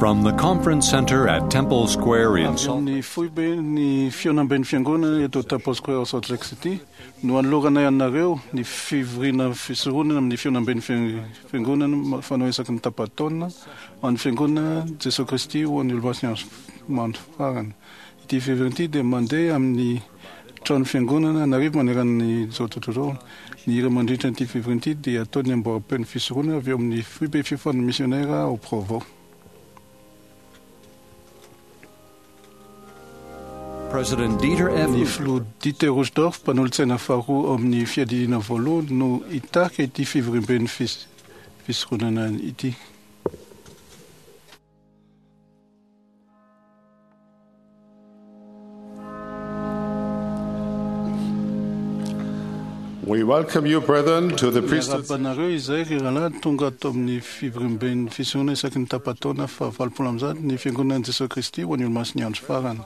From the Conference Center at Temple Square in Avy Salt amin'ny foiben'ny fihaonamben'ny fiangonana eto Temple Square ao Salt Lake City no anoloranay anareo ny fivoriana fisoronana amin'ny fihaonamben'ny fiangonana fanao isaky ny tapa-taona ho an'ny fiangonana Jesoa Kristy ho an'ny Olomasina andro farany. Ity fivoriana ity dia mandeha amin'ny trano fiangonana an'arivo manerana izao tontolo izao. Ny hira mandritra ity fivoriana ity dia ataon'ny amboaram-peon'ny fisoronana avy eo amin'ny foibe fiofanan'ny misionera ao Provo. President Dieter F. Ny filoha Dieter Uchtdorf, mpanolotsaina faharoa ao amin'ny fiadidiana voalohany no hitarika ity fivoriamben'ny fisoronana ity. We welcome you, brethren, to the priesthood. Miarahaba anareo izay ry rahalahy tonga ato amin'ny fivoriamben'ny fisoronana isaky ny tapa-taona faha 180 ny Fiangonan'i Jesoa Kristy ho an'ny Olomasin'ny Andro Farany.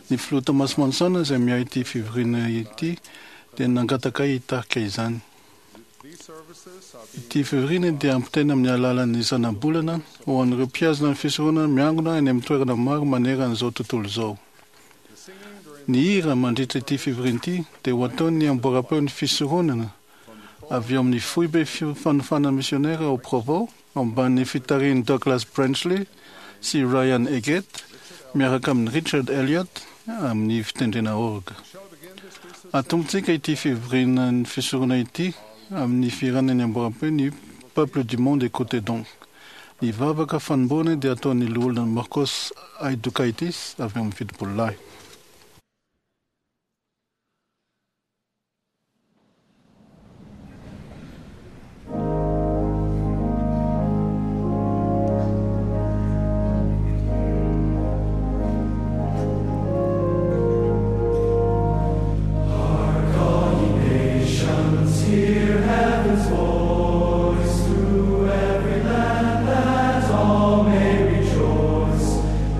Ny filoha Thomas Monson izay miahy ity fivoriana ity dia nangataka ahy hitarika izany. Ity fivoriana dia ampitaina amin'ny alalan'ny zanabolana ho an'ireo mpihazona ny fisoronana miangona any amin'ny toerana maro manerana izao tontolo izao. Ny hira mandritra ity fivoriana ity dia ho ataon'ny amboaram-peon'ny fisoronana avy eo amin'ny foibe fanofanana misionera ao Provo, ambanin'ny fitarihin'i Douglas Brenchley sy Ryan Eggett miaraka amin'i Richard Elliott amin'ny fitendrena orga. Atombotsika ity fivorian'ny fisorona ity amin'ny fihirana ny amboaram-peo ny Peuple du monde écoutez donc. Ny vavaka fanombohana dia ataon'ny loholona Marcos Aidukaitis avy ao amin'ny Fitopololahy. Hear heaven's voice through every land that all may rejoice.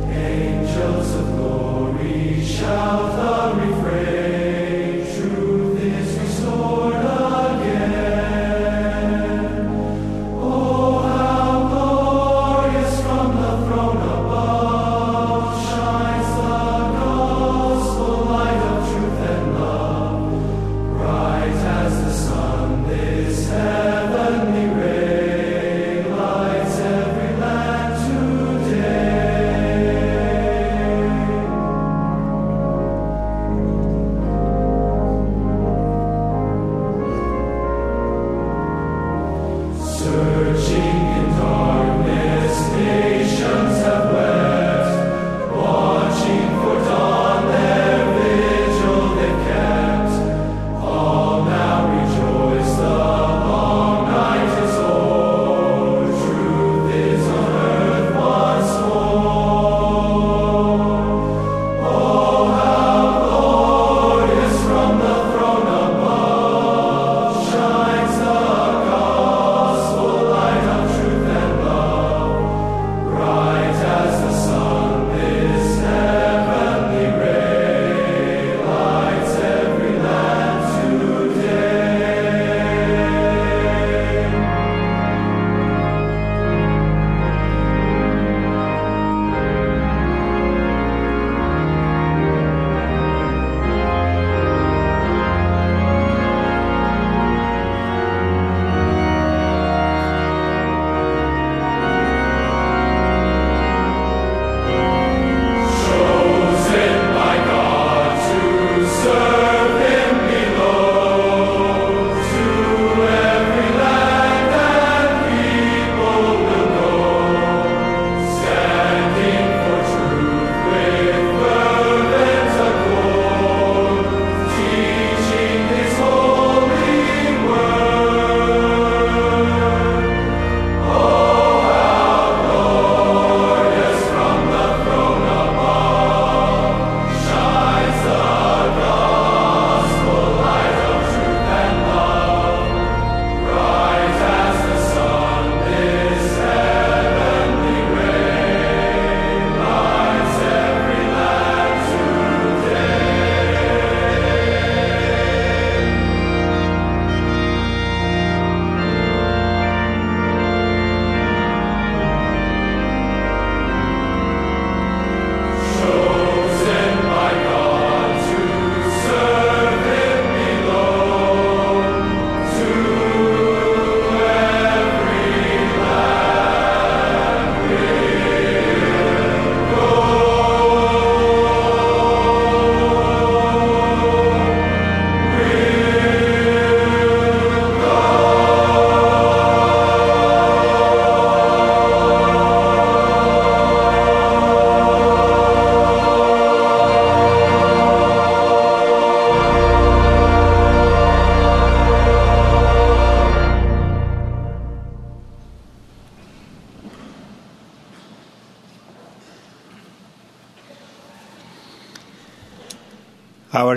Angels of glory shout the refrain. Truth is restored again. Oh, how glorious from the throne above shines the gospel light of truth and love. Bright as the sun, this heavenly ray lights every land today.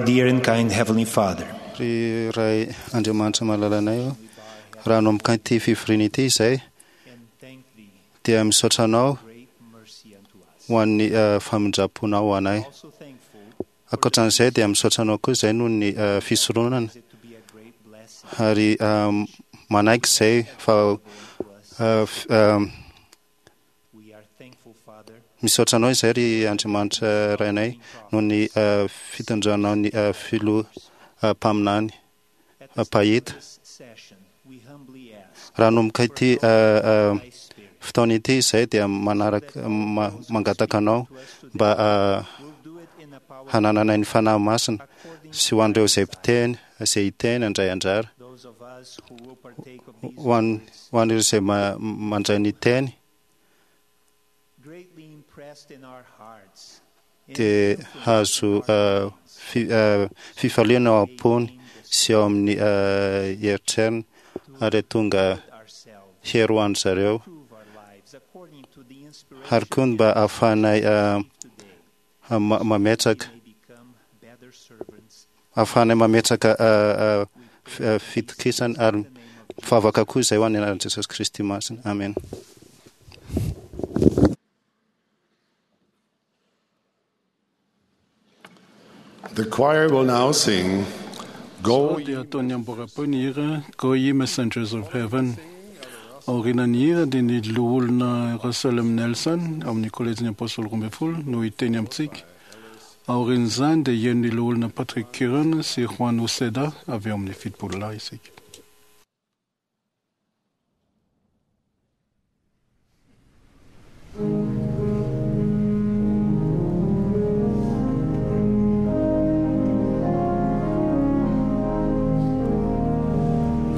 dear and kind Heavenly Father, Ry Ray Andriamanitra malalanay ô, raha hanomboka ity fivoriana ity izay dia misaotra anao ho an'ny famindram-ponao ho anay. Ankoatran'izay dia misaotra anao koa izay noho ny fisoronana ary manaiky izay fa misaotra anao izay ry Andriamanitra Rainay noho ny fitondranao ny filoha mpaminany mpahita. Raha hanomboka ity fotoana ity izay dia manaraka mangataka anao mba hanananay ny Fanahy Masina sy ho an'ireo izay mpiteny izay hiteny handray anjara, ho an'ireo izay mandray ny teny dia hahazo fifaliana ao am-pony sy ao amin'ny eritreriny ary tonga hery ho an-dry zareo, ary koa mba ahafahanay mametraka ahafahanay mametraka fitokisana ary mivavaka koa izay ho an'ny anaran'i Jesosy Kristy masina. Amen. The choir will now sing Go Izao dia ataon'ny amboram-peo ny hira Go Ye Messengers of Heaven. Aorianan'ny hira dia ny loholona Russell M. Nelson ao amin'ny Kolejin'ny Apôstôly 12 no hiteny amintsika. Aorian'izany dia hihaino ny loholona Patrick Curran sy Juan Uceda avy ao amin'ny Fitopololahy isika.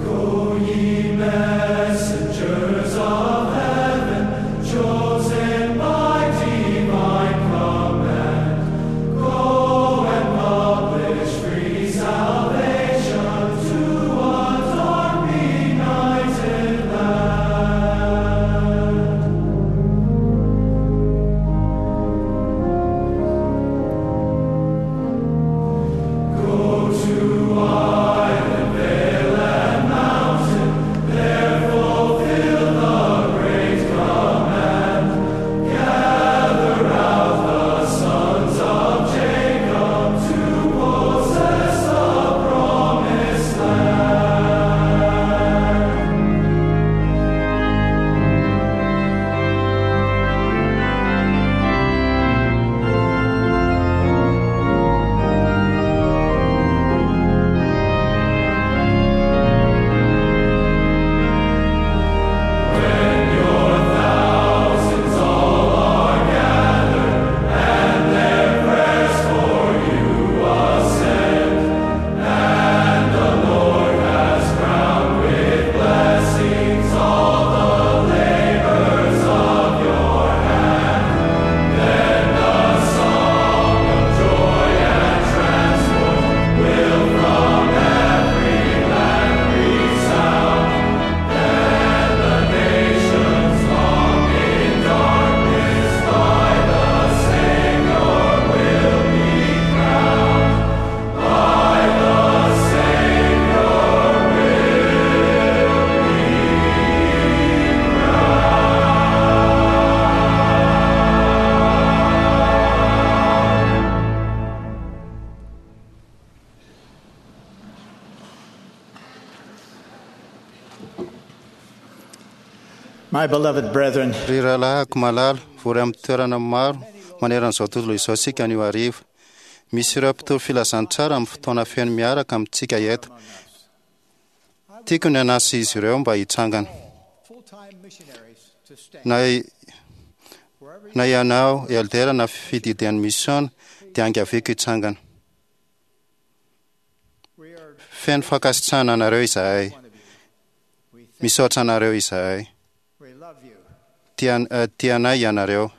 Go ye messengers of heaven, chosen by divine command, go and publish free salvation to a dark benighted land. Go to island, vale, and mountain, there fulfill the great command. Gather out the sons of Jacob to possess the promised land. When your thousands all are gathered and their prayers for you ascend, and the Lord has crowned with blessings all the labors of your hand, then the song of joy and transport will from every land resound. Then the nations long in darkness by the Savior will be crowned. By the Savior will be My beloved brethren, Ry rahalahiko malala, vory amin'ny toerana maro maneran'izao tontolo izao isika anio hariva. Misy ireo mpitory filazantsara amin'ny fotoana feno miaraka amintsika eto. Tiako ny hanasa izy ireo mba hitsangana. Na, na ianao, eldera na fididian'ny misiona, dia angaviako hitsangana. Feno fankasitrahana anareo izahay. Misaotra anareo izahay. Tianay ianareo.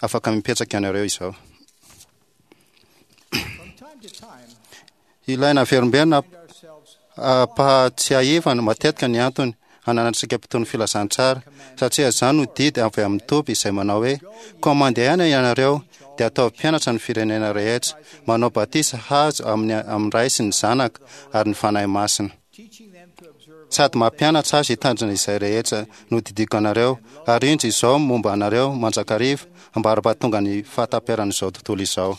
Afaka mipetraka ianareo izao. Ilaina averimberina ampahatsiahivana matetika ny antony hananantsika mpitory ny filazantsara, satria izany no didy avy amin'ny Tompo izay manao hoe, Koa mandehana ianareo, dia ataovy mpianatra ny firenena rehetra, manao batisa hazo amin'ny amin'ny Ray sy ny Zanaka ary ny Fanahy Masina. Sady mampianatra azy hitandrina izay rehetra nodidiako anareo, ary indro izao momba anareo mandrakariva, ambara-pahatonga ny fahataperan'izao tontolo izao.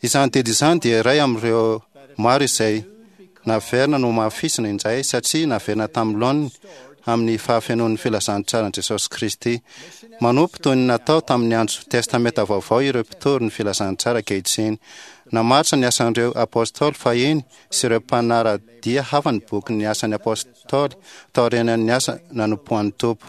Izany didy izany dia iray amin'ireo maro izay naverina nohamafisina indray satria naverina tamin'ny laoniny amin'ny fahafenoan'ny filazantsaran'i Jesosy Kristy. Manompo toy ny natao tamin'ny andro Testamenta Vaovao ireo mpitory ny filazantsara ankehitriny. Namaritra ny asan'ireo apôstôly fahiny sy ireo mpanara-dia hafa ny bokin'ny Asan'ny Apôstôly taorian'ny asa nanompoan'ny Tompo.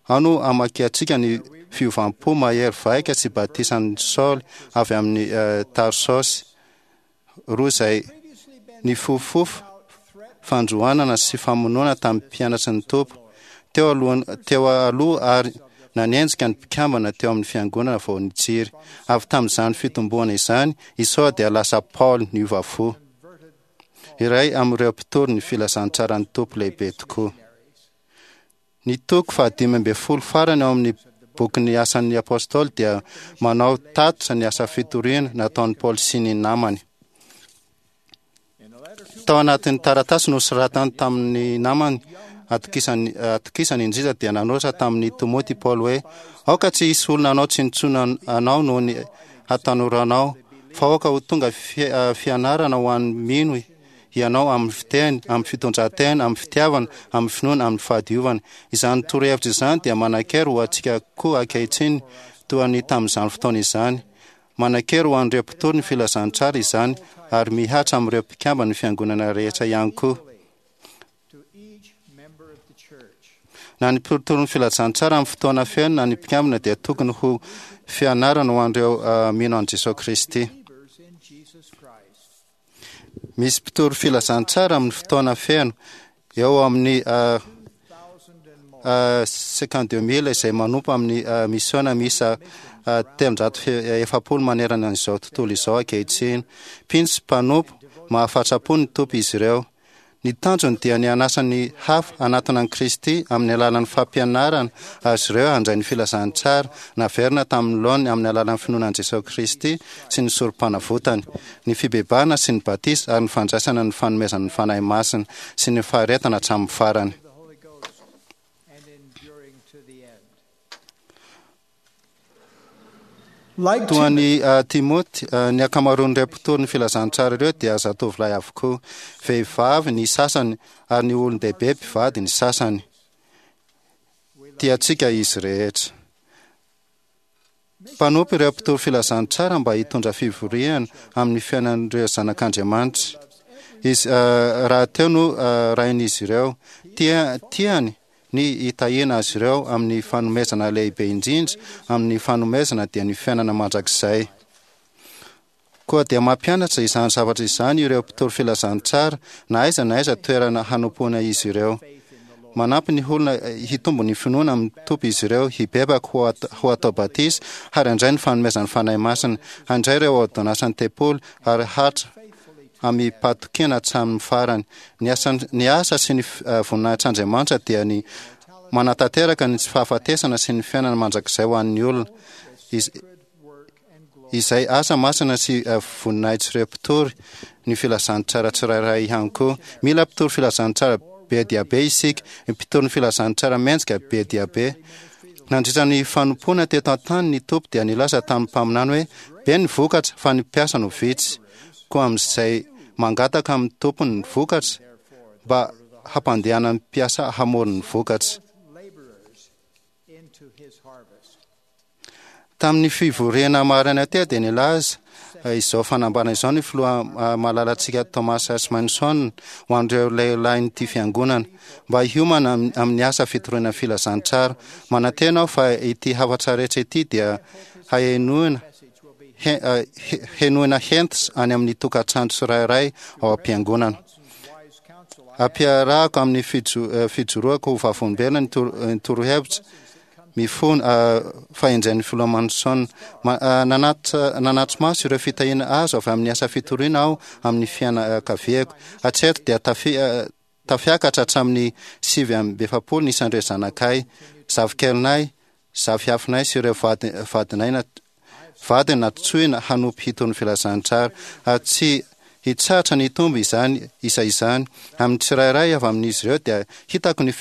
Ao no amakiantsika ny fiovam-po mahery vaika sy batisan'i Saoly avy amin'i Tarsosy, roa izay nifofofofo fandroanana sy famonoana tamin'ny mpianatry ny Tompo teo aloha teo aloha ary nanenjika ny mpikambana teo amin'ny fiangonana vao nitsiry. Avy tamin'izany fitomboana izany, i Saoly dia lasa Paoly niova fo, iray amin'ireo mpitory ny filazantsaran'ny Tompo lehibe tokoa. Ny toko faha-15 farany ao amin'ny bokin'ny Asan'ny Apôstôly dia manao tatitra ny asa fitoriana nataon'i Paoly sy ny namany. Tao anatin'ny taratasy nosoratany tamin'ny namany atokisany, atokisany indrindra dia nanoratra tamin'i Timoty i Paoly hoe, Aoka tsy hisy olona hanao tsinontsinona anao noho ny hatanoranao, fa aoka ho tonga fianarana ho an'ny mino ianao amin'ny fiteny, amin'ny fitondran-tena, amin'ny fitiavana, amin'ny finoana, amin'ny fahadiovana. Izany torohevitra izany dia manan-kery ho antsika koa ankehitriny, toa ny tamin'izany fotoana izany. Manan-kery ho an'ireo mpitory ny filazantsara izany, ary mihatra amin'ireo mpikamban'ny fiangonana rehetra ihany koa. Na ny mpitory ny filazantsara amin'ny fotoana feno na ny mpikambana dia tokony ho fianarana ho an'ireo mino an'i Jesosy Kristy. Misy mpitory filazantsara amin'ny fotoana feno eo amin'ny 52 000 izay manompo amin'ny misiona miisa 340 manerana an'izao tontolo izao ankehitriny. Mpino sy mpanompo mahafatrapo ny Tompo izy ireo. Ny tanjony dia ny hanasa ny hafa hanatona an'i Kristy amin'ny alalan'ny fampianarana azy ireo handray ny filazantsara naverina tamin'ny laoniny amin'ny alalan'ny finoana an'i Jesoa Kristy sy ny Sorompanavotany, ny fibebahana sy ny batisa ary ny fandraisana ny fanomezan'ny Fanahy Masina sy ny faharetana hatramin'ny farany. Toa an'i Timoty, ny ankamaroan'ireo mpitory ny filazantsara ireo dia zatovolahy avokoa, vehivavy ny sasany ary ny olon-dehibe mpivady ny sasany. Tiantsika izy rehetra. Mpanompo ireo mpitory filazantsara mba hitondra fivoriana amin'ny fiainan'ireo zanak'Andriamanitra. Izy rahateo no Rain'izy ireo. Tiany ny hitahiana azy ireo amin'ny fanomezana lehibe indrindra amin'ny fanomezana dia ny fiainana mandrakizay. Koa dia mampianatra izany zavatra izany ireo mpitory filazantsara na aiza na aiza toerana hanompoana izy ireo. Manampy ny olona hitombo ny finoana amin'ny Tompo izy ireo, hibebaka, ho atao batisa, ary handray ny fanomezan'ny Fanahy Masina, handray ireo ôrdônansan'ny tempoly, ary hatra amim-pahatokiana hatramin'ny farany. Ny asa, ny asa sy ny voninahitr'Andriamanitra dia ny manatanteraka ny tsy fahafatesana sy ny fiainana mandrakizay ho an'ny olona, izay asa masina sy voninahitr'ireo mpitory ny filazantsara tsirairay ihany koa. Mila mpitory filazantsara be dia be isika, mpitory ny filazantsara mendrika be dia be. Nandritra ny fanompoana teto an-tany ny Tompo dia nilaza tamin'ny mpaminany hoe, Be ny vokatra, fa ny mpiasa no vitsy. Koa amin'izay mangataka amin'ny Tompony ny vokatra, mba hampandehanany mpiasa hamory ny vokatra. Tamin'ny fivoriana maraina teo dia nilaza izao fanambarana izao ny filoha malalantsika Thomas S. Monson ho an'ireo lehilahin'ity fiangonana mba hiomana amin'ny asa fitoriana filazantsara. Manantena aho fa ity hafatra rehetra ity dia hahenoina henoina hentitra any amin'ny tokantrano tsirairay ao am-piangonana. Ampiarahako amin'ny fijoroako ho vavolombelona ny torohevitra mifono fahendren'ny Filoha Monson. Nanatri-maso ireo fitahiana azo avy amin'ny asa fitoriana aho amin'ny fianakaviako. Hatreto dia tafiakatra hatramin'ny 49 ny isan'ireo zanakay, zafikelinay, zafiafinay sy ireo vadinay vadiny nantsoina hanompo hitory ny filazantsara, ary tsy hitsahatra ny hitombo izany isa izany. Amin'ny tsirairay avy amin'izy ireo dia hitako ny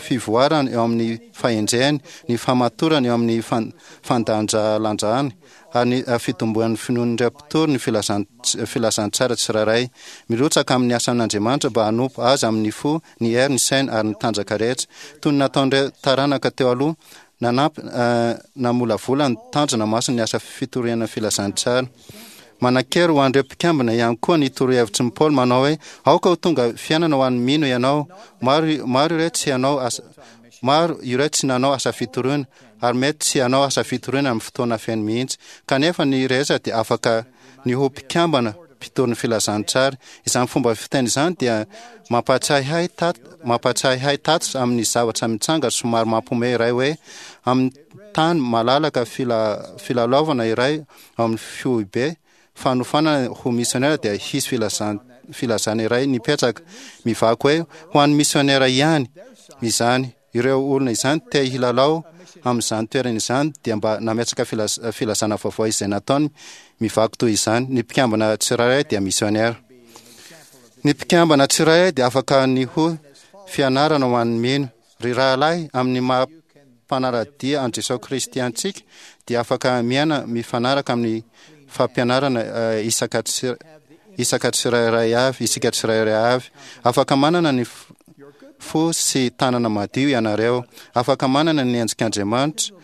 fivoarany eo amin'ny fahendreny, ny fahamatorany eo amin'ny fandanjalanjany, ary ny fitomboan'ny finoan'ireo mpitory ny filazantsara tsirairay. Mirotsaka amin'ny asan'Andriamanitra mba hanompo Azy amin'ny fo, ny hery, ny saina ary ny tanjaka rehetra, toy ny nataon'ireo taranaka teo aloha, nanampy namolavola ny tanjona masin'ny asa fitoriana ny filazantsara. Manan-kery ho an'ireo mpikambana ihany koa ny torohevitry ny Paoly manao hoe, Aoka ho tonga fiainana ho an'ny mino ianao. Maro, maro ireo tsy hanao asa, maro ireo tsy nanao asa fitoriana, ary mety tsy hanao asa fitoriana amin'ny fotoana feno mihitsy. Kanefa ny rehetra dia afaka ny ho mpikambana mpitory ny filazantsara. Izany fomba fiteny izany dia mampahatsiahy ahy tat, mampahatsiahy ahy tatitra amin'ny zavatra mitranga somary mampiomehy iray hoe amin'ny tany malalaka fila, filalaovana iray ao amin'ny foibe fanofanana ho misionera dia hisy filazan, filazana iray nipetraka mivaky hoe ho an'ny misionera ihany izany. Ireo olona izany te hilalao amin'izany toerana izany dia mba nametraka filazana vaovao izay nataony mivaky toy izany, ny mpikambana tsirairay dia misionera. Ny mpikambana tsirairay dia afaka ny ho fianarana ho an'ny mino. Ry rahalahy, amin'ny maha mpanara-dia an'i Jesosy Kristy antsika dia afaka miaina mifanaraka amin'ny fampianarana isaka isaka tsirairay avy, isika tsirairay avy. Afaka manana ny fo sy tanana madio ianareo. Afaka manana ny endrik'Andriamanitra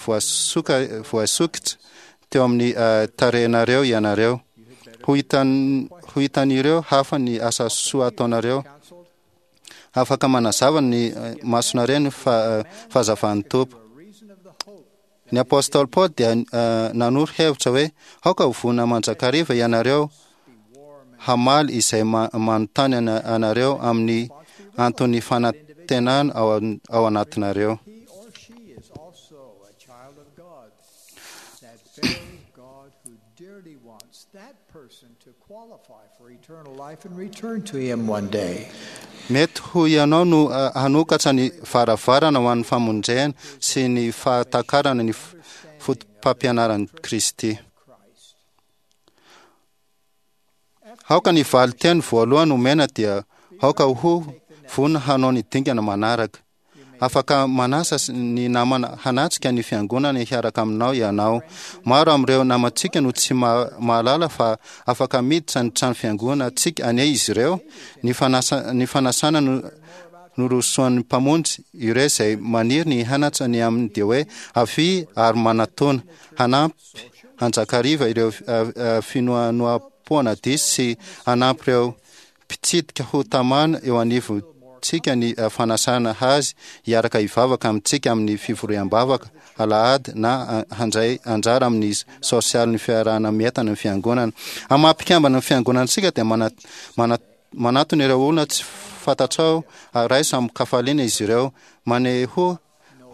voasoka voasokitra teo amin'ny tarehinareo ianareo. Ho hitan ho hitan'ireo hafa ny asa soa ataonareo. Afaka manazava ny masonareo ny fahazavan'ny Tompo. Ny apostoly Paoly dia nanoro hevitra hoe, Aoka ho vonona mandrakariva ianareo hamaly izay manontany anareo amin'ny anton'ny fanantenana ao anatinareo. Mety ho ianao no hanokatra ny varavarana ho an'ny famonjena sy ny fahatakarana ny fotopampianaran'i Kristy. Aoka ny valin-teny voalohany omena dia aoka ho vonona hanao ny dingana manaraka. Afaka manasa ny namana hanatrika ny fiangonana hiaraka aminao ianao. Maro amin'ireo namantsika no tsy mahalala fa afaka miditra ny trano fiangonantsika anie izy ireo. Ny fanasa, ny fanasana no norosoan'ny Mpamonjy ireo izay maniry ny hanatsa ny aminy dia hoe avia ary manatona. Hanampy hanjakariva ireo finoanoam-poana diso sy hanampy ireo mpitsidika ho tamana eo anivontsika ny fanasana azy hiaraka hivavaka amintsika amin'ny fivoriam-bavaka alahady na handray anjara amin'ny sosialin'ny fiarahana mientana ny fiangonana. Amin'ny maha mpikambana ny fiangonantsika dia manatona ireo olona tsy fantatrao ary raiso amin-kafaliana izy ireo. Manehoa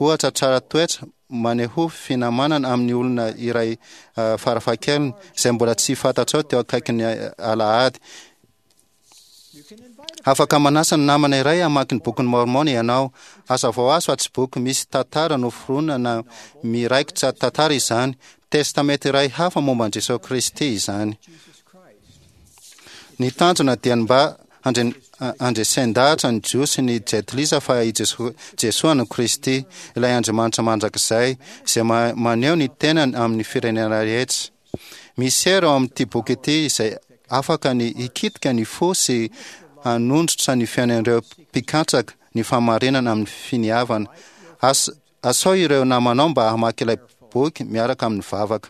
ohatra tsara toetra, manehoa finamanana amin'ny olona iray farafahakeliny izay mbola tsy fantatrao teo akaikin'ny alahady. Afaka manasa ny namana iray hamaky ny Bokin'i Môrmôna ianao. Hazavao azy fa tsy boky misy tantara noforonina na miraikitra tantara izany. Testamenta iray hafa momba an'i Jesoa Kristy izany. Ny tanjona dia ny mba handresen-dahatra ny Jiosy sy ny Jentilisa fa i Jesoa no Kristy, ilay Andriamanitra mandrakizay, izay maneho ny tenany amin'ny firenena rehetra. Misy hery ao amin'ity boky ity izay afaka ny hikitika ny fo sy hanondrotra ny fiainan'ireo mpikatsaka ny fahamarinana amin'ny finiavana. Asao ireo namanao mba hamaky ilay boky miaraka amin'ny vavaka.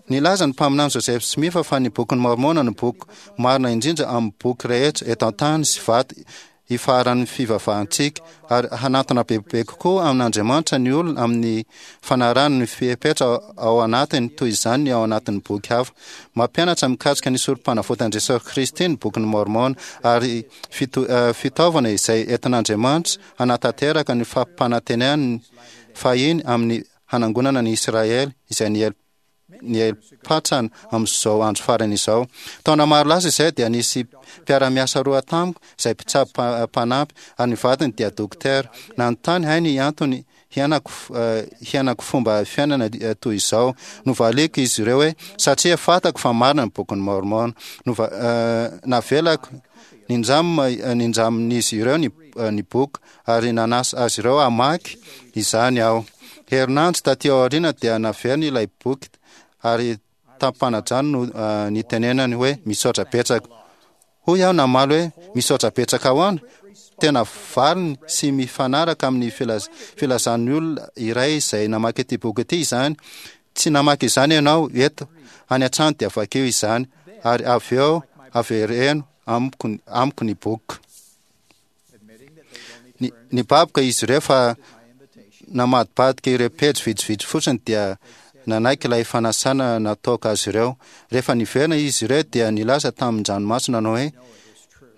Nilaza ny mpaminany Joseph Smith fa ny Bokin'i Môrmôna no boky marina indrindra amin'ny boky rehetra eto an-tany sy vato ifaharan'ny fivavahantsika, ary hanatona bebe kokoa amin'Andriamanitra ny olona amin'ny fanarahany ny fepetra ao anatiny, toy izany ny ao anatin'ny boky hafa. Mampianatra mikasika ny Sorompanavotan'i Jesosy Kristy ny Bokin'i Môrmôna, ary fitaovana izay entin'Andriamanitra hanatanteraka ny fampanantenany fahiny amin'ny hanangonana ny Isiraely izay niely. niely-patrana amin'izao andro farany izao. Taona maro lasa izay dia nisy mpiara-miasa roa tamiko izay mpitsabo mpanampy ary ny vadiny dia dokotera. Nanontany ahy ny antony hiainako hiainako fomba fiainana toy izao. Novaliko izy ireo hoe satria fantako fa marina ny Bokin'i Môrmôna. Nova navelako nindram nindramin'izy ireo ny ny boky ary nanasa azy ireo hamaky izany aho. Herinandro taty aoriana dia naveriny ilay boky ary tamim-panajana no nitenenany hoe misaotra betsaka. Hoy aho namaly hoe misaotra betsaka ahoana? Tena valiny sy mifanaraka amin'ny filazan'ny olona iray izay namaky ity boky ity izany. Tsy namaky izany ianao eto, any an-trano dia vakio izany ary avy eo avereno amiko ny boky. Nibaboka izy ireo fa namadibadika ireo pejy vitsivitsy fotsiny dia nanaiky ilay fanasana nataoko azy ireo. Rehefa niverina izy ireo dia nilaza tamin-dranomaso nanao hoe,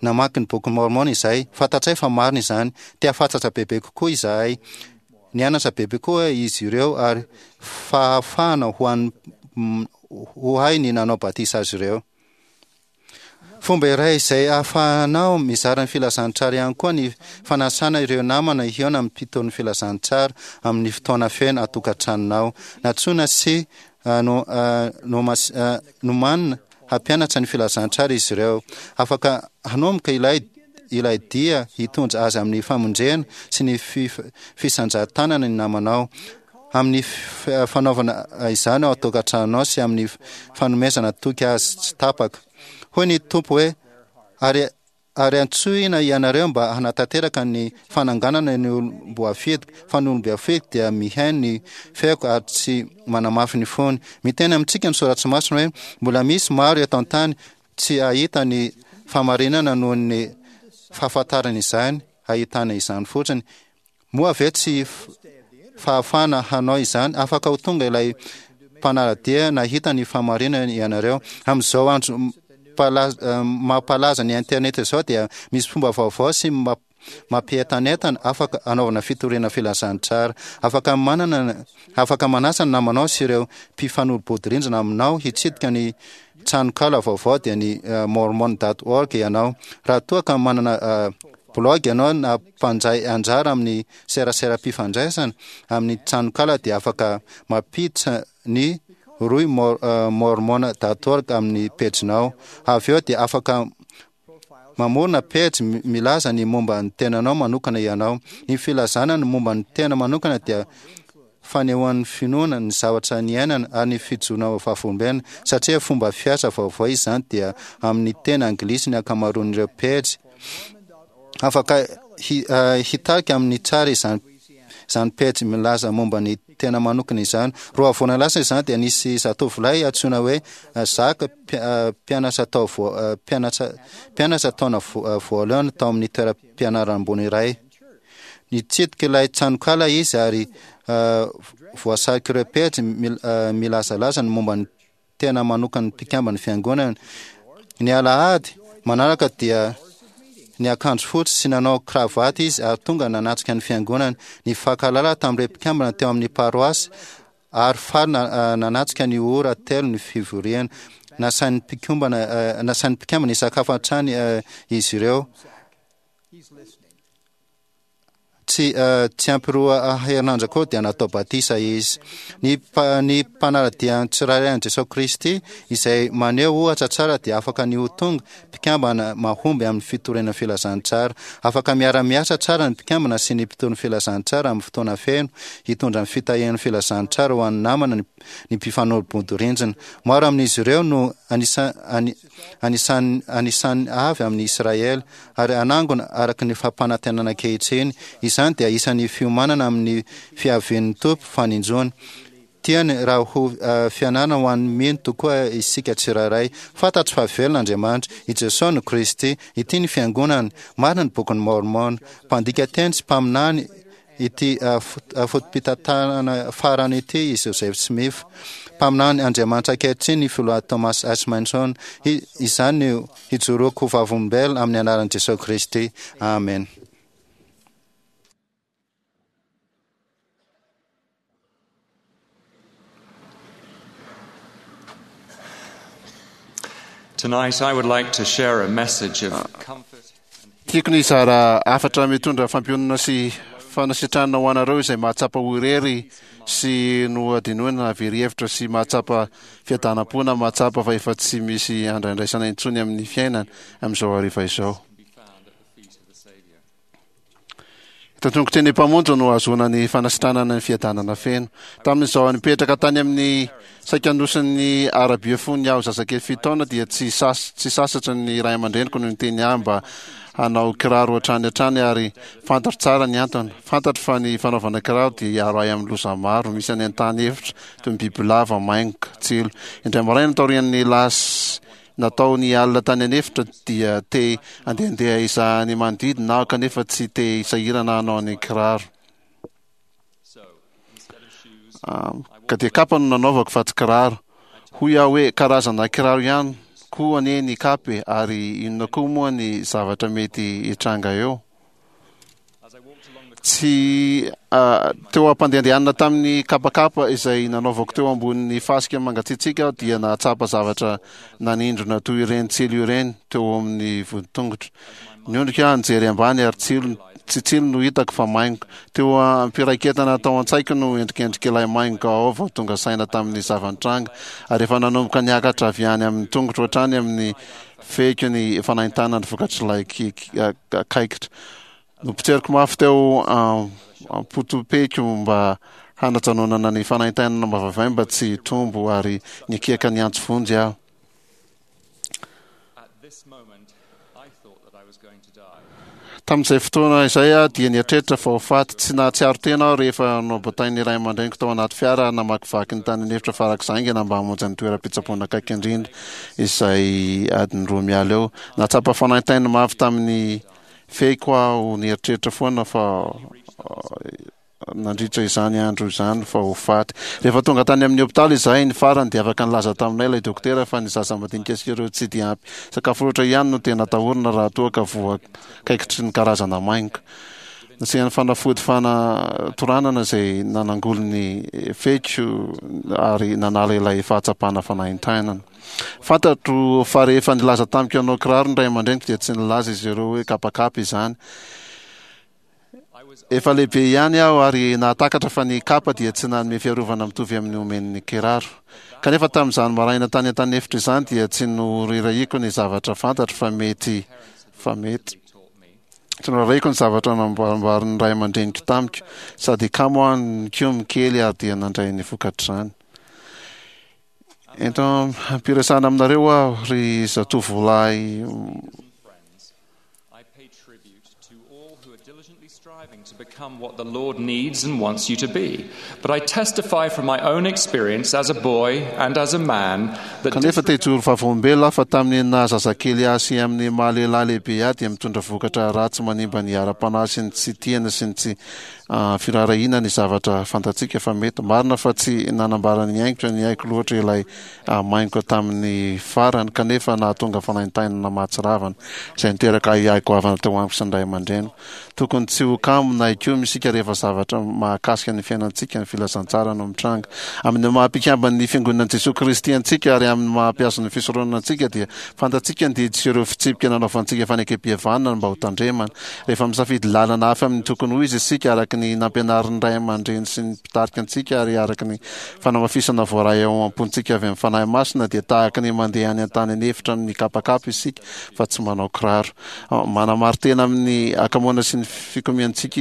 Namaky ny Bokin'i Môrmôna izahay. Fantatray fa marina izany. Te hahafantatra bebe kokoa izahay. Nianatra bebe koa izy ireo ary fahafahana ho an'ny ho hay ny nanao batisa azy ireo. Fomba iray izay ahafahanao mizara ny filazantsara ihany koa ny fanasana ireo namana hihaona amin'ny mpitory ny filazantsara amin'ny fotoana feno an-tokantranonao. Nantsoina sy nomanina hampianatra ny filazantsara izy ireo. Afaka hanomboka ilay ilay dia hitondra azy amin'ny famonjena sy ny fisandratanana ny namanao. Amin'ny fanaovana izany ao an-tokantranonao sy amin'ny fanomezana toky azy tsy tapaka. Hoy ny Tompo hoe, Ary, ary antsoina ianareo mba hanatanteraka ny fananganana ny olom-boafidiko, fa ny olom-boafidiko dia mihaino ny feoko ary tsy manamafy ny fony. Miteny amintsika ny Soratra Masina hoe, Mbola misy maro eto an-tany tsy hahita ny fahamarinana noho ny fahafantarana izany, hahitana izany fotsiny. Moa ve tsy fahafahana hanao izany? Afaka ho tonga ilay mpanara-dia nahita ny fahamarinana ianareo. Amin'izao andro mampalaza ny internet izao dia misy fomba vaovao sy mampientanentana afaka anaovana fitoriana filazantsara. Afaka manana afaka manasa ny namanao sy ireo mpifanolo-bodirindrina aminao hitsidika ny tranonkala vaovao dia ny mormon dot org ianao. Raha toa ka manana Blog ianao na mpandray anjara amin'ny seraseram-pifandraisana amin'ny tranonkala dia afaka mampiditra ny rohy mormon dot org amin'ny pejinao. Avy eo dia afaka mamorona pejy milaza ny momba ny tenanao manokana ianao. Ny filazana ny momba ny tena manokana dia fanehoan'ny finoana ny zavatra niainana ary ny fijoroana ho vavolombelona. Satria fomba fiasa vaovao izany dia amin'ny teny anglisy ny ankamaroan'ireo pejy. Afaka hitarika amin'ny tsara izany izany pejy milaza momba ny tena manokana izany. Roa volana lasa izany dia nisy zatovolahy antsoina hoe Zaka mpianatra tao mpianatra mpianatra taona voalohany tao amin'ny toeram-pianarana ambony iray. Nitsidika ilay tranonkala izy ary voasarik'ireo pejy milazalaza ny momba ny tena manokan'ny mpikamban'ny fiangonana. Ny alahady manaraka dia niakanjo fotsy sy nanao kravaty izy ary tonga nanatrika ny fiangonana. Nifankahalala tamin'ireo mpikambana teo amin'ny paroasy ary faly nanatrika ny ora telo ny fivoriana. Nasain'ny mpikambana nasain'ny mpikambana hisakafo hatrany izy ireo. Tsy tsy ampy roa herinandro akory dia natao batisa izy. Ny ny mpanara-dia tsirairay an'i Jesoa Kristy izay maneho ohatra tsara dia afaka ny ho tonga mpikambana mahomby amin'ny fitoriana filazantsara. Afaka miara-miasa tsara ny mpikambana sy ny mpitory ny filazantsara amin'ny fotoana feno hitondra ny fitahian'ny filazantsara ho an'ny namana ny ny mpifanolo-bodirindrina. Maro amin'izy ireo no anisa anisan'ny anisan'ny avy amin'i Israely ary hanangona araka ny fampanantenana ankehitriny. Izany dia isan'ny fiomanana amin'ny fiavian'ny Tompo faninjoany. Tiany raha ho fianarana ho an'ny mino tokoa isika tsirairay. Fantatro fa velona Andriamanitra. I Jesoa no Kristy. Ity ny Fiangonany. Marina ny Bokin'i Môrmôna. Mpandika teny sy mpaminany ity foto-pitantanana farany ity i Joseph Smith. Mpaminany Andriamanitra ankehitriny ny Filoha Thomas S. Monson. Izany no hijoroako ho vavolombelona amin'ny anaran'i Jesoa Kristy. Amen. Tonight I would like to share a message of comfort. Tiako ny hizara hafatra mitondra fampiononana sy fanasitranana ho anareo izay mahatsapa ho irery sy nohadinoina na very hevitra sy mahatsapa fiadanam-po na mahatsapa fa efa tsy misy andraindraisana intsony amin'ny fiainana amin'izao hariva izao. Eto an-tongotry ny Mpamonjy no ahazoana ny fanasitranana ny fiadanana feno. Tamin'izaho nipetraka tany amin'ny saika nosin'ny Arabia fony aho zazakely 7 taona dia tsy sas tsy sasatra ny ray aman-dreniko no niteny ahy mba hanao kiraro hatrany hatrany ary fantatro tsara ny antony. Fantatro fa ny fanaovana kiraro dia hiaro ahy amin'ny loza maro misy any an-tany efitra toy ny bibilava, maingoka, tsilo. Indray maraina taorian'ny lasy Natao ny alina tany an'efitra dia te handehandeha hizaha ny manodidina aho kanefa tsy te hisahirana hanao ny kiraro. Ka dia kapa no nanaovako fa tsy kiraro. Hoy aho hoe karazana kiraro ihany koa anie ny kapa e, ary inona koa moa ny zavatra mety hitranga eo? Tsy teo am-pandehandehanana tamin'ny kapakapa izay nanaovako teo ambonin'ny fasika mangatsiatsiaka aho dia nahatsapa zavatra nanindrona toy ireny tsilo ireny teo amin'ny voditongotro. Niondrika aho nijery ambany ary tsilo tsy tsilo no hitako fa maingoka. Teo am-piraiketana tao an-tsaiko no endrikendrik'ilay maingoka ao vao tonga saina tamin'ny zava-nitranga ary efa nanomboka niakatra avy any amin'ny tongotro hatrany amin'ny fehiko ny fanaintainana vokatr'ilay kaikitra. Nopotseriko mafy teo am-potopeko mba hanajanonana ny fanaintainana mavavay mba tsy hitombo ary nikiaka niantso vonjy aho. Tamin'izay fotoana izay aho dia nieritreritra fa ho faty. Tsy nahatsiaro tena aho rehefa nobatain'ny ray aman-dreniko tao anaty fiara ary namakivaky ny tany an'efitra farak'izay haingana mba hamonjy ny toeram-pitsaboana akaiky indrindra izay adiny roa miala eo. Nahatsapa fanaintaina mafy tamin'ny fehiko aho nieritreritra foana fa nandritra izany andro izany fa ho faty. Rehefa tonga tany amin'ny hopitaly izahay ny farany dia afaka nilaza taminay ilay dokotera fa ny zaza madinika sy ireo tsy dia ampy sakafo loatra ihany no tena atahorana raha toa ka voakaikitry ny karazana maingoka. Nasiany fanafody fanatoranana izay nanangoly ny fehiko ary nanala ilay fahatsapana fanaintainana. Fantatro fa rehefa nilaza tamiko hanao kiraro ny ray aman-dreniko dia tsy nilaza izy ireo hoe kapakapa izany. Efa lehibe ihany aho ary nahatakatra fa ny kapa dia tsy nanome fiarovana mitovy amin'ny omen'ny kiraro. Kanefa tamin'izany maraina tany an-taniefitra izany dia tsy norirahiko ny zavatra fantatro fa mety fa mety. Tsy norahiko ny zavatra namboarimboarin'ny ray aman-dreniko tamiko. Sady kamo aho nikomy kely ary dia nandray ny vokatr'izany. Ento ampiresahana aminareo aho ry zatovolahy. I pay tribute to all who are diligently striving to become what the Lord needs and wants you to be. But I testify from my own experience as a boy and as a man that Kanefa te hijoro vavolombelona aho fa tamin'ny naha zazakely ahy sy amin'ny maha lehilahy lehibe ahy dia mitondra vokatra ratsy manimba ny ara-panahy sy ny tsy tiana sy ny tsy firaharahiana ny zavatra fantatsika fa mety. Marina fa tsy nanambara ny aingotra ny aiko loatra ilay maingoka tamin'ny farany, kanefa nahatonga fanaintainana mahatsiravina, izay niteraka ahiahy goavana teo amiko sy ny ray aman-dreniko. Tokony tsy ho kamo na hikomy isika rehefa zavatra mahakasika ny fiainantsika ny filazantsara no mitranga. Amin'ny maha mpikamban'ny Fiangonan'i Jesoa Kristy antsika ary amin'ny maha mpiazon'ny fisoronana antsika dia fantatsika ny didy sy ireo fitsipika nanaovantsika fanekempihavanana mba hotandremana. Rehefa misafidy lalana hafa amin'ny tokony ho izy isika araka ny nampianarin'ny ray aman-dreny sy ny mpitarika antsika ary araka ny fanamafisana voaray ao am-pontsika avy amin'ny Fanahy Masina dia tahaka ny mandeha any an-tany an'efitra mikapakapa isika fa tsy manao kiraro. Manamari-tena amin'ny hakamoana sy ny fikomiantsika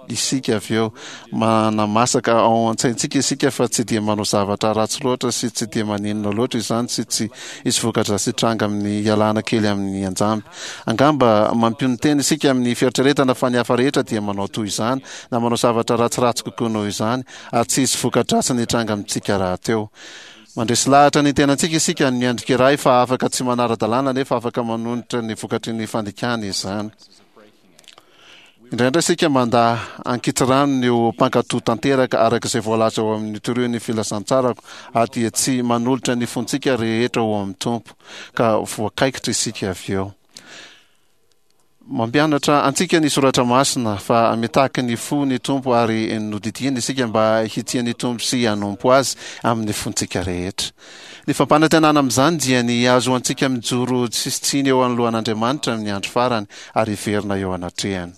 isika avy eo. Manamasaka ao an-tsaintsika isika fa tsy dia manao zavatra ratsy loatra sy tsy dia maninona loatra izany sy tsy hisy voka-dratsy hitranga amin'ny hialana kely amin'ny anjamby. Angamba mampionon-tena isika amin'ny fieritreretana fa ny hafa rehetra dia manao toy izany na manao zavatra ratsiratsy kokoa noho izany ary tsy hisy voka-dratsiny hitranga amintsika rahateo. Mandresy lahatra ny tenantsika isika ny endrika iray fa afaka tsy manara-dalàna nefa afaka manonitra ny vokatry ny fandikana izany. Indraindray isika mandà ankitsirano ny ho mpankatò tanteraka araka izay voalaza ao amin'ny Torio ny Filazantsarako ary dia tsy manolotra ny fontsika rehetra ho amin'ny Tompo, ka voakaikitra isika avy eo. Mampianatra antsika ny Soratra Masina fa mitaky ny fo ny Tompo ary nodidiany isika mba hitia ny Tompo sy hanompo Azy amin'ny fontsika rehetra. Ny fampanantenana amin'izany dia ny hahazoantsika mijoro tsisy tsiny eo anoloan'Andriamanitra amin'ny andro farany ary hiverina eo anatrehany.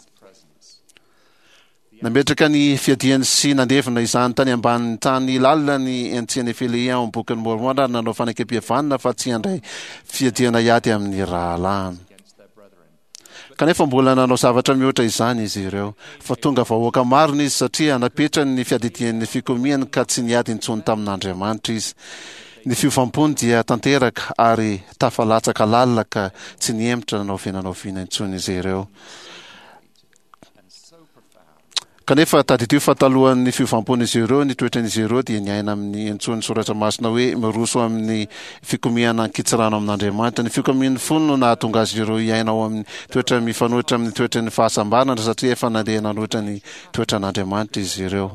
Nametraka ny fiadiany sy nandevina izany tany ambanin'ny tany lalina ny Antia-Nefilehia ao amin'ny Bokin'i Môrmôna ary nanao fanekempihavanana fa tsy handray fiadiana hiady amin'ny rahalahiny. Kanefa mbola nanao zavatra mihoatra izany izy ireo. Fa tonga vahoaka marina izy satria napetrany ny fiadidian'ny fikomiany ka tsy niady intsony tamin'Andriamanitra izy. Ny fiovam-pony dia tanteraka ary tafalatsaka lalina ka tsy nihemotra na oviana na oviana intsony izy ireo. Kanefa tadidio fa talohan'ny fiovam-pon'izy ireo, ny toetran'izy ireo dia niaina amin'ny antsoin'ny Soratra Masina hoe miroso amin'ny fikomiana an-kitsirano amin'Andriamanitra. Ny fikomian'ny fony no nahatonga azy ireo hiaina ao amin'ny toetra mifanohitra amin'ny toetran'ny fahasambarana satria efa nandeha nanohitra ny toetran'Andriamanitra izy ireo.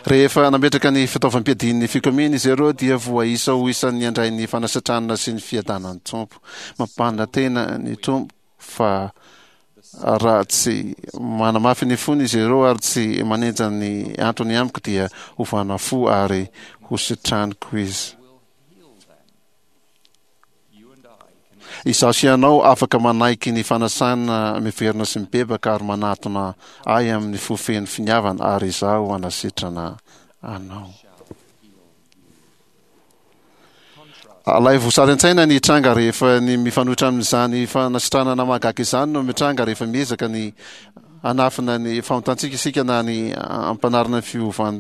Rehefa nametraka ny fitaovam-piadian'ny fikomiana izy ireo dia voaisa ho isan'ny handray ny fanasitranana sy ny fiadanan'ny Tompo. Mampanantena ny Tompo fa raha tsy manamafy ny fony izy ireo ary tsy manenja ny antony amiko dia hovana fo ary hositraniko izy. Izaho sy ianao afaka manaiky ny fanasana miverina sy mibebaka ary manatona ahy amin'ny fo feno finiavana ary izaho hanasitrana anao. Alaivo sary an-tsaina ny hitranga rehefa ny mifanohitra amin'izany fanasitranana mahagaga izany no mitranga rehefa miezaka ny hanafina ny fahotantsika isika na ny hampanarina ny fiovan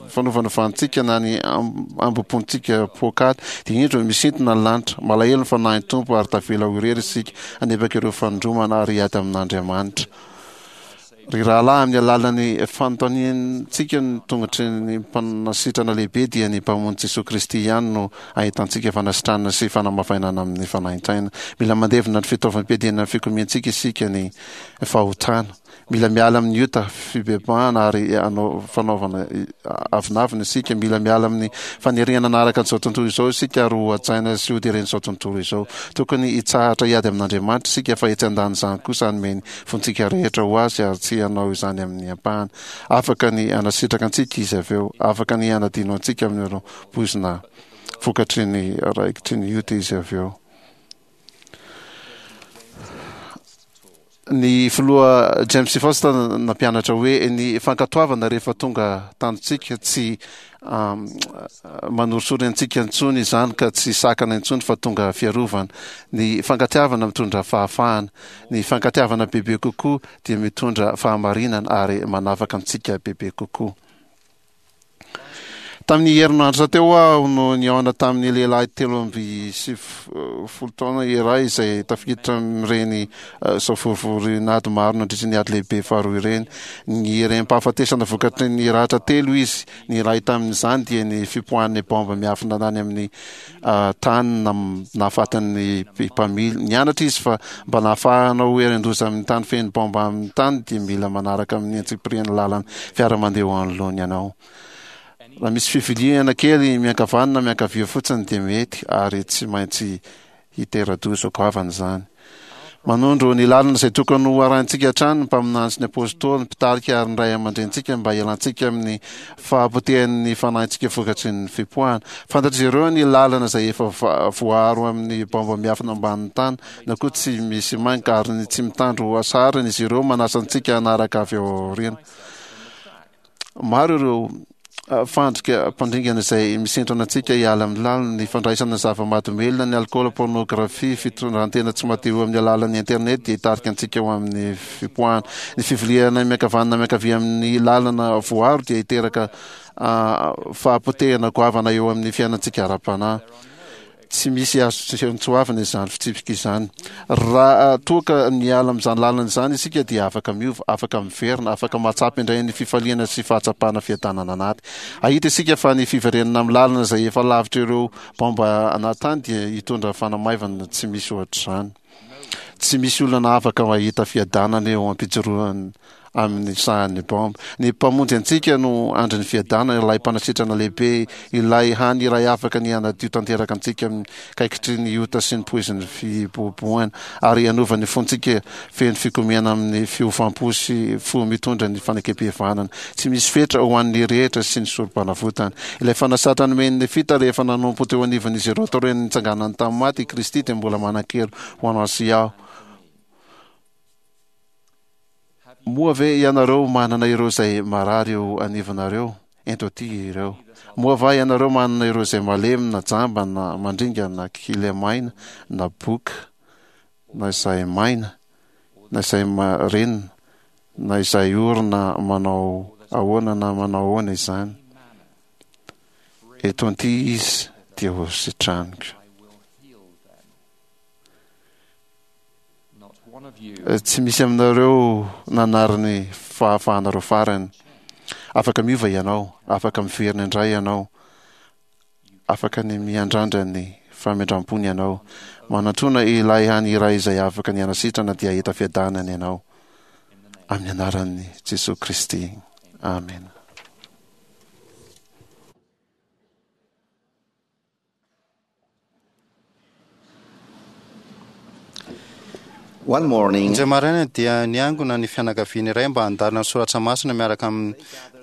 fanaovanovantsika na ny ambom-pontsika poakaty dia indro misintona ny lanitra malahelo ny fanahin'ny Tompo ary tavela ho irery isika hanebaka ireo fanindromana ary hiady amin'Andriamanitra. Ry rahalahy, amin'ny alalan'ny fanontaniantsika ny tongotry ny Mpanasitrana lehibe, dia ny Mpamonjy Jesoa Kristy ihany no ahitantsika fanasitranana sy fanamavainana amin'ny fanaintaina. Mila mandevina ny fitaovam-piadiana ny fikomiantsika isika, ny fahotana. Mila miala amin'ny ota, fibebahana ary hanao fanaovana avonavona isika. Mila miala amin'ny faniriana hanaraka an'izao tontolo izao isika ary ho hajaina sy hoderen'izao tontolo izao. Tokony hitsahatra hiady amin'Andriamanitra isika fa etsy andanin'izany kosa hanome ny fontsika rehetra ho Azy ary tsy hanao izany amin'ny ampahany. Afaka ny hanasitraka antsika Izy avy eo. Afaka ny hanadino antsika amin'ireo poizina vokatry ny raikitry ny ota Izy avy eo. Ny filoha James Faust nampianatra hoe ny fankatoavana rehefa tonga tanjontsika tsy manorisory antsika intsony izany ka tsy sakana intsony fa tonga fiarovana. Ny fankatiavana mitondra fahafahana. Ny fankatiavana bebe kokoa dia mitondra fahamarinana ary manafaka antsika bebe kokoa. Tamin'ny herinandro teo aho no nihaona tamin'ny lehilahy 93 taona iray izay tafiditra amin'ireny eh, savorovoroin'ady maro nandritra ny ady lehibe faharoa ireny. Ny rem-pahafatesana vokatry ny ratra telo izy. Ny iray tamin'izany dia ny fipoahan'ny baomba miafina tany amin'ny tany nahafaty ny mpamily. Nianatra izy fa mba nahafahana ho herin-doza amin'ny tany feno baomba amin'ny tany dia mila manaraka amin'ny antsipiriany lalan'ny fiara mandeha eo anoloany ianao. Raha misy fiviliana kely miankavanana na miankavia fotsiny dia mety ary tsy maintsy hitera-doza goavana izany. Manondro ny lalana izay tokony ho arahintsika hatrany ny mpaminany sy ny apostoly, ny mpitarika ary ny ray aman-drenintsika mba hialantsika amin'ny fahapotehan'ny fanahintsika vokatry ny fipoahana. Fantatr'izy ireo ny lalana izay efa voaaro amin'ny baomba miafina ambanin'ny tany na koa tsy misy mainka ary ny tsy mitandro hasarana izy ireo manasa antsika hanaraka avy ao aoriana. Maro ireo fandrika mpandringana izay misintona antsika hiala amin'ny lalina, ny fandraisana zava-mahadomelina, ny alikaola, pornographie, fitondrantena tsy madio amin'ny alalan'ny internet dia hitarika antsika ho amin'ny fipoahana. Ny fiviliana miankavanana miankavia amin'ny lalana voaro dia hiteraka fahapotehana goavana eo amin'ny fiainantsika ara-panahy. Tsy misy azo tsoavina izany fitsipika izany. Raha toa ka miala amin'izany lalana izany isika dia afaka miova, afaka miverina, afaka mahatsapa indray ny fifaliana sy fahatsapana fiadanana anaty. Hahita isika fa ny fiverenana amin'ny lalana izay efa lavitra ireo baomba anaty tany dia hitondra fanamaivana tsy misy ohatr'izany. Tsy misy olona afaka mahita fiadanana eo am-pijoroana. amin'ny sahan'ny baomba. Ny Mpamonjy antsika no andrin'ny fiadanana, ilay Mpanasitrana lehibe, ilay hany iray afaka ny hanadio tanteraka antsika amin'ny kaikitry ny ota sy ny poizin'ny fibohabohana, ary hanova ny fontsika feno fikomiana amin'ny fiovam-po sy fo mitondra ny fanekem-pihavanana tsy misy fetra ho an'ny rehetra sy ny sorom-panavotana. Ilay fanasatra nomen'ny Nefita rehefa nanompo teo anivon'izy ireo taorian'ny nitsanganany tamin'ny maty i Kristy dia mbola manan-kery ho anao sy aho. Moa ve ianareo manana ireo izay marary eo anivonareo? Ento aty ireo. Moa va ianareo manana ireo izay malemy na jamba na mandringa na kilemaina na boka na izay maina na izay marenina na izay ory na manao ahoana na manao ahoana izany? Eto anty izy dia ho sitraniko. Tsy misy aminareo nanary ny fahafahanareo farany. Afaka miova ianao, afaka miverina indray ianao, afaka ny miandrandra ny famindram-pony ianao. Manatona ilay hany iray izay afaka ny hanasitrana dia hahita fiadanana ianao. Amin'ny anaran'i Jesoa Kristy. Amena. One morning, Indray maraina dia niangona ny fianakaviana iray mba handalina ny soratra masina miaraka amin'ny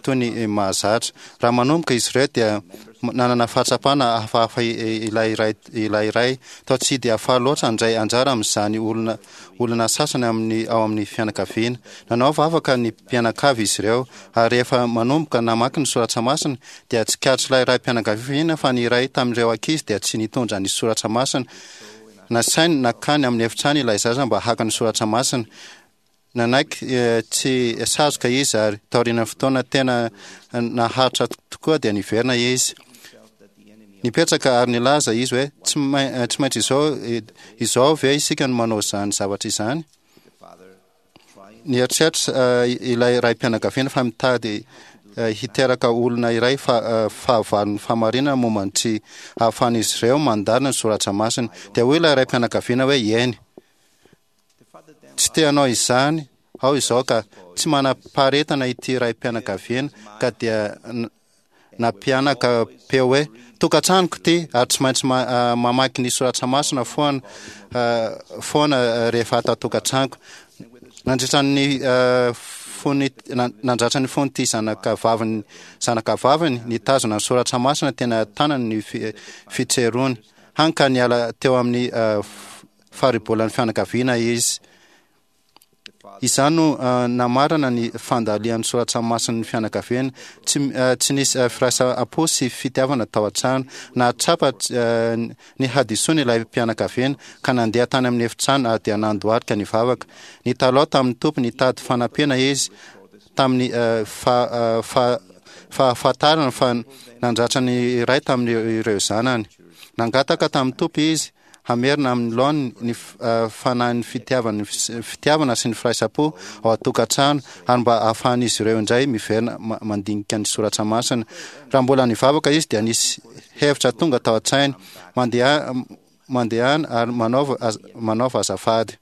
toy ny mahazatra. Raha manomboka izy ireo dia nanana fahatsapana hafahafa ilay iray ilay iray. Toa tsy dia faly loatra handray anjara amin'izany olona olona sasany amin'ny ao amin'ny fianakaviana. Nanao vavaka ny mpianakavy izy ireo ary rehefa manomboka namaky ny soratra masina dia tsikaritr'ilay raim-pianakaviana fa ny iray tamin'ireo ankizy dia tsy nitondra ny soratra masina. Nasainy nankany amin'ny efitrano ilay zaza mba haka ny soratra masina. Nanaiky tsy sazoka izy ary taorian'ny fotoana tena naharitra tokoa dia niverina izy. Nipetraka ary nilaza izy hoe, Tsy maintsy izao, izao ve isika no manao izany zavatra izany? Nieritreritra ilay raim-pianakaviana fa mitady hiteraka olona iray fahavalon'ny fahamarinana momba ny tsy ahafahan'izy ireo mandalina ny soratra masina. Dia hoy ilay raim-pianakaviana hoe, Eny. Tsy te hanao izany aho izao ka. Tsy manam-paharetana ity raim-pianakaviana ka dia nampianaka peo hoe, Tokantranoko ity ary tsy maintsy mamaky ny soratra masina foana foana rehefa ato an-tokantranoko. Nandritra ny fony nandratra ny fon'ity zanaka vaviny zanaka vaviny nitazona ny soratra masina tena tanany ny fitserony. Hany ka niala teo amin'ny faribolan'ny fianakaviana izy. Izany no namarana ny fandalian'ny soratra masin'ny fianakaviana. Tsy, tsy nisy firaisam-po sy fitiavana tao an-trano. Nahatsapa ny hadisoany ilay mpianakaviana ka nandeha tany amin'ny efitrano ary dia nandohalika nivavaka. Nitalaho tamin'ny Tompo nitady fanampiana izy tamin'ny fahafantarana fa nandratra ny iray tamin'ireo zanany. Nangataka tamin'ny Tompo izy hamerina amin'ny laoniny ny fanahin'ny fitiavan'ny fitiavana sy ny firaisam-po ao an-tokantrano ary mba hahafahan'izy ireo indray miverina mandinika ny soratra masina. Raha mbola nivavaka izy dia nisy hevitra tonga tao an-tsainy, Mandeha, mandehana ary manaova, manaova azafady.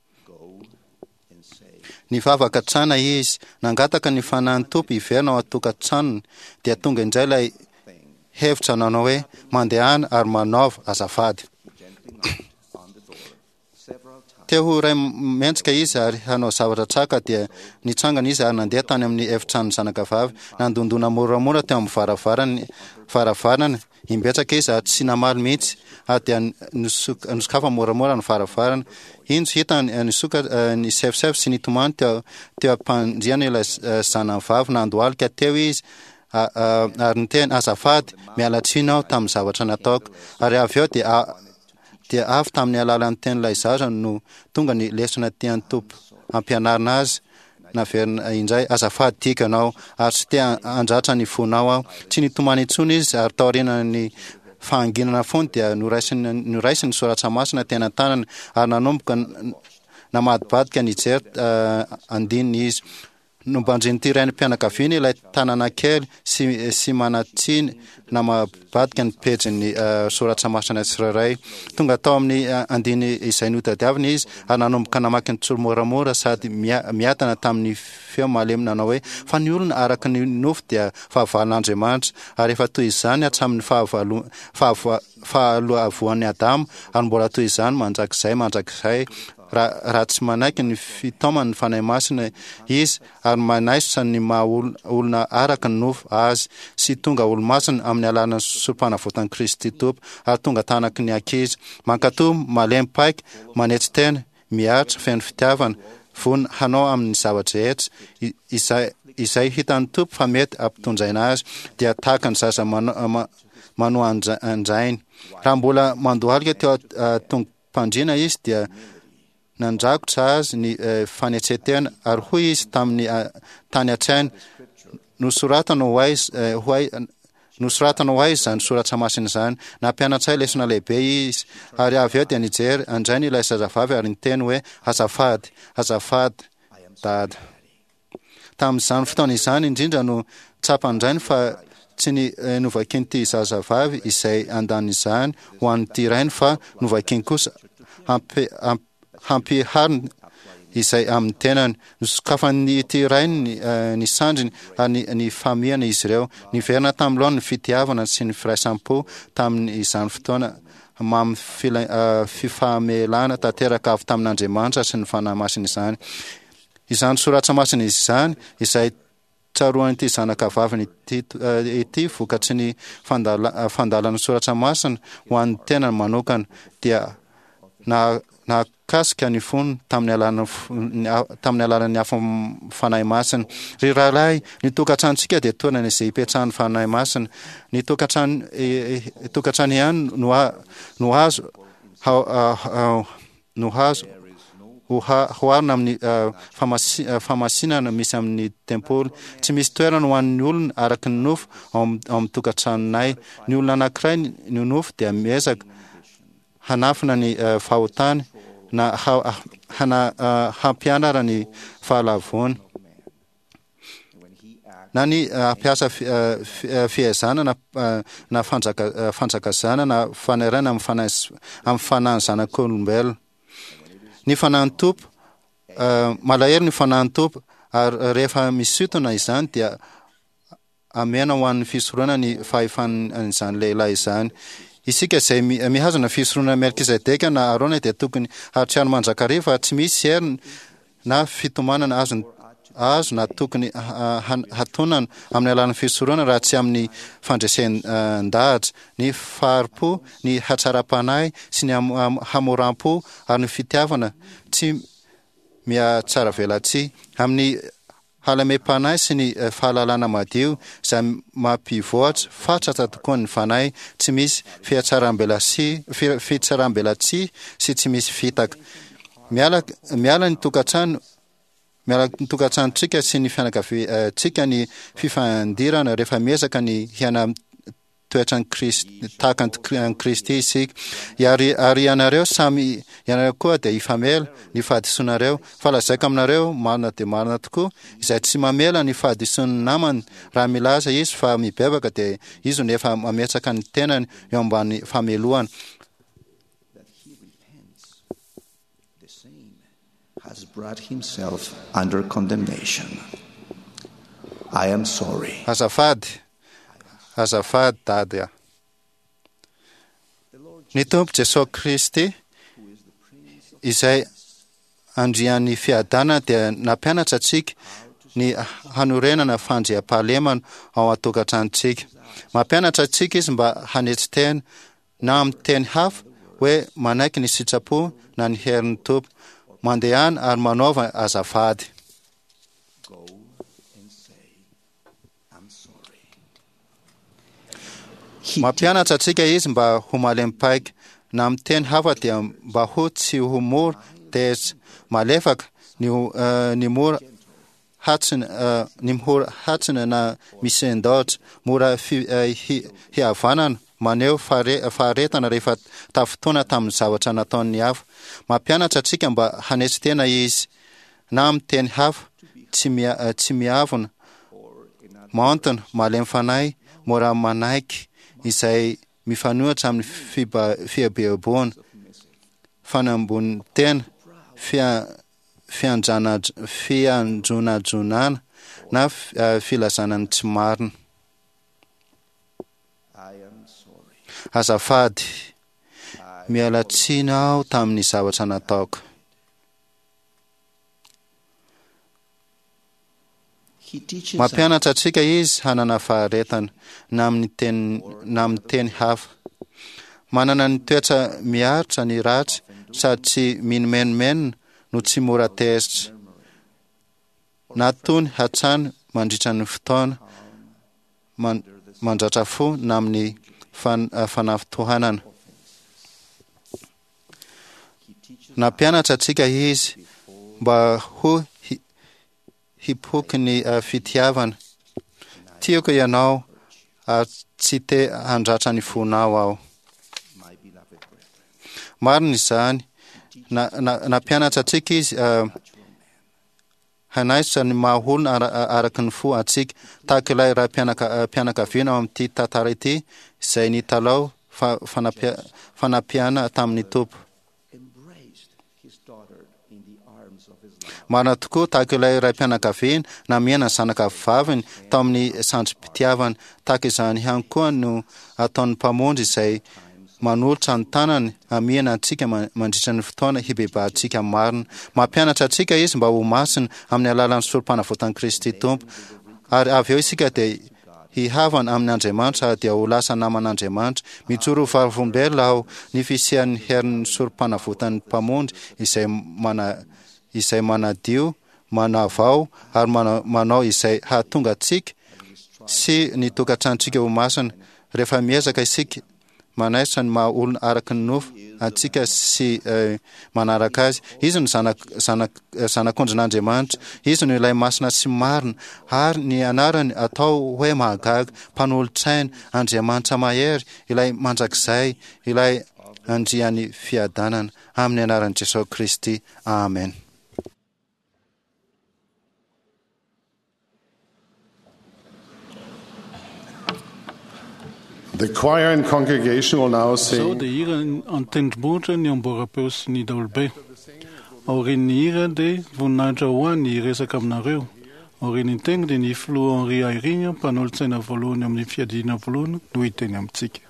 Nivavaka hatrana izy, nangataka ny Fanahin'ny Tompo hiverina ao an-tokantranony, dia tonga indray ilay hevitra nanao hoe, Mandehana ary manaova azafady. Te ho ray mendrika izy ary hanao zavatra tsara ka dia nitsangana izy ary nandeha tany amin'ny efitranon'ny zanakavavy. Nandondona moramora teo amin'ny varavarany, varavarana Imbetsaka izy ary tsy namaly mihitsy, ary dia nosokafany moramora ny varavarana. Injo hitany nisoka nisefosefo sy nitomany teo teo am-pandriana ilay zanany vavy. Nandohalika teo izy ary niteny, Azafady, miala tsiny aho tamin'ny zavatra nataoko. Ary avy eo dia dia avy tamin'ny alalan'ny tenin'ilay zaza no tonga ny lesona tian'ny Tompo hampianarina azy. Naverina indray, Azafady, tiako ianao, ary tsy te handratra ny fonao aho. Tsy nitomany intsony izy, ary taorian'ny fahanginana fony dia noraisiny noraisiny ny soratra masina teny an-tanany ary nanomboka namadibadika nijery andininy izy. Nombanjin'ity raim-pianakaviana ilay tanana kely sy sy manan-tsiny namabadika ny pejin'ny soratra masina tsirairay. Tonga tao amin'ny andiny izay notadiaviny izy ary nanomboka namaky ny tsimoramora sady miadana tamin'ny feo malemy nanao hoe, Fa ny olona araka ny nofo dia fahavalon'Andriamanitra, ary efa toy izany hatramin'ny fahalavoan'i Adama, ary mbola toy izany mandrakizay mandrakizay, raha tsy manaiky ny fitaoman'ny Fanahy Masina izy ary manaisotra ny maha olona araka ny nofo azy sy tonga olomasina amin'ny alalan'ny sorompanavotan'i Kristy Tompo ary tonga tanaky ny ankizy mankatò, malemy paika, manetry tena, miaritra, feno fitiavana, vonona hanao amin'ny zava-drehetra izay izay hitan'ny Tompo fa mety hampitondraina azy, dia tahaka ny zaza manoa an-drainy. Raha mbola mandohalika teo an-tongo-pandriana izy dia nandrakotra azy ny fanetren-tena ary hoy izy tamin'ny tany an-tsainy, Nosoratana ho ahy, ho ahy, nosoratana ho ahy izany soratra masina izany. Nampianatra ahy lesona lehibe izy. Ary avy eo dia nijery an-drainy ilay zazavavy ary niteny hoe, Azafady, azafady, Dada. Tamin'izany fotoana izany indrindra no tsapan-drainy fa tsy ny novakian'ity zazavavy izay andanin'izany ho an'ity rainy fa novakiany kosa hampihariny izay amin'ny tenany. Nosokafan'ity rainy ny sandriny ary nifamihana izy ireo. Niverina tamin'ny laoniny ny fitiavana sy ny firaisam-po tamin'izany fotoana mamy fifamelana tanteraka avy tamin'Andriamanitra sy ny Fanahy Masina izany. Izany soratra masina izany izay tsaroan'ity zanaka vaviny ity ity vokatry ny fandalan'ny soratra masina ho an'ny tenany manokana dia nahakasika ny fony tamin'ny alalan'ny tamin'ny alalan'ny afon'ny Fanahy Masina. Ry rahalahy, ny tokantranontsika dia toerana izay ipetrahan'ny Fanahy Masina. Ny tokantrano tokantrano ihany no no azo no azo oharina amin'ny famasinana misy amin'ny tempoly. Tsy misy toerana ho an'ny olona araka ny nofo ao amin'ny tokantranonay. Ny olona anankiray ny nofo dia miezaka hanafina ny fahotany na hampianara ny fahalavoany. na ny hampiasa fihazana na na fanjaka fanjakazana na fanairana amin'ny fanahy amin'ny fanahin'ny zanak'olombelona. Ny fanahin'ny Tompo malahelo ny fanahin'ny Tompo ary rehefa misintona izany dia amena ho an'ny fisoronana ny fahefan'izany lehilahy izany. Isika izay mihazona fisoronana Melkizedeka na Arona dia tokony hahatsiaro mandrakariva fa tsy misy hery na fitomanana azony azo na tokony hatonana amin'ny alalan'ny fisoronana raha tsy amin'ny fandresen-dahatra, ny fahari-po, ny hatsaram-panahy sy ny hamoram-po ary ny fitiavana tsy mihatsaravelatsihy amin'ny halemem-panahy sy ny fahalalana madio izay mampivoatra fatratra tokoa ny fanahy tsy misy fihatsarambelatsihy sy tsy misy fitaka. Miala miala ny tokantrano miala ny tokantranontsika sy ny fianakaviantsika ny fifandirana rehefa miezaka ny hiaina toetran'i Kristy tahaka an'i Kristy isika. Ary ary ianareo samy ianareo koa dia hifamela ny fahadisoanareo. Fa lazaiko aminareo marina dia marina tokoa, izay tsy mamela ny fahadisoan'ny namany raha milaza izy fa mibebaka dia izy no efa mametraka ny tenany eo ambany famelohana. The same has brought himself under condemnation. I am sorry. Azafady, azafady Dady a. Ny Tompo Jesoa Kristy izay Andrian'ny fiadanana dia nampianatra antsika ny hanorenana fandriampahalemana ao an-tokantranontsika. Mampianatra antsika Izy mba hanetry tena, na amin'ny teny hafa hoe manaiky ny sitrapo na ny herin'ny Tompo. Mandehana ary manaova azafady. Mampianatra antsika Izy mba ho malemy paika, na amin'ny teny hafa dia mba ho tsy ho mora tezitra, malefaka, ny ny mora hatsina, ny mora hatsina na misendaotra, mora fihavanana, maneho faharetana rehefa tafintohina tamin'ny zavatra nataon'ny hafa. Mampianatra antsika mba hanetry tena Izy, na amin'ny teny hafa, tsy miavona, maontina, malemy fanahy, mora manaiky, izay mifanohitra amin'ny fieboeboana, fanambonin-tena, fianjonajonana na filazana ny tsy marina. Azafady, miala tsiny aho tamin'ny zavatra nataoko. Mampianatra antsika izy hanana faharetana, na amin'ny teny na amin'ny teny hafa. Manana ny toetra miaritra ny ratsy sady tsy minomenomenona no tsy mora tezitra, na tony hatrany mandritra ny fotoana mandratra fo na amin'ny fanafintohanana. Nampianatra antsika izy mba ho hipoky ny fitiavana. Tiako ianao ary tsy te handratra ny fonao aho. Marina izany. Nampianatra antsika izy hanaisotra ny maha olona araka ny fo antsika, tahaka ilay raim-pianakaviana ao amin'ity tantara ity izay nitalaho fanampiana tamin'ny Tompo. Marina tokoa, tahaka ilay raim-pianakaviana namihana ny zanaka vaviny tao amin'ny sandrim-pitiavana, tahaka izany ihany koa no ataon'ny Mpamonjy izay manolotra ny tanany hamihana antsika mandritra ny fotoana hibebahantsika marina. Mampianatra antsika Izy mba ho masina amin'ny alalan'ny sorompanavotan'i Kristy Tompo, ary avy eo isika dia hihavana amin' Andriamanitra ary dia ho lasa naman' Andriamanitra. Mijoro ho vavolombelona aho ny fisian'ny herin'ny sorompanavotan'ny Mpamonjy izay mana izay manadio, manavao ary manao izay hahatonga antsika sy ny tokantranontsika ho masina. Rehefa miezaka isika manaisotra ny maha olona araka ny nofo antsika sy manaraka Azy. Izy no zanak, zanak, zanak'ondrin'Andriamanitra. Izy no ilay masina sy marina, ary ny anarany atao hoe mahagaga, mpanolotsaina, Andriamanitra mahery, ilay mandrakizay, ilay Andrian'ny fiadanana. Amin'ny anaran'i Jesosy Kristy. Amen. The choir and congregation will now Izao sing dia hira an-tendrombohitra ny amboaram-peo sy ny daholobe. Aorian'ny hira dia voninahitra ho ahy ny hiresaka aminareo. Aorian'ny teny dia ny filoha Henri Eyring, mpanolotsaina voalohany amin'ny fiadiana voalohany no hiteny amintsika.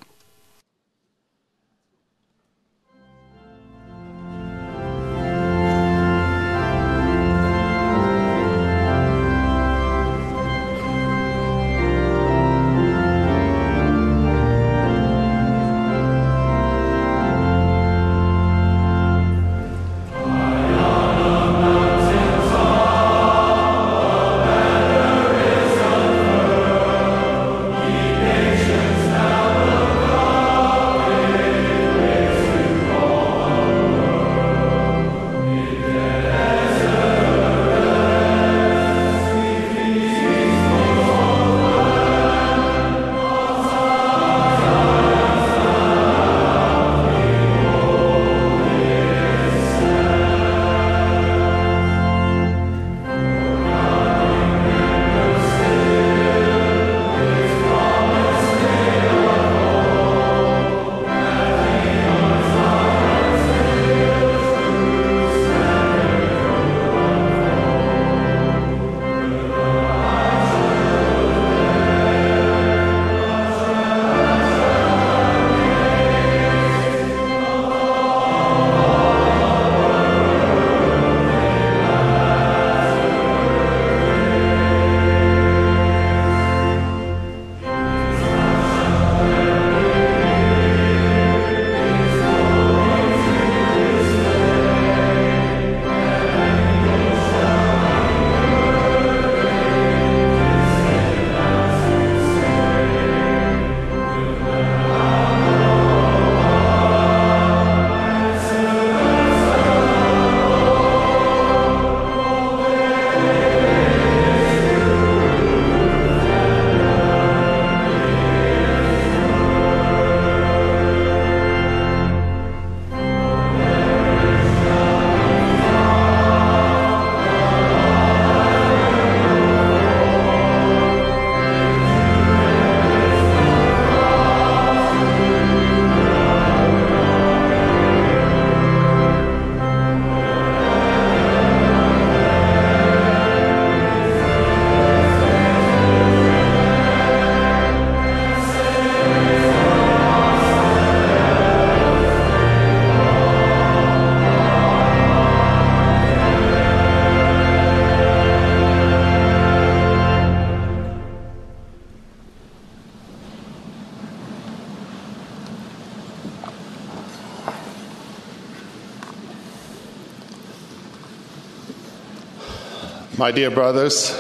My dear brothers,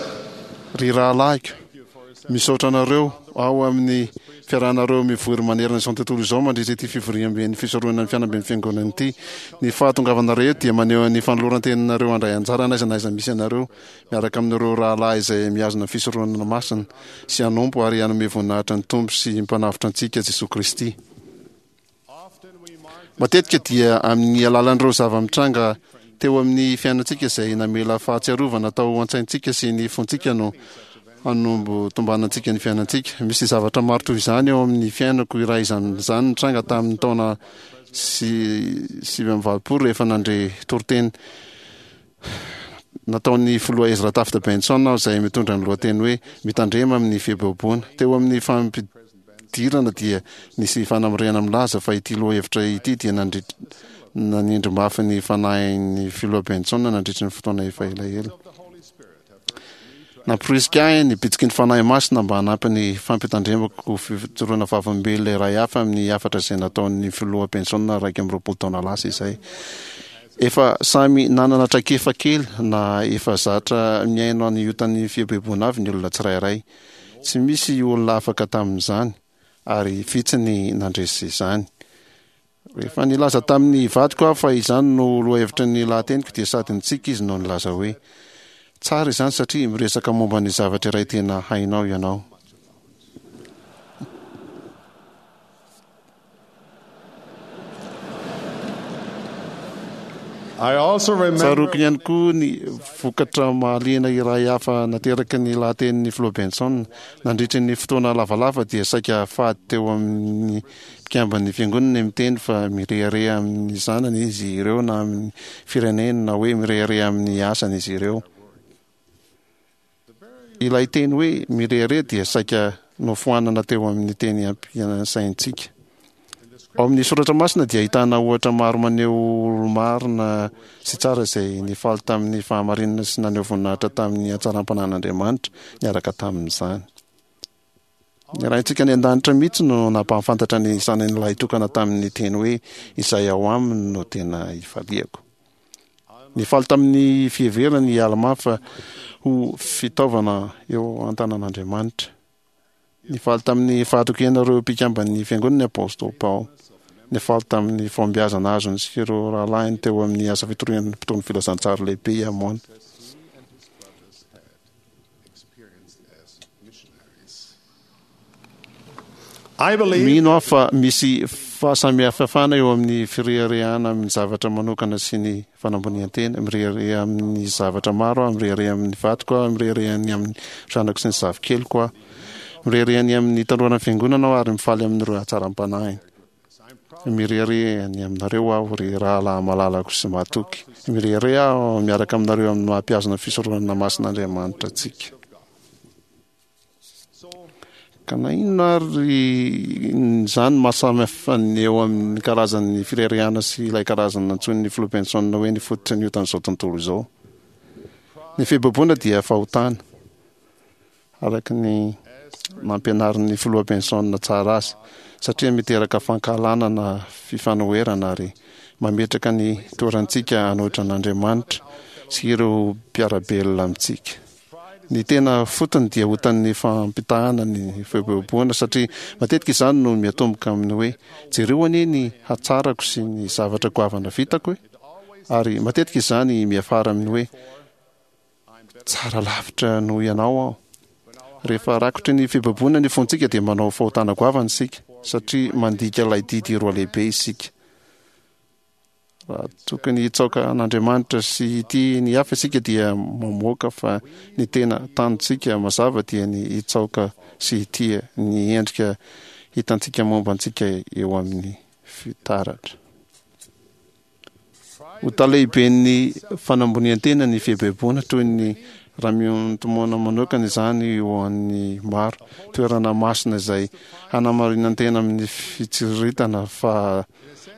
Ry rahalahiko, misaotra anareo ao amin'ny fiarahanareo mivory manerana izao tontolo izao mandritra ity fivoriamben'ny fisoronana ny fianamben'ny fiangonana ity. Ny fahatongavanareo eto dia maneho ny fanoloran-teninareo handray anjara n'aiza n'aiza misy anareo miaraka amin'ireo rahalahy izay mihazona ny fisoronana masina sy hanompo ary hanome voninahitra ny Tompo sy Mpanavotra antsika Jesoa Kristy. Matetika dia amin'ny alalan'ireo zava-mitranga teo amin'ny fiainantsika izay namela fahatsiarovana tao an-tsaintsika sy ny fontsika no hanombo tombanantsika ny fiainantsika. Misy zavatra maro toy izany eo amin'ny fiainako iray izany nitranga tamin'ny taona 89 rehefa nandre toriteny nataon'ny filoha Ezra Taft Benson aho izay mitondra ny lohateny hoe Mitandrema amin'ny fieboeboana. Teo amin'ny fampidirana dia nisy fanamarihana milaza fa ity lohahevitra ity dia nanindry mafy ny fanahin'ny filoha Benson nandritry ny fotoana efa elaela. Namporisika ahy ny bitsiky ny Fanahy Masina mba hanampy ny fampitandremako ho fijoroana vavolombelona iray hafa amin'ny hafatra izay nataon'ny Filoha Benson 21 taona lasa izay. Efa samy nanana traikefa kely na efa zatra mihaino ny otan'ny fieboeboana avy ny olona tsirairay. Tsy misy olona afaka tamin'izany, ary vitsy ny nandresy izany. Rehefa nilaza tamin'ny vadiko aho fa izany no lohahevitry ny lahateniko dia sady nitsiky izy no nilaza hoe, Tsara izany satria miresaka momba ny zavatra iray tena hainao ianao. Tsaroako ihany koa ny vokatra mahaliana iray hafa nateraky ny lahatenin'ny Filoha Benson. Nandritry ny fotoana lavalava dia saika fady teo amin'ny Mpikamban'ny Fiangonana ny miteny fa mirehareha amin'ny zanany izy ireo na amin'ny fireneny na hoe mirehareha amin'ny asany izy ireo. Ilay teny hoe mirehareha dia saika nofoanana teo amin'ny teny ampiasaintsika. Ao amin'ny Soratra Masina dia ahitana ohatra maro maneho olo-marina sy tsara izay nifaly tamin'ny fahamarinana sy naneho voninahitra tamin'ny hatsaram-panahin'Andriamanitra niaraka tamin'izany. Ny Raintsika any An-danitra mihitsy no nampahafantatra ny Zanany Lahitokana tamin'ny teny hoe, Izay ao aminy no tena ifaliako. Nifaly tamin'ny fiheverany i Almà fa ho fitaovana eo an-tanan'Andriamanitra. Nifaly tamin'ny fahatokiana ireo mpikamban'ny Fiangonana ny Apostoly Paoly. Nifaly tamin'ny fahombiazana azony sy ireo rahalahiny teo amin'ny asa fitoriana ny mpitory ny filazantsara lehibe i Amôna. Mino aho fa misy fahasamihafana eo amin'ny fireharehana amin'ny zavatra manokana sy ny fanambonian-tena. Mirehareha amin'ny zavatra maro aho, mirehareha amin'ny vadiko aho, mirehareha ny amin'ny zanako sy ny zafikeliko aho. Mirehareha ny amin'ny tanoran'ny fiangonana aho ary mifaly amin'ireo hatsaram-panahiny. Mirehareha ny aminareo aho, ry rahalahy malalako sy mahatoky. Mirehareha aho miaraka aminareo amin'ny maha mpihazona ny fisoronana masin'Andriamanitra antsika. Ka na inona ary izany maha samy hafa ny eo amin'ny karazan'ny fireharehana sy ilay karazana nantsoin'ny Filoha Benson hoe ny fototry ny otan'izao tontolo izao. Ny fieboeboana dia fahotana. araka ny nampianarin'ny Filoha Benson tsara azy, satria miteraka fankahalana na fifanoherana ary mametraka ny toerantsika hanohitra an'Andriamanitra sy ireo mpiara-belona amintsika. Ny tena fotony dia otan'ny fampitahana ny fieboeboana, satria matetika izany no miatomboka amin'ny hoe, Jereo anie ny hatsarako sy ny zavatra goavana vitako e! Ary matetika izany miafara amin'ny hoe, Tsara lavitra noho ianao aho. Rehefa rakotry ny fibaboana ny fontsika dia manao fahotana goavana isika, satria mandika ilay didy roa lehibe isika. Raha tokony hitsaoka an'Andriamanitra sy hitia ny hafa isika dia mamoaka fa ny tena tanjontsika mazava dia ny hitsaoka sy hitia ny endrika hitantsika momba antsika eo amin'ny fitaratra. Ho talehiben'ny fanambonian-tena ny fieboeboana, toy ny Ramiontomona manokana izany ho an'ny maro, toerana masina izay hanamarinan-tena amin'ny fitsiriritana fa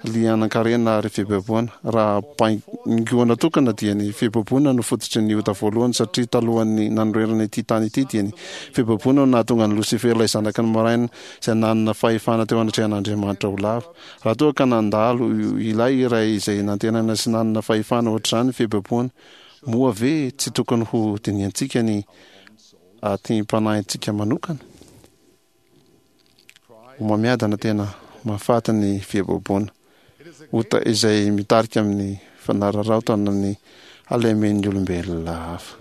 lianan-karena ary fieboeboana. Raha baingoana tokana dia ny fieboeboana no fototry ny ota voalohany satria talohan'ny nanorenana ity tany ity dia ny fieboeboana no nahatonga an'i Losifera ilay zanaky ny maraina izay nanana fahefana teo anatrehan'Andriamanitra ho lavo. Raha toa ka nandalo ilay iray izay nantenaina sy nanana fahefana ohatr'izany ny fieboeboana, Moa ve tsy tokony ho dinihantsika ny atim-panahintsika manokana? Homamiadana tena mahafaty ny fieboeboana, ota izay mitarika amin'ny fanararaotana ny halemen'ny olombelona hafa.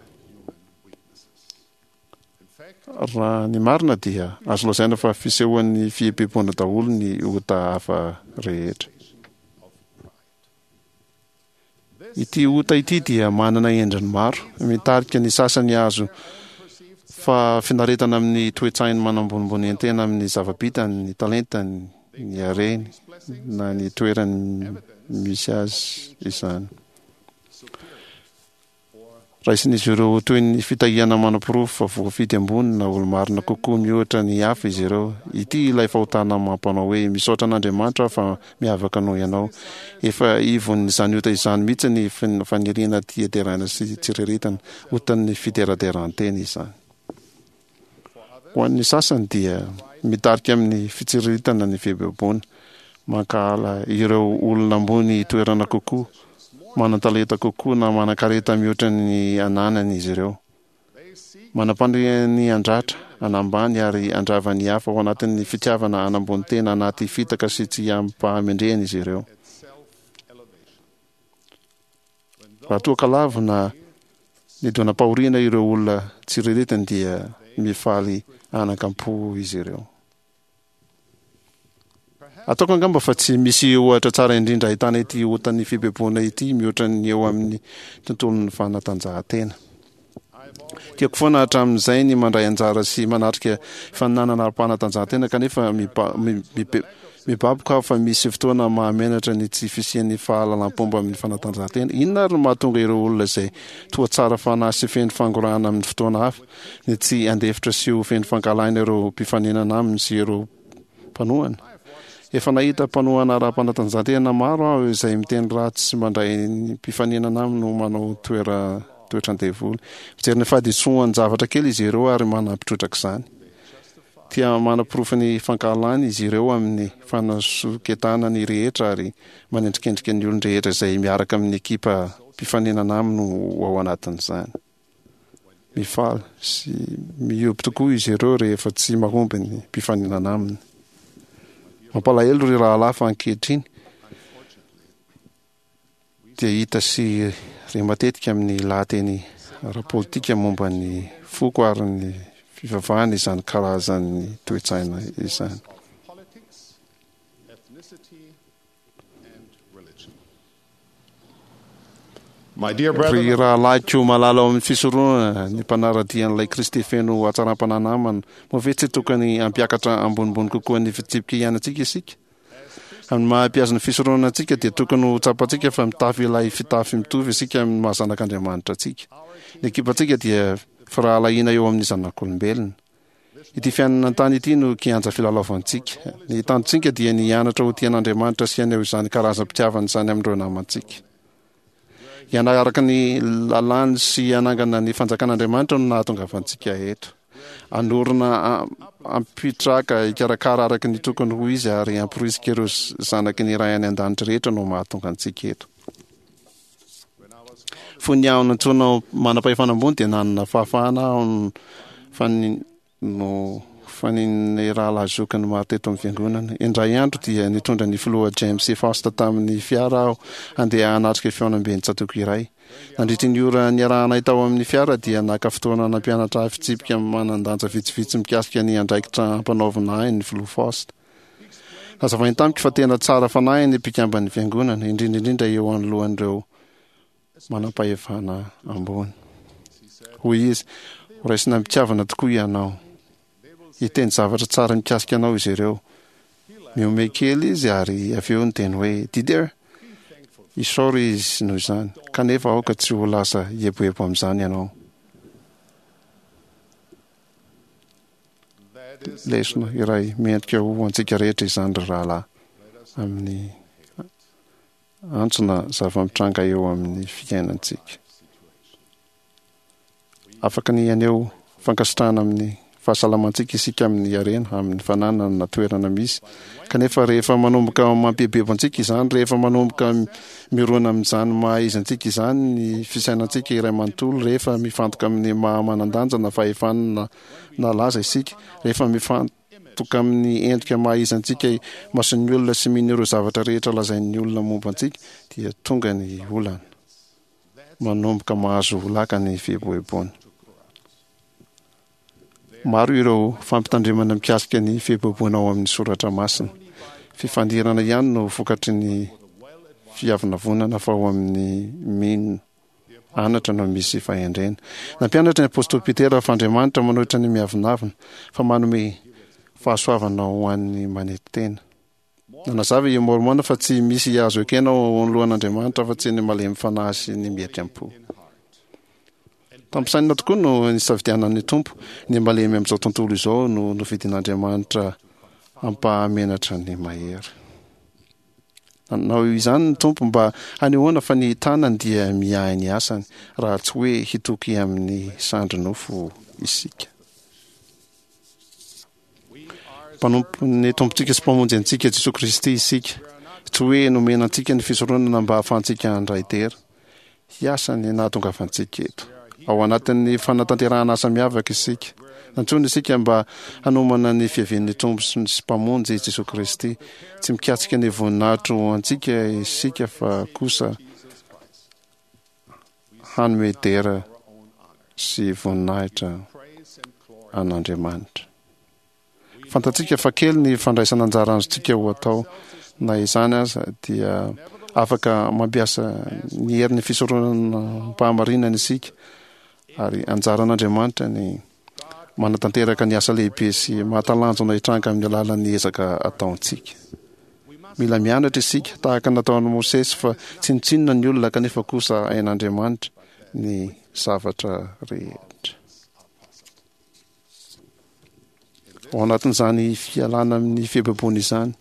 Raha ny marina dia azo lazaina fa fisehoan'ny fieboeboana daholo ny ota hafa rehetra. Ity ota ity dia manana endriny maro, mitarika ny sasany hahazo fahafinaretana amin'ny toe-tsainy manambonimbonian-tena amin'ny zava-bitany, ny talentany, ny hareny, na ny toerany misy azy izany. Raisin'izy ireo ho toy ny fitahiana manaporofo fa voafidy ambony na olo-marina kokoa mihoatra ny hafa izy ireo. Ity ilay fahotana mampanao hoe, Misaotra an'Andriamanitra aho fa miavaka noho ianao. Efa ivon'izany ota izany mihitsy ny faniriana tia deraina sy tsiriritana. Otan'ny fideraderan-tena izany. Ho an'ny sasany dia mitarika amin'ny fitsiriritana ny fieboeboana. Mankahala ireo olona ambony toerana kokoa, manan-talenta kokoa na manan-kareta mihoatra ny ananany izy ireo. Manam-paniriana ny handratra, hanambany ary handrava ny hafa ao anatin'ny fitiavana hanambony tena anaty fitaka sy tsy amim-pahamendrehana izy ireo. Raha toa ka lavo na nidonam-pahoriana ireo olona tsiriritiny dia mifaly anakam-po izy ireo. Ataoko angamba fa tsy misy ohatra tsara indrindra ahitana ity otan'ny fieboeboana ity mihoatra ny eo amin'ny tontolon'ny fanatanjahantena. Tiako foana hatramin'izay ny mandray anjara sy manatrika fifaninanana ara-panatanjahantena kanefa mibaboka aho fa misy fotoana mahamenatra ny tsy fisian'ny fahalalam-pomba amin'ny fanatanjahantena. Inona ary no mahatonga ireo olona izay toa tsara fanahy sy feno fangorahana amin'ny fotoana hafa ny tsy handefitra sy ho feno fankahalana ireo mpifaninana aminy sy ireo mpanohana? Efa nahita mpanohana ara-panatanjahantena maro aho izay miteny ratsy sy mandray ny mpifaninana aminy ho manao toera toetran-devoly. Mijery ny fahadisoan-javatra kely izy ireo ary manampy trotraka izany. Tia manaporofo ny fankahalany izy ireo amin'ny fanasoketana ny rehetra ary manendrikendrika ny olon-drehetra izay miaraka amin'ny ekipa mpifaninana aminy ho ao anatin'izany. Mifaly sy mihoby tokoa izy ireo rehefa tsy mahomby ny mpifaninana aminy. Mampalahelo ry rahalahy fa ankehitriny dia hita sy re matetika amin'ny lahateny ara-politika momba ny foko ary ny fivavahana izany karazan'ny toe-tsaina izany. Ry rahalahiko malala ao amin'ny fisoronana, ny mpanara-dia an'ilay Kristy feno hatsaram-panahy namana, moa ve tsy tokony hampiakatra ambonimbony kokoa ny fitsipika iainantsika isika? Amin'ny maha mpihazo ny fisoronana antsika dia tokony ho tsapantsika fa mitafy ilay fitafy mitovy isika amin'ny maha zanak'Andriamanitra antsika. Ny ekipantsika dia firahalahiana eo amin'ny zanak'olombelona. Ity fiainana an-tany ity no kianja filalaovantsika. Ny tanjontsika dia ny hianatra ho tia an'Andriamanitra sy haneho izany karazam-pitiavana izany amin'ireo namantsika. Hianaraka ny lalàny sy hanangana ny fanjakan'Andriamanitra no nahatongavantsika eto. Hanorina hampitraka, hikarakara araka ny tokony ho izy ary hamporisika ireo zanaky ny Ray any An-danitra rehetra no mahatonga antsika eto. Fony aho nantsoina ho manam-pahefana ambony dia nanana fahafahana aho fa ny no fanin'ny rahalahy zokiny maro teto amin'ny fiangonana. Indray andro dia nitondra ny filoha James C. Faust tamin'ny fiara aho handeha hanatrika fihaonamben'ny tsatòko iray. Nandritry ny ora niarahanay tao amin'ny fiara dia naka fotoana nampianatra ahy fitsipika manan-danja vitsivitsy mikasika ny andraikitra ampanaovina ahy ny filoha Faust. Nazavainy tamiko fa tena tsara fanahy ny mpikamban'ny fiangonana, indrindra indrindra eo anoloan'ireo manampahefana ambony. Hoy izy, Horaisina am-pitiavana tokoa ianao. Hiteny zavatra tsara mikasika anao izy ireo. Mihomehy kely izy ary avy eo niteny hoe, Didier, isaory izy noho izany, kanefa aoka tsy ho lasa hieboebo amin'izany ianao. Lesona iray mendrika ho antsika rehetra izany, ry rahalahy, amin'ny antso na zava-mitranga eo amin'ny fiainantsika. Afaka ny haneho fankasitrahana amin'ny. fahasalamantsika isika amin'ny harena, amin'ny fananana na toerana misy. Kanefa rehefa manomboka mampiebebo antsika izany, rehefa manomboka mirona amin'izany maha izy antsika izany ny fisainantsika iray manontolo, rehefa mifantoka amin'ny maha manan-danja na fahefana na laza isika, rehefa mifantoka amin'ny endrika maha izy antsika imason'ny olona sy mino ireo zavatra rehetra lazain'ny olona momba antsika, dia tonga ny olana. Manomboka mahazo laka ny fieboeboana. Maro ireo fampitandremana mikasika ny fieboeboana ao amin'ny Soratra Masina. Fifandirana ihany no vokatry ny fiavonavonana fa ao amin'ny mino anatra no misy fahendrena. Nampianatra ny apostoly Petera fa Andriamanitra manohitra ny miavonavona fa manome fahasoavana ho an'ny manetry tena. Nanazava i Môrmôna fa tsy misy azo ekena ao anoloan'Andriamanitra afa-tsy ny malemy fanahy sy ny mietry am-po. Tampisainina tokoa no nisafidianan'ny Tompo ny malemy amin'izao tontolo izao no nofidin'Andriamanitra hampahamenatra ny mahery. Nanao izany ny Tompo mba hanehoana fa ny tanany dia miahy ny asany, raha tsy hoe hitoky amin'ny sandry nofo isika. Mpanompon'ny Tompontsika sy Mpamonjy antsika Jesoa Kristy isika. Tsy hoe nomena antsika ny fisoronana mba hahafahantsika handray dera. Hiasa ny nahatongavantsika eto. Ao anatin'ny fanatanterahana asa miavaka isika. Nantsoina isika mba hanomana ny fiavian'ny Tompo sy Mpamonjy Jesoa Kristy. Tsy mikatsika ny voninahitro ho antsika isika fa kosa hanome dera sy voninahitra an'Andriamanitra. Fantatsika fa kely ny fandraisana anjara azontsika ho atao. Na izany aza dia afaka mampiasa ny herin'ny fisoronana am-pahamarinana isika, ary anjaran'Andriamanitra ny manatanteraka ny asa lehibe sy mahatalanjona hitranga amin'ny alalan'ny ezaka ataontsika. Mila mianatra isika, tahaka ny nataon'i Mosesy, fa tsinontsinona ny olona kanefa kosa hain'Andriamanitra ny zavatra rehetra. Ao anatin'izany fialana amin'ny fieboeboana izany,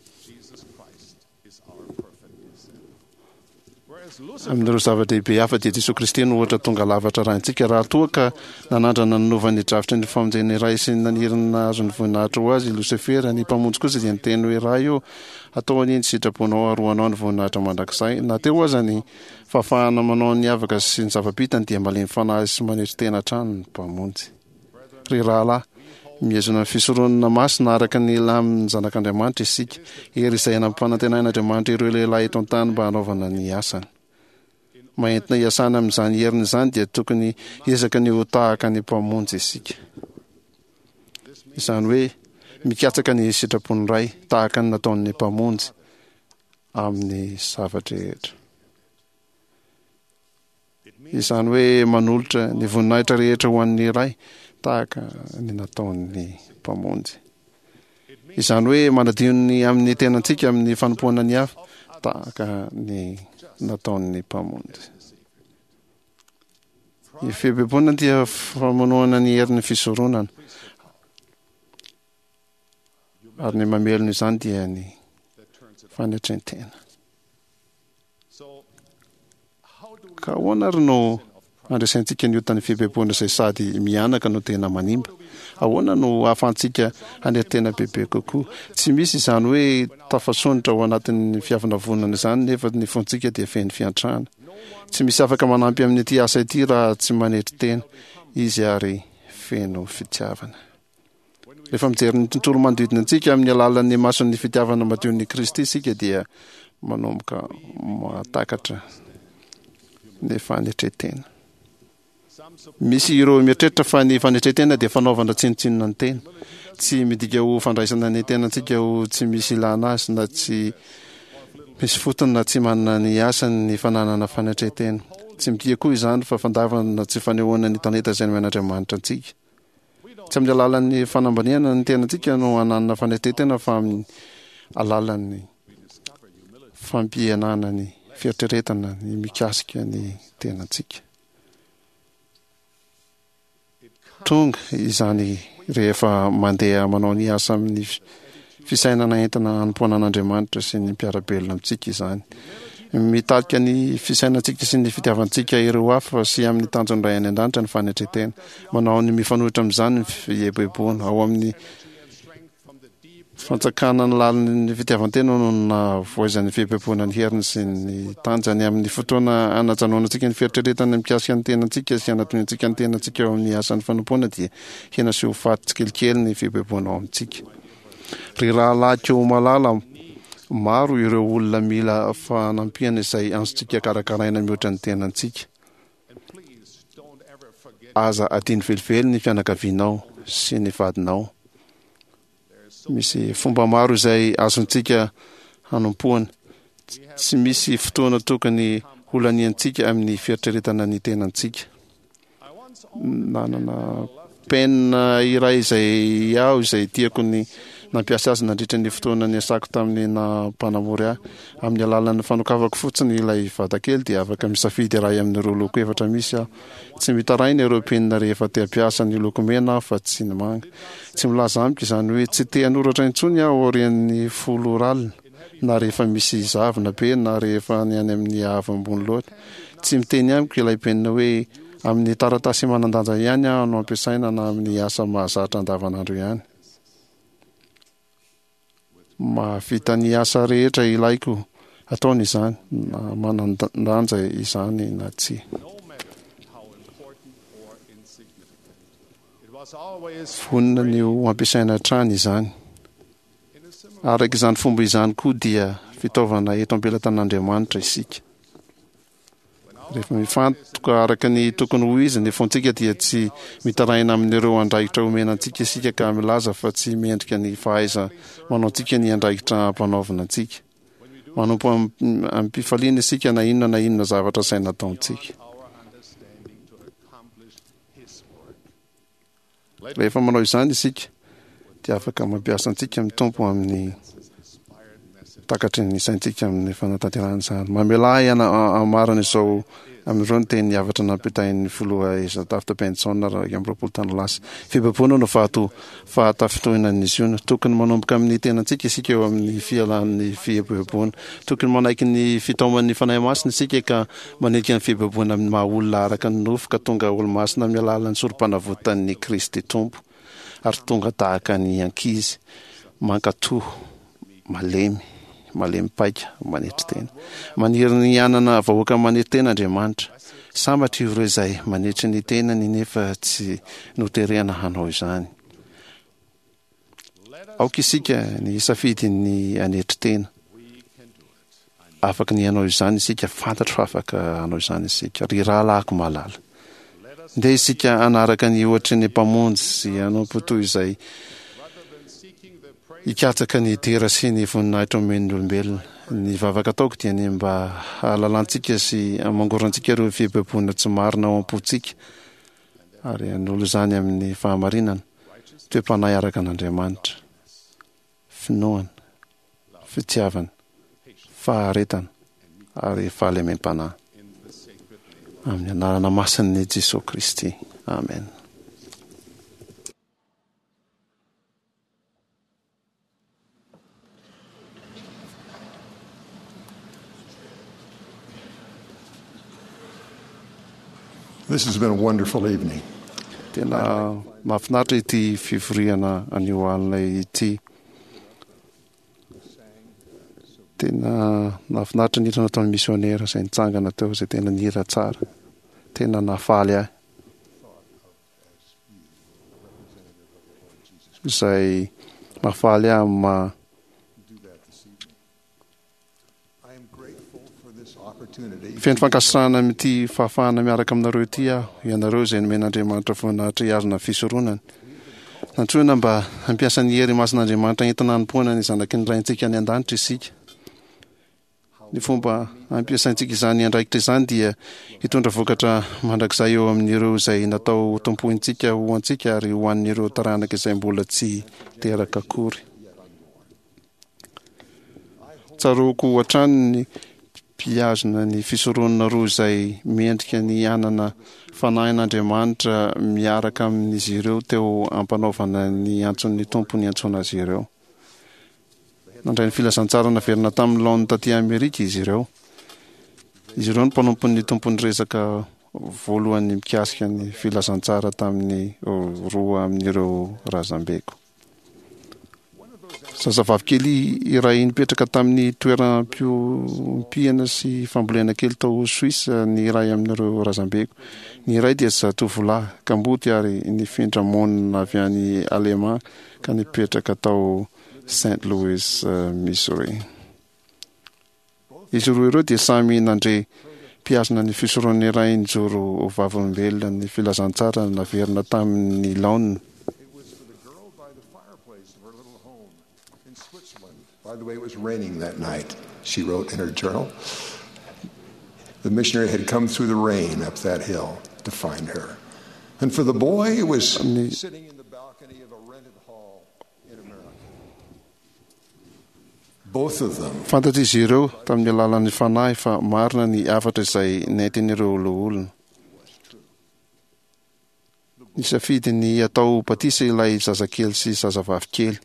Amin'ireo zava-dehibe hafa dia Jesoa Kristy no ohatra tonga lafatra arahintsika. Raha toa ka nanandrana nanova ny drafitry ny famonjena iray sy naniry ny nahazo ny voninahitra ho azy i Losifera, ny Mpamonjy kosa dia niteny hoe, Ray ô, atao anie ny sitraponao ary ho anao ny voninahitra mandrakizay. Na teo aza ny fahafahana manao ny avaka sy ny zava-bitany dia malemy fanahy sy manetry tena hatrany ny Mpamonjy. Ry rahalahy, mihazona ny fisoronana masina araka ny lamin'ny Zanak'Andriamanitra isika, hery izay nampanantenain'Andriamanitra ireo lehilahy eto an-tany mba hanaovana ny asany. Mba entina hiasana amin'izany heriny izany dia tokony hiezaka ny ho tahaka ny Mpamonjy isika. Izany hoe, mikatsaka ny sitrapon'ny Ray, tahaka ny nataon'ny Mpamonjy amin'ny zava-drehetra. Izany hoe manolotra ny voninahitra rehetra ho an'ny Ray tahaka ny nataon'ny Mpamonjy. Izany hoe manadio ny amin'ny tenantsika amin'ny fanompoana ny hafa tahaka ny nataon'ny Mpamonjy. Ny fieboeboana dia famonoana ny herin'ny fisoronana, ary ny mamelona izany dia ny fanetren-tena. Ka ahoana ary no handresentsika ny otan'ny fieboeboana izay sady mihanaka no tena manimba? Ahoana no hahafahantsika hanery tena bebe kokoa? Tsy misy izany hoe tafasondrotra ao anatin'ny fiavonavonana izany nefa ny fontsika dia feno fiantrana. Tsy misy afaka manampy amin'ity asa ity raha tsy manetry tena izy ary feno fitiavana. Rehefa mijery ny tontolo manodidina antsika amin'ny alalan'ny mason'ny fitiavana madion'i Kristy isika dia manomboka mahatakatra ny fanetren-tena. Misy ireo mieritreritra fa ny fanetren-tena dia fanaovana tsinontsinona ny tena. Tsy midika ho fandraisana ny tenantsika ho tsy misy ilana azy na tsy misy fotony na tsy manana ny asany ny fananana fanetren-tena. Tsy midika koa izany fa fandavana na tsy fanehoana ny talenta izay nomen'Andriamanitra antsika. Tsy amin'ny alalan'ny fanambaniana ny tenantsika no hananana fanetren-tena fa amin'ny alalan'ny fampihenana ny fieritreretana ny mikasika ny tenantsika. Tonga izany rehefa mandeha manao ny asa amin'ny fisainana entina hanompoana an'Andriamanitra sy ny mpiara-belona amintsika izany. Mitarika ny fisainantsika sy ny fitiavantsika ireo hafa sy amin'ny tanjon'ny Ray any An-danitra ny fanetren-tena. Manao ny mifanohitra amin'izany ny fieboeboana. Ao amin'ny fantsakana ny lalin'ny fitiavan-tena no nahavoizan'ny fieboeboana ny heriny sy ny tanjany. Amin'ny fotoana anajanonantsika ny fieritreretana mikasika ny tenantsika sy anatoniantsika ny tenantsika eo amin'ny asan'ny fanompoana dia hena sy ho faty tsikelikely ny fieboeboana ao amintsika. Ry rahalahiko malala, maro ireo olona mila fanampiana izay azontsika karakaraina mihoatra ny tenantsika. Aza adino velively ny fianakavianao sy ny vadinao. Misy fomba maro izay azontsika hanompoana. Tsy misy fotoana tokony holaniantsika amin'ny fieritreretana ny tenantsika. Nanana penina iray izay aho izay tiako ny nampiasa azy nandritra ny fotoana niasako tamin'ny naha mpanamory ahy. Amin'ny alalan'ny fanokafako fotsiny ilay vatakely dia afaka misafidy iray amin'ireo loko efatra misy aho. Tsy mitaraina ireo penina rehefa te hampiasa ny loko mena aho fa tsy ny manga. Tsy milaza amiko izany hoe tsy te hanoratra intsony aho aorian'ny folo ora alina. na rehefa misy zavona be na rehefa ny any amin'ny haavo ambony loatra. Tsy miteny amiko ilay penina hoe amin'ny taratasy manan-danja ihany aho no ampiasaina na amin'ny asa mahazatra andavanandro ihany. Mahavita ny asa rehetra ilaiko ataony izany, na manan-danja izany na tsia. Vonona ny ho ampiasaina hatrany izany. Araka izany fomba izany koa dia fitaovana eto am-pelatan'Andriamanitra isika. Rehefa mifantoka araka ny tokony ho izy ny fontsika dia tsy mitaraina amin'ireo andraikitra omena antsika isika ka milaza fa tsy mendrika ny fahaiza-manaontsika ny andraikitra ampanaovina antsika. Manompo amim-pifaliana isika na inona na inona zavatra asaina ataontsika. Rehefa manao izany isika dia afaka mampiasa antsika ny Tompo amin'ny takatry ny saintsika amin'ny fanatanterahana izany. Mamelà ahy hamarana izao amin'ireo ny teny hafatra nampitain'ny filoha Ezra Taft Benson 21 taona lasa. Fibaboana no vato fahatafintohinan'ny Ziona. Tokony manomboka amin'ny tenantsika isika eo amin'ny fialan'ny fieboeboana. Tokony manaiky ny fitaoman'ny Fanahy Masina isika ka Manilika ny fibaboana amin'ny maha olona araka ny nofo ka tonga olomasina amin'ny alalan'ny sorompanavotan'i Kristy Tompo ary tonga tahaka ny ankizy mankatò, malemy, malemy paika, manetry tena. Maniry ny hanana vahoaka manetry tena Andriamanitra. Sambatra ireo izay manetry ny tenany nefa tsy noterena hanao izany. Aoka isika ny hisafidy ny hanetry tena. Afaka ny hanao izany isika, fantatro fa afaka hanao izany isika. Ry rahalahiko malala, ndeha isika hanaraka ny ohatry ny Mpamonjy sy hanompo toy izay hikatsaka ny dera sy ny voninahitra omen'ny olombelona. Ny vavaka ataoko dia ny mba hahalalantsika sy hamangorantsika ireo fieboeboana tsy marina ao am-pontsika ary hanolo izany amin'ny fahamarinana, toe-panahy araka an'Andriamanitra, finoana, fitiavana, faharetana ary fahalemem-panahy. Amin'ny anarana masin'i Jesoa Kristy. Amen. This has been a wonderful evening. Tena mahafinaritra ity fivoriana anio alina ity. Tena nahafinaritra ny hira nataon'ny misionera izay nitsangana teo, izay tena nihira tsara. Tena nahafaly ahy. Izay mahafaly ahy amin'ny maha Feno fankasitrahana amin'ity fahafahana miaraka aminareo ity aho, ianareo izay nomen'Andriamanitra voninahitra hihazona ny fisoronany. Nantsoina mba hampiasa ny hery masin'Andriamanitra entina hanompoana ny zanaky ny Raintsika any an-danitra isika. Ny fomba ampiasaintsika izany andraikitra izany dia hitondra vokatra mandrakizay eo amin'ireo izay natao hotompointsika ho antsika ary ho an'ireo taranaka izay mbola tsy teraka akory. Tsaroako hatrany ny mpihazona ny fisoronana roa izay mendrika ny hanana Fanahin'Andriamanitra miaraka amin'izy ireo teo am-panaovana ny antson'ny Tompo niantsoana azy ireo. Nandray ny filazantsara naverina tamin'ny laoniny taty Amerika izy ireo. Izy ireo no mpanompon'ny Tompo niresaka voalohany mikasika ny filazantsara tamin'ny roa amin'ireo razambeko. Zazavavy kely iray nipetraka tamin'ny toeram-piompiana sy fambolena kely tao Suisse ny iray amin'ireo razambeko. Ny iray dia zatovolahy kamboty ary nifindra monina avy any Alemà ka nipetraka tao Saint Louis, Missouri. Izy roa ireo dia samy nandre mpihazona ny fisoron'ny Ray nijoro ho vavolombelona ny filazantsara naverina tamin'ny laoniny. By the way, it was raining that night, she wrote in her journal. The missionary had come through the rain up that hill to find her. And for the boy, it was sitting in the balcony of a rented hall in America. Both of them. Fantatr'izy ireo tamin'ny alalan'ny Fanahy fa marina ny hafatra izay nentin'ireo loholona. Nisafidy ny hatao batisa ilay zazakely sy zazavavy kely.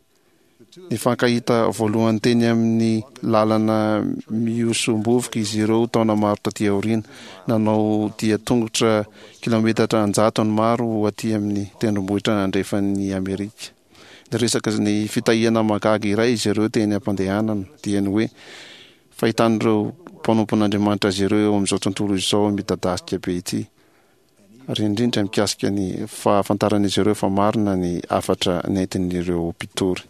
Nifankahita voalohany teny amin'ny lalana mihosom-bovoka izy ireo taona maro taty aoriana. Nanao dia tongotra kilaometatra an-jatony maro ho aty amin'ny tendrombohitra andrefan'i Amerika. Niresaka ny fitahiana mahagaga iray izy ireo teny am-pandehanana, dia ny hoe fahitan'ireo mpanompon'Andriamanitra azy ireo eo amin'izao tontolo izao midadasika be ity, ary indrindra mikasika ny fahafantaran'izy ireo fa marina ny hafatra nentin'ireo mpitory.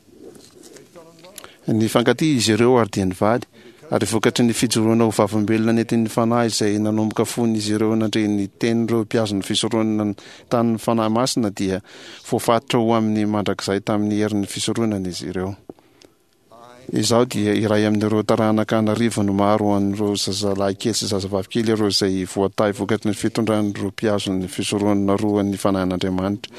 Nifankatia izy ireo ary dia nivady, ary vokatry ny fijoroana ho vavolombelona nentin'ny Fanahy izay nanomboka fony izy ireo nandre ny tenin'ireo mpihazona fisoronana tamin'ny Fanahy Masina dia voafatotra ho amin'ny mandrakizay tamin'ny herin'ny fisoronana izy ireo. Izaho dia iray amin'ireo taranaka an'arivony maro an'ireo zazalahy kely sy zazavavy kely ireo izay voatahy vokatry ny fitondran'ireo mpihazona ny fisoronana roa ny Fanahin'Andriamanitra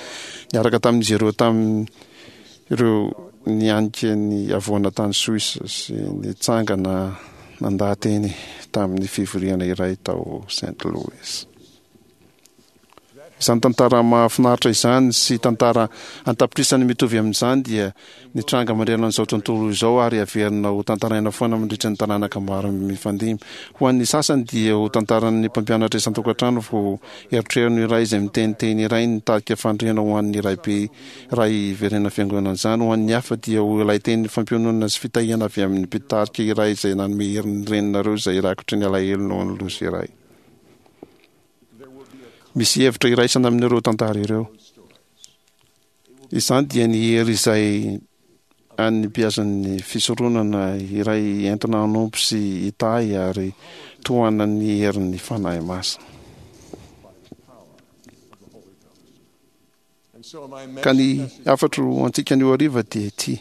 niaraka tamin'izy ireo tamin'ireo nianika ny havoana tany Suisse sy nitsangana nandaha-teny tamin'ny fivoriana iray tao Saint Louis. Izany tantara mahafinaritra izany sy tantara an-tapitrisany mitovy amin'izany dia nitranga manerana an'izao tontolo izao ary averina ho tantaraina foana mandritra ny taranaka maro mifandimby. Ho an'ny sasany dia ho tantaran'ny mpampianatra isan-tokantrano vao erotrerony iray izay miteniteny iray nitarika fandriana ho an'ny raibe iray hiverenana fiangonana izany. Ho an'ny hafa dia ho ilay teny fampiononana sy fitahiana avy amin'ny mpitarika iray izay nanome hery ny reninareo izay rakotry ny alahelo noho ny loza iray. Misy hevitra iraisana amin'ireo tantara ireo. Izany dia ny hery izay an'ny mpihasan'ny fisoronana iray entina hanompo sy hitahy ary tohanan'ny herin'ny Fanahy Masina. Ka ny hafatro ho antsika anio hariva dia ity,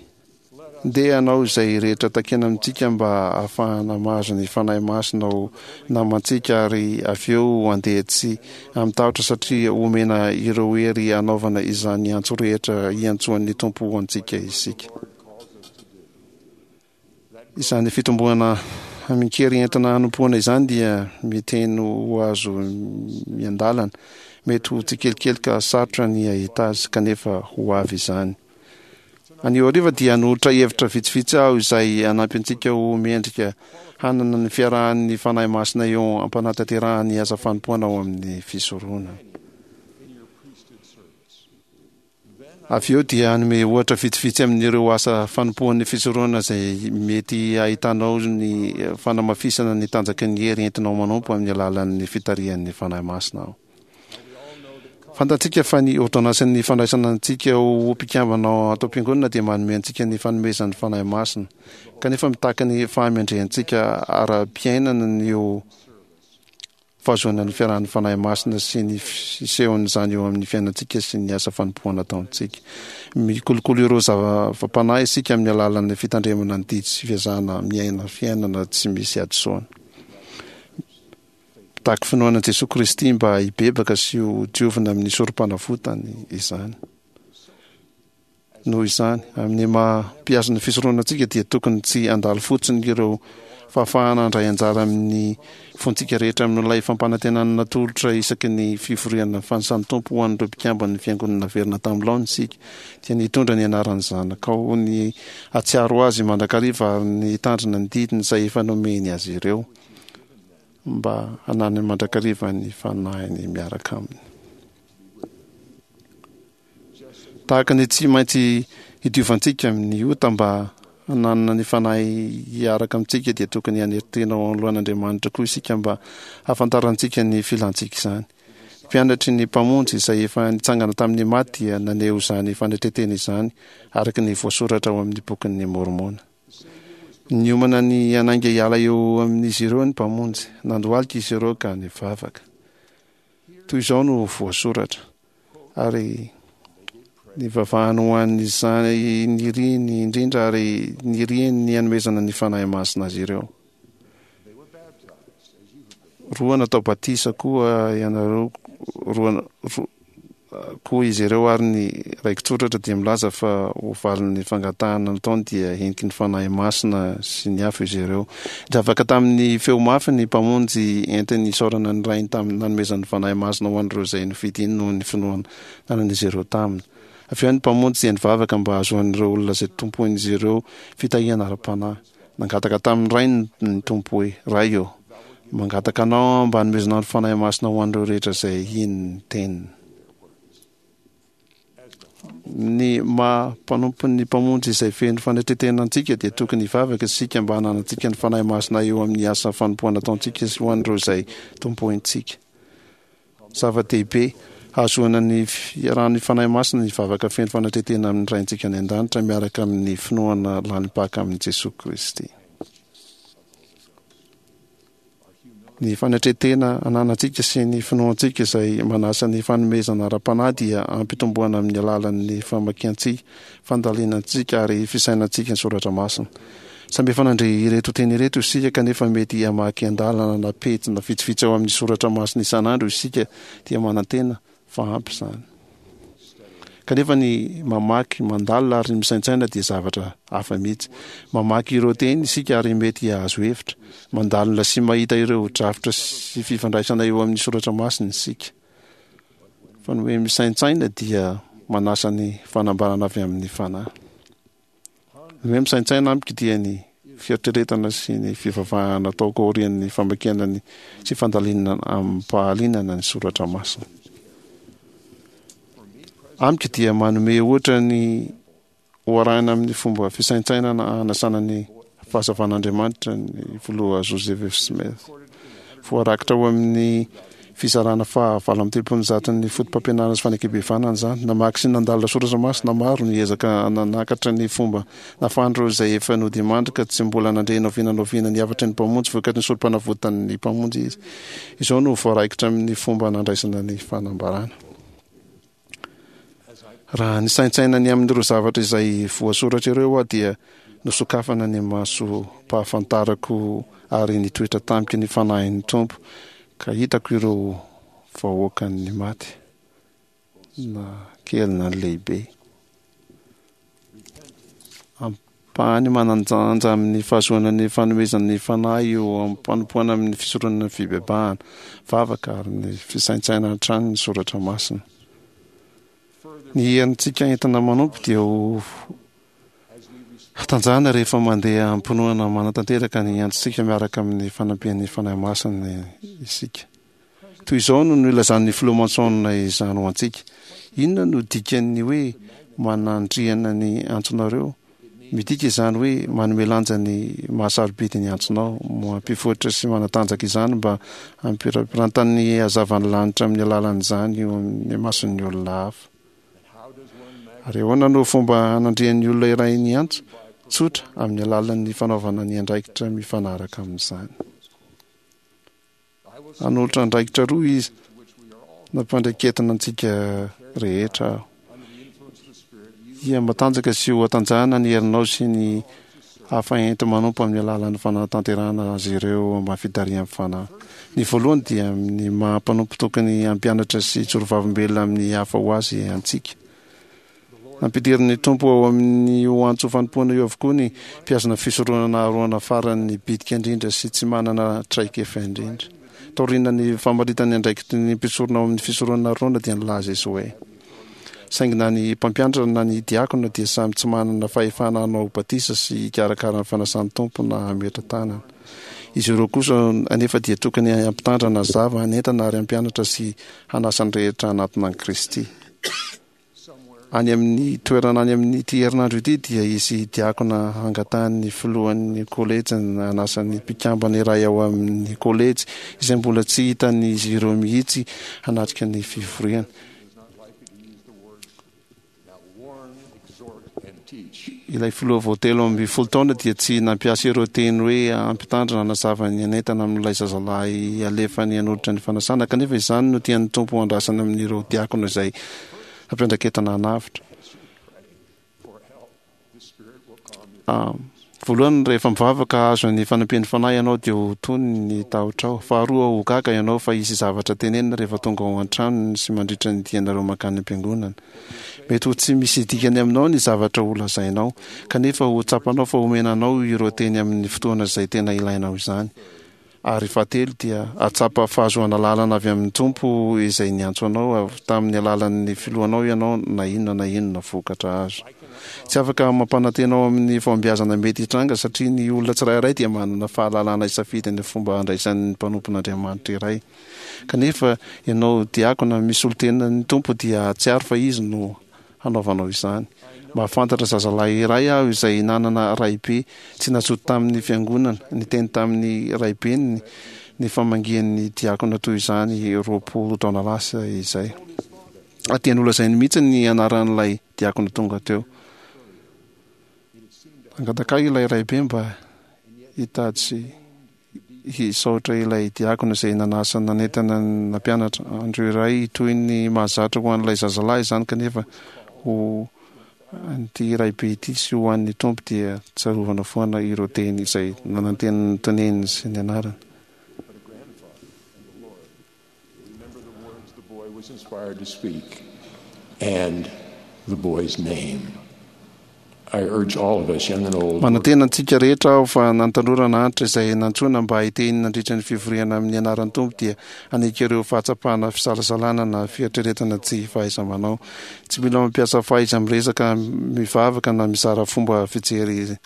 Ndeha hanao izay rehetra takiana amintsika mba hahafahana mahazo ny Fanahy Masina ho namantsika ary avy eo handeha tsy amin-tahotra satria homena ireo hery hanaovana izany antso rehetra hiantsoan'ny Tompo ho antsika isika. Izany fitomboana amin-kery entina hanompoana izany dia miteny ho azo miandalana. Mety ho tsikelikely ka sarotra ny hahita azy, kanefa ho avy izany. Anio hariva dia hanolotra hevitra vitsivitsy aho izay hanampy antsika ho mendrika hanana ny fiarahan'ny Fanahy Masina eo am-panatanterahana ny asa fanompoana ao amin'ny fisoronana. Avy eo dia hanome ohatra vitsivitsy amin'ireo asa fanompoan'ny fisoronana izay mety hahitanao ny fanamafisana ny tanjaky ny hery entinao manompo amin'ny alalan'ny fitarihan'ny Fanahy Masina aho. Fantatsika fa ny ôrdônansin'ny fandraisana antsika ho mpikambana ao ato am-piangonana dia manome antsika ny fanomezan'ny Fanahy Masina. Kanefa mitaky ny fahamendrehantsika ara-piainana ny ho fahazoana ny fiarahan'ny Fanahy Masina sy ny fisehon'izany eo amin'ny fiainantsika sy ny asa fanompoana ataontsika. Mikolokolo ireo zava-panahy isika amin'ny alalan'ny fitandremana ny didy sy fiezahana miaina fiainana tsy misy hadisoana. Mitaky finoana an'i Jesoa Kristy mba hibebaka sy ho diovina amin'ny sorompanavotany izany. Noho izany, amin'ny maha mpihazo ny fisoronana antsika dia tokony tsy handalo fotsiny ireo fahafahana handray anjara amin'ny fontsika rehetra amin'ilay fampanantenana natolotra isaky ny fivoriana fanisan'ny Tompo ho an'ireo mpikamban'ny Fiangonana naverina tamin'ny laoniny isika, dia ny hitondra ny anaran'ny Zanakao, ny hahatsiaro Azy mandrakariva ary ny hitandrina ny didiny izay efa nomeny azy ireo. mba hananany mandrakariva ny Fanahiny miaraka aminy. Tahaka ny tsy maintsy hidiovantsika amin'ny ota mba hananana ny Fanahy hiaraka amintsika dia tokony hanery tena ao anoloan'Andriamanitra koa isika mba hahafantarantsika ny filantsika izany. Mpianatry ny Mpamonjy izay efa nitsangana tamin'ny maty dia naneho izany fanetren-tena izany araka ny voasoratra ao amin'ny Bokin'i Môrmôna. Niomana ny hanainga hiala eo amin'izy ireo ny Mpamonjy. Nandohalika izy ireo ka nivavaka. Toy izao no voasoratra, Ary nivavahany ho an'izany niriany indrindra ary niriany ny hanomezana ny Fanahy Masina azy ireo. Roa natao batisa koa ianareo roa koa izy ireo ary ny raiki-tsoratra dia milaza fa ho valin'ny fangatahana nataony dia heniky ny Fanahy Masina sy ny afo izy ireo. Nivavaka tamin'ny feo mafy ny Mpamonjy entiny hisaorana ny Rainy tamin'ny nanomezany ny Fanahy Masina ho an'ireo izay nofidiny noho ny finoana nanan'izy ireo taminy. Avy eo ny Mpamonjy dia nivavaka mba hahazoan'ireo olona izay tompoin'izy ireo fitahiana ara-panahy. Nangataka tamin'ny Rainy ny Tompo hoe, Ray ô, mangataka Anao aho mba hanomezanao ny Fanahy Masina ho an'ireo rehetra izay hino ny Teniny. Ny maha mpanompon'ny Mpamonjy izay feno fanetren-tena antsika dia tokony hivavaka isika mba hananantsika ny Fanahy Masina eo amin'ny asa fanompoana ataontsika sy ho an'ireo izay tompointsika. Zava-dehibe hahazoana ny fiarahan'ny Fanahy Masina ny vavaka feno fanetren-tena amin'ny Raintsika any An-danitra miaraka amin'ny finoana lalim-paka amin'i Jesoa Kristy. Ny fanetren-tena ananantsika sy ny finoantsika izay manasa ny fanomezana ara-panahy dia ampitomboana amin'ny alalan'ny famakiantsika, fandalinantsika ary fisainantsika ny soratra masina. Samby efa nandre ireto teny ireto isika, kanefa mety hamaky andalana na pejy na vitsivitsy ao amin'ny soratra masina isan'andro isika dia manantena fa ampy izany. Kanefa ny mamaky, mandalina ary misaintsaina dia zavatra hafa mihitsy. Mamaky ireo teny isika ary mety hahazo hevitra. Mandalina sy mahita ireo drafitra sy fifandraisana eo amin'ny soratra masina isika. Fa ny hoe misaintsaina dia manasa ny fanambarana avy amin'ny Fanahy. Ny hoe misaintsaina amiko dia ny fieritreretana sy ny fivavahana ataoko aorian'ny famakiana ny sy fandalinana amim-pahalinana ny soratra masina. Amiko dia manome ohatra ny ho arahina amin'ny fomba fisaintsainana hanasana ny fahazavan'Andriamanitra ny filoha Joseph F. Smith. Voarakitra ao amin'ny fizarana faha 138 ny Fotopampianarana sy Fanekem-pihavanana izany. Namaky sy nandalina soratra masina maro, niezaka nanakatra ny fomba nahafahan'ireo izay efa nodimandry ka tsy mbola nandre na oviana na oviana ny hafatry ny Mpamonjy vokatry ny Sorompanavotan'ny Mpamonjy izy. Izao no voaraikitra amin'ny fomba nandraisana ny fanambarana. Raha nisaintsaina ny amin'ireo zavatra izay voasoratra ireo aho dia nosokafana ny masom-pahafantarako ary nitoetra tamiko ny Fanahin'ny Tompo ka hitako ireo vahoakan'ny maty, na kely na lehibe. Ampahany manan-danja amin'ny fahazoana ny fanomezan'ny Fanahy eo am-panompoana amin'ny fisoronana ny fibebahana, vavaka ary ny fisaintsainana hatrany ny soratra masina. Ny herintsika entina manompo dia ho hatanjahana rehefa mandeha am-pinoana manatanteraka ny antsontsika miaraka amin'ny fanampian'ny Fanahy Masina isika. Toy izao no nilazan'ny Filoha Monson izany ho antsika, Inona no dikan'ny hoe manandriana ny antsonareo? Midika izany hoe manome lanja ny maha-sarobidy ny antsonao, mampivoatra sy manatanjaka izany mba hampirapirantan'ny hazavan'ny lanitra amin'ny alalan'izany eo amin'ny mason'ny olona hafa. Ary ahoana no fomba hanandrian'ny olona iray ny antso? Tsotra, amin'ny alalan'ny fanaovana ny andraikitra mifanaraka amin'izany. Hanolotra andraikitra roa izy nampandraiketina antsika rehetra aho. Hihamatanjaka sy ho hatanjahana ny herinao sy ny hafa enti-manompo amin'ny alalan'ny fanatanterahana azy ireo ambany fitarihan'ny Fanahy. Ny voalohany dia amin'ny maha mpanompo tokony hampianatra sy hijoro vavolombelona amin'ny hafa ho azy antsika. Nampidirin'ny Tompo ao amin'io antso fanompoana io avokoa ny mpihazona fisoronana Aharôna farany bitika indrindra sy tsy manana traikefa indrindra. Taorian'ny famaritany ny andraikitry ny mpisorona ao amin'ny fisoronana Aharôna dia nilaza izy hoe, Saingy na ny mpampianatra na ny diakona dia samy tsy manana fahefana hanao batisa sy hikarakara ny fanasan'ny Tompo na hametra tanana. Izy ireo kosa anefa dia tokony hampitandrina, hazava, hanentana ary hampianatra sy hanasa ny rehetra hanatona an'i Kristy. Any amin'ny toerana any amin'ity herinandro ity dia hisy diakona hangatahan'ny filohan'ny kolejy hanasa ny mpikambana iray ao amin'ny kolejy izay mbola tsy hitan'izy ireo mihitsy hanatrika ny fivoriana. Ilay filoha vao 13 taona dia tsy nampiasa ireo teny hoe hampitandrina hanazava ny hanentana amin'ilay zazalahy alefany hanolotra ny fanasana, kanefa izany no tian'ny Tompo handrasana amin'ireo diakona izay hampiandraiketana hanavotra. Voalohany, rehefa mivavaka hahazo ny fanampian'ny Fanahy ianao dia ho tony ny tahotrao. Faharoa, ho gaga ianao fa hisy zavatra tenenina rehefa tonga ao an-tranony sy mandritra ny dianareo mankany am-piangonana. Mety ho tsy misy dikany aminao ny zavatra holazainao, kanefa ho tsapanao fa omena anao ireo teny amin'ny fotoana izay tena ilainao izany. Ary fahatelo dia hahatsapa fahazoana lalana avy amin'ny Tompo izay niantso anao avy tamin'ny alalan'ny filohanao ianao na inona na inona vokatra azo. Tsy afaka mampanantena ao amin'ny fahombiazana mety hitranga satria ny olona tsirairay dia manana fahalalana hisafidy ny fomba handraisany ny mpanompon'Andriamanitra iray. Kanefa ianao diakona misolo tena ny Tompo dia hahatsiaro fa Izy no hanaovanao izany. Mahafantatra zazalahy iray aho izay nanana raibe tsy nazoto tamin'ny fiangonana, niteny tamin'ny raibeny ny famangian'ny diakona toy izany 20 taona lasa izay. Ary dia nolazainy mihitsy ny anaran'ilay diakona tonga teo. Nangataka ahy ilay raibe mba hitady sy hisaotra ilay diakona izay nanasa nanentana ny nampianatra. Andro iray toy ny mahazatra ho an'ilay zazalahy izany kanefa ho an'ity raibe ity sy ho an'ny Tompo dia tsarovana foana ireo teny izay nanantenanteneny sy ny anarany. Manantena antsika rehetra aho fa na ny tanora na antitra izay nantsoina mba hiteny nandritra ny fivoriana amin'ny anaran'ny Tompo dia hanaiky ireo fahatsapana fisalasalana na fieritreretana tsy fahaiza-manao. Tsy mila mampiasa fahaiza-miresaka, mivavaka na mizara fomba fijery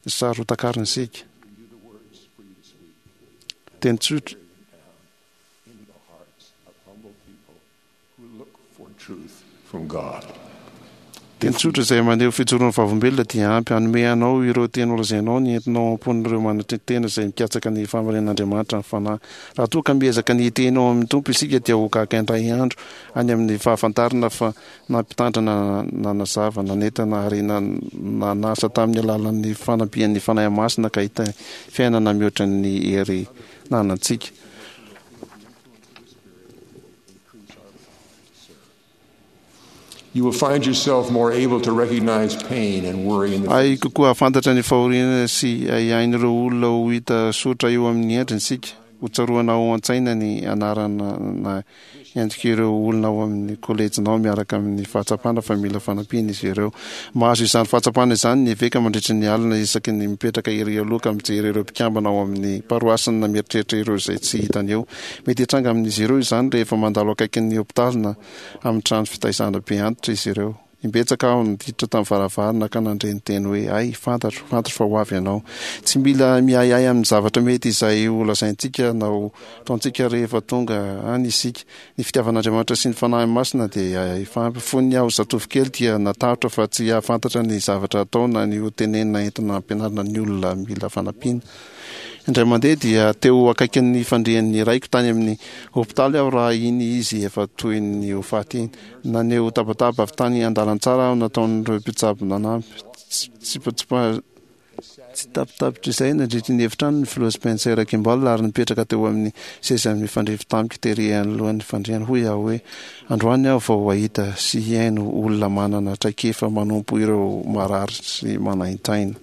saro-takarina isika. Teny tsotra. Teny tsotra izay maneho fijoroan'ny vavolombelona dia ampy hanome anao ireo teny holazainao ny entinao ao am-pon'ireo manatri-tena izay mikatsaka ny fahamarinan'Andriamanitra ny Fanahy. Raha toa ka miezaka ny hiteny ao amin'ny Tompo isika dia ho gaga indray andro any amin'ny fahafantarana fa nampitandrina, nanazava, nanentana ary nanasa tamin'ny alalan'ny fanampian'ny Fanahy Masina ka hita fiainana mihoatra ny hery nanantsika. You will find yourself more able to recognize pain and worry in the Hay kokoa hahafantatra ny fahoriana sy ahiahin'ireo olona ho hita soritra eo amin'ny endriny isika. Ho tsaroana ao an-tsaina ny anarana na endrik'ireo olona ao amin'ny kolejinao miaraka amin'ny fahatsapana fa mila fanampiana izy ireo. Mahazo izany fahatsapana izany ny eveka mandritry ny alina isaky ny mipetraka ery aloha ka mijery ireo mpikambana ao amin'ny paroasiny na mieritreritra ireo izay tsy hitany eo. Mety hitranga amin'izy ireo izany rehefa mandalo akaikin'ny hopitaly na amin'ny trano fitaizana be antitra izy ireo. Imbetsaka aho niditra tamin'ny varavarana ka nandre ny teny hoe, Hay, fantatro, fantatro fa ho avy ianao. Tsy mila miahiahy amin'ny zavatra mety izay ho lazaintsika na ho ataontsika rehefa tonga any isika. Ny fitiavan'Andriamanitra sy ny Fanahy Masina dia efa ampy. Fony aho zatovo kely dia natahotra fa tsy hahafantatra ny zavatra atao na ny ho tenenina entina hampianarina ny olona mila fanampiana. Indray mandeha dia teo akaikin'ny fandrian'ny raiko tany amin'ny hopitaly aho raha iny izy efa toy ny ho faty iny. Naneho tabataba avy tany an-dalantsara aho nataon'ireo mpitsabo nanampy. Tsitapitapitr'izay nandritry ny efitrano ny filoha Spencer Kimball ary nipetraka teo amin'ny seza mifandrify tamiko tery anoloan'ny fandriany. Hoy aho hoe, Androany aho vao hahita sy hihaino olona manana traikefa manompo ireo marary sy manaintaina.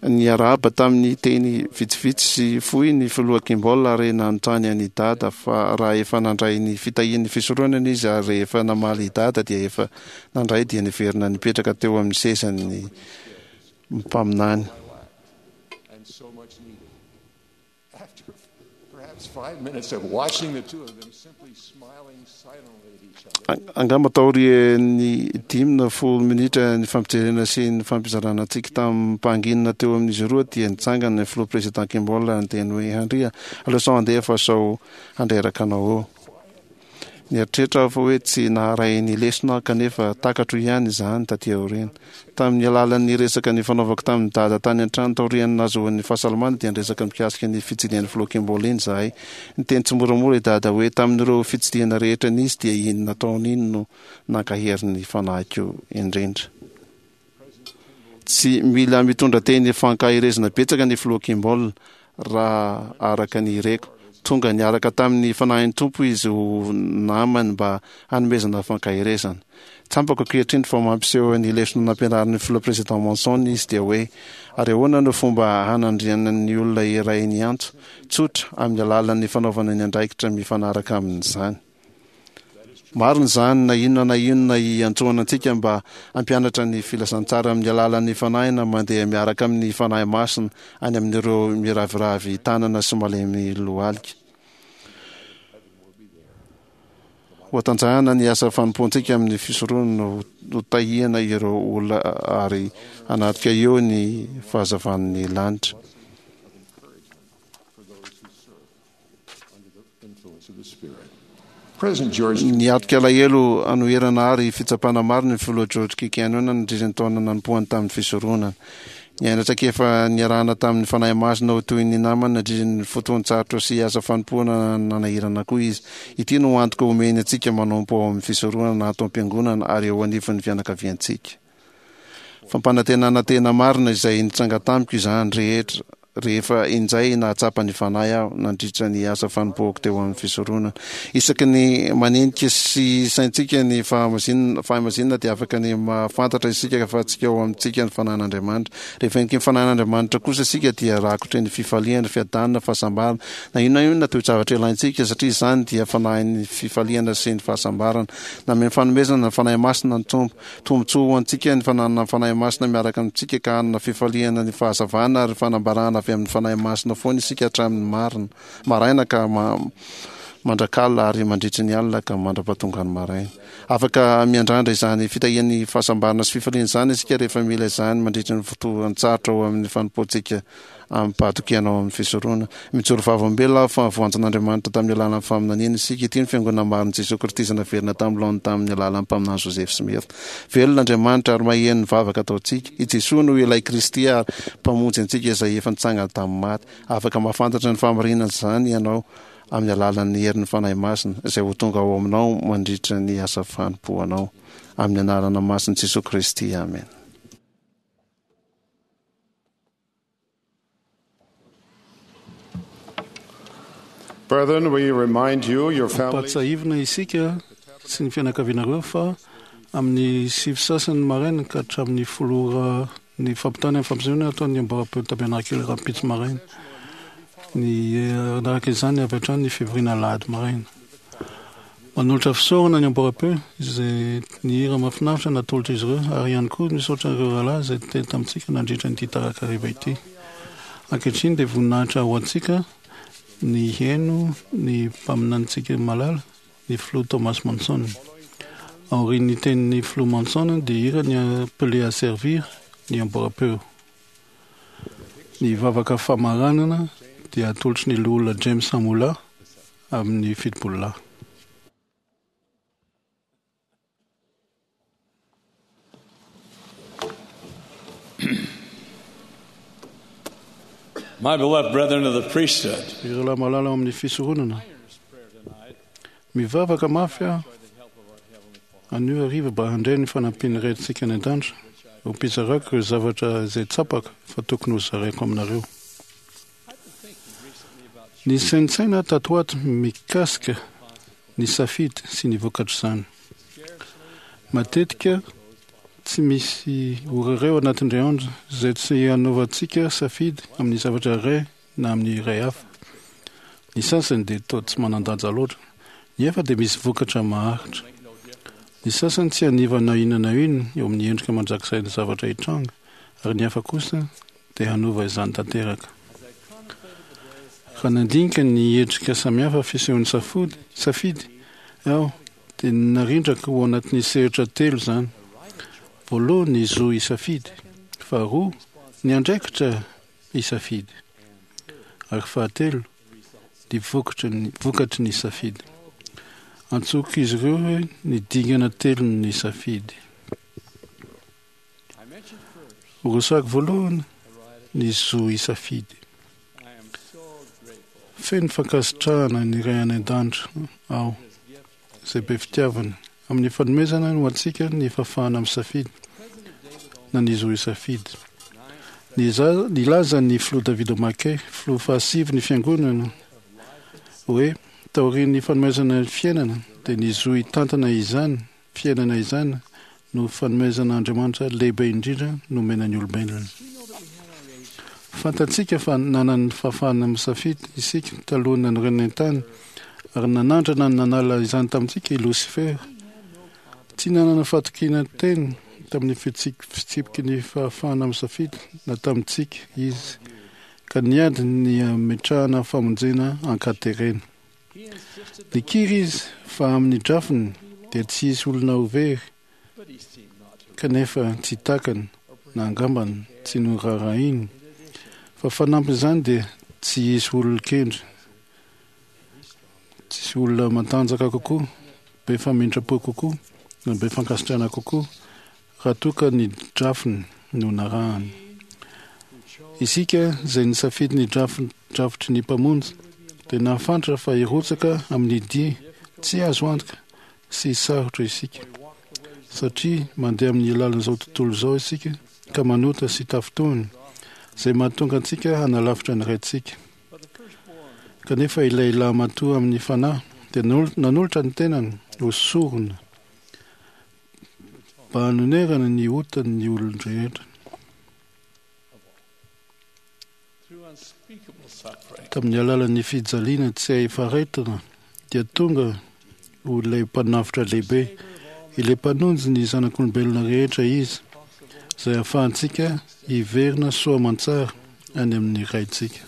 Niarahaba tamin'ny teny vitsivitsy sy fohy ny Filoha Kimball ary nanontany an'i Dada fa raha efa nandray ny fitahian'ny fisoronana izy ary rehefa namaly i Dada dia efa nandray dia niverina nipetraka teo amin'ny sezan'ny mpaminany. Angamba taorian'ny 5 na 10 minitra nifampijerena sy nifampizarana tsiky tamim-pahanginana teo amin'izy roa dia nitsangana ny filoha Président Kimball ary niteny hoe, Andria, aleo sao handeha fa sao handreraka anao eo. Nieritreritra aho fa hoe tsy naharay ny lesona aho kanefa takatro ihany izany taty aoriana. Tamin'ny alalan'ny resaka nifanaovako tamin'i Dada tany an-trano taorian'ny nahazoany ny fahasalamana dia niresaka mikasika ny fitsidihan'ny Filoha Kimball iny izahay. Niteny tsimoramora i Dada hoe tamin'ireo fitsidihana rehetra nisy dia iny nataony iny no nankahery ny fanahiko indrindra. Tsy mila mitondra teny fankaherezana betsaka ny Filoha Kimball raha araka ny reko. Tonga niaraka tamin'ny Fanahin'ny Tompo izy ho namany mba hanomezana fankaherezana. Tsampako ankehitriny fa mampiseho ny lesona nampianarin'ny Filoha Président Monson izy dia hoe, Ary ahoana no fomba hanandrianan'ny olona iray ny antso? Tsotra, amin'ny alalan'ny fanaovana ny andraikitra mifanaraka amin'izany. Marina izany na inona na inona iantsoana antsika mba hampianatra ny filazantsara amin'ny alalan'ny Fanahy na mandeha miaraka amin'ny Fanahy Masina any amin'ireo miraviravy tanana sy malemy lohalika. Hohatanjahana ny asa fanompoantsika amin'ny fisoronana, hotahiana ireo olona ary hanatrika eo ny fahazavan'ny lanitra. Niatrika alahelo hanoherana ary fitsapana maro ny Filoha George K. Cannon nandritra ny taona nanompoany tamin'ny fisoronana. Niaina traikefa niarahana tamin'ny Fanahy Masina ho toy ny namany nandritra ny fotoan-tsarotra sy asa fanompoana nanahirana koa izy. Ity no antoka omeny antsika manompo ao amin'ny fisoronana ato am-piangonana ary eo anivon'ny fianakaviantsika. Fampanantenana tena marina izay nitranga tamiko izany rehetra rehefa injay nahatsapa ny Fanahy aho nandritra ny asa fanompoako teo amin'ny fisoronana. Isaky ny manenika sy saintsika ny fahamasinana dia afaka ny mahafantatra isika fa tsy ao amintsika ny Fanahin'Andriamanitra. Rehefa heniky ny Fanahin'Andriamanitra kosa isika dia rakotry ny fifaliana, fiadanana, fahasambarana, na inona na inona toe-javatra ilaintsika satria izany dia Fanahin'ny fifaliana sy ny fahasambarana. Nameno fanomezana ny Fanahy Masina ny Tompo. Tombontsoa ho antsika ny fananana ny Fanahy Masina miaraka amintsika ka hanana fifaliana ny fahazavana ary fanambarana avy amin'ny Fanahy Masina foana isika hatramin'ny marina maraina ka mandrakalina ary mandritry ny alina ka mandra-pahatongan'ny maraina. Afaka miandrandra izany fitahian'ny fahasambarana sy fifaliana izany isika rehefa mila izany mandritry ny fotoan-tsarotra ao amin'ny fanompoantsika amim-pahatokiana ao amin'ny fisoronana. Mijoro vavolombelona aho fa voantson'Andriamanitra tamin'ny alalan'ny faminaniana isika. Ity no Fiangonana marin'i Jesoa Kristy izay naverina tamin'ny laoniny tamin'ny alalan'ny mpaminany Joseph Smith. Velona Andriamanitra ary maheno ny vavaka ataontsika. I Jesoa no ilay Kristy ary Mpamonjy antsika izay efa nitsangana tamin'ny maty. Afaka mahafantatra ny fahamarinan'izany ianao amin'ny alalan'ny herin'ny Fanahy Masina izay ho tonga ao aminao mandritra ny asa fanompoanao. Amin'ny anarana masin'i Jesoa Kristy, amena. Brethren, we remind you, your families. Ampahatsiahivina isika sy ny fianakavianareo fa amin'ny sivy sasany maraina ka hatramin'ny folo ora ny fampitana ny fampisehoana ataon'ny amboaram-peo tabernakely rahampitso maraina. Ny araka izany avy hatrany ny fivoriana alahady maraina. Manolotra fisaorana ny amboaram-peo izay ny hira mahafinaritra natolotr'izy ireo ary ihany koa misaotra ireo rahalahy izay niteny tamintsika nandritra ity tarakariva ity. Ankehitriny dia voninahitra ho antsika ny hihaino ny mpaminanintsika malala, ny filoha Thomas Monson. Aorian'ny tenin'ny filoha Monson dia hira ny Appelé à servir ny amboaram-peo. Ny vavaka famaranana dia atolotry ny loholona James Amola amin'ny 70 lahy. My beloved brethren of the priesthood. Ireo lahy malala ao amin'ny fisoronana. Mivavaka mafy aho anio hariva mba handray ny fanampian'ny Raintsika any an-danitra ho mpizarako ireo zavatra izay tsapako fa tokony hozaraiko aminareo. Nisaintsaina aho tato ho ato mikasika ny safidy sy ny vokatr'izany. Matetika tsy misy ora iray ao anatin'indray andro izay tsy hanaovantsika safidy amin'ny zavatra iray na amin'ny iray hafa. Ny sasany dia toa tsy manan-danja loatra, ny hafa dia misy vokatra maharitra. Ny sasany tsy haniva na inona na inona eo amin'ny endrika mandrakizain'ny zavatra hitranga, ary ny hafa kosa dia hanova izany tanteraka. Raha nandinika ny endrika samihafa fisehon'ny safidy aho, dia narindrako ho anatin'ny sehatra telo izany. Voalohany, ny zo hisafidy. Faharoa, ny andraikitra hisafidy. Ary fahatelo, ny vokatry ny safidy. Antsoiko izy ireo hoe ny dingana telon'ny safidy. Horesahako voalohany ny zo hisafidy. Feno fankasitrahana ny Ray any An-danitra aho, izay be fitiavana, amin'ny fanomezana ho antsika ny fahafahana misafidy na ny zo hisafidy. Nilaza ny Filoha David McKay, filoha fahasivy ny Fiangonana, hoe taorian'ny fanomezana ny fiainana dia ny zo hitantana izany fiainana izany no fanomezan'Andriamanitra lehibe indrindra nomena ny olombelona. Fantatsika fa nanana ny fahafahana misafidy isika talohan'ny nanorenana ny tany, ary nanandrana ny nanala izany tamintsika i Losifera. Tsy nanana fahatokiana teny tamin'ny fitsipiky ny fahafahana misafidy na tamintsika izy, ka niady ny hametrahana famonjena an-katerena. Nikiry izy fa amin'ny drafiny dia tsy hisy olona ho very, kanefa tsy takany na angambany tsy noraharahiany fa fanampin'izany dia tsy hisy olon-kendry, tsy hisy olona matanjaka kokoa, be famindram-po kokoa na be fankasitrahana kokoa raha toa ka ny drafiny no narahany. Isika izay nisafidy ny drafitry ny Mpamonjy dia nahafantatra fa hirotsaka amin'ny dia tsy azo antoka sy sarotra isika, satria mandeha amin'ny lalan'izao tontolo izao isika ka manota sy tafintohina, izay mahatonga antsika hanalafitra ny Raintsika. Kanefa ilay lahimatoa amin'ny fanahy dia nanolotra ny tenany ho sorona mba hanonerana ny otan'ny olon-drehetra. Tamin'ny alalan'ny fijaliana tsy hay faritana dia tonga ho ilay Mpanavotra lehibe, ilay Mpanonjy ny zanak'olombelona rehetra Izy, izay ahafahantsika hiverina soa aman-tsara any amin'ny Raintsika.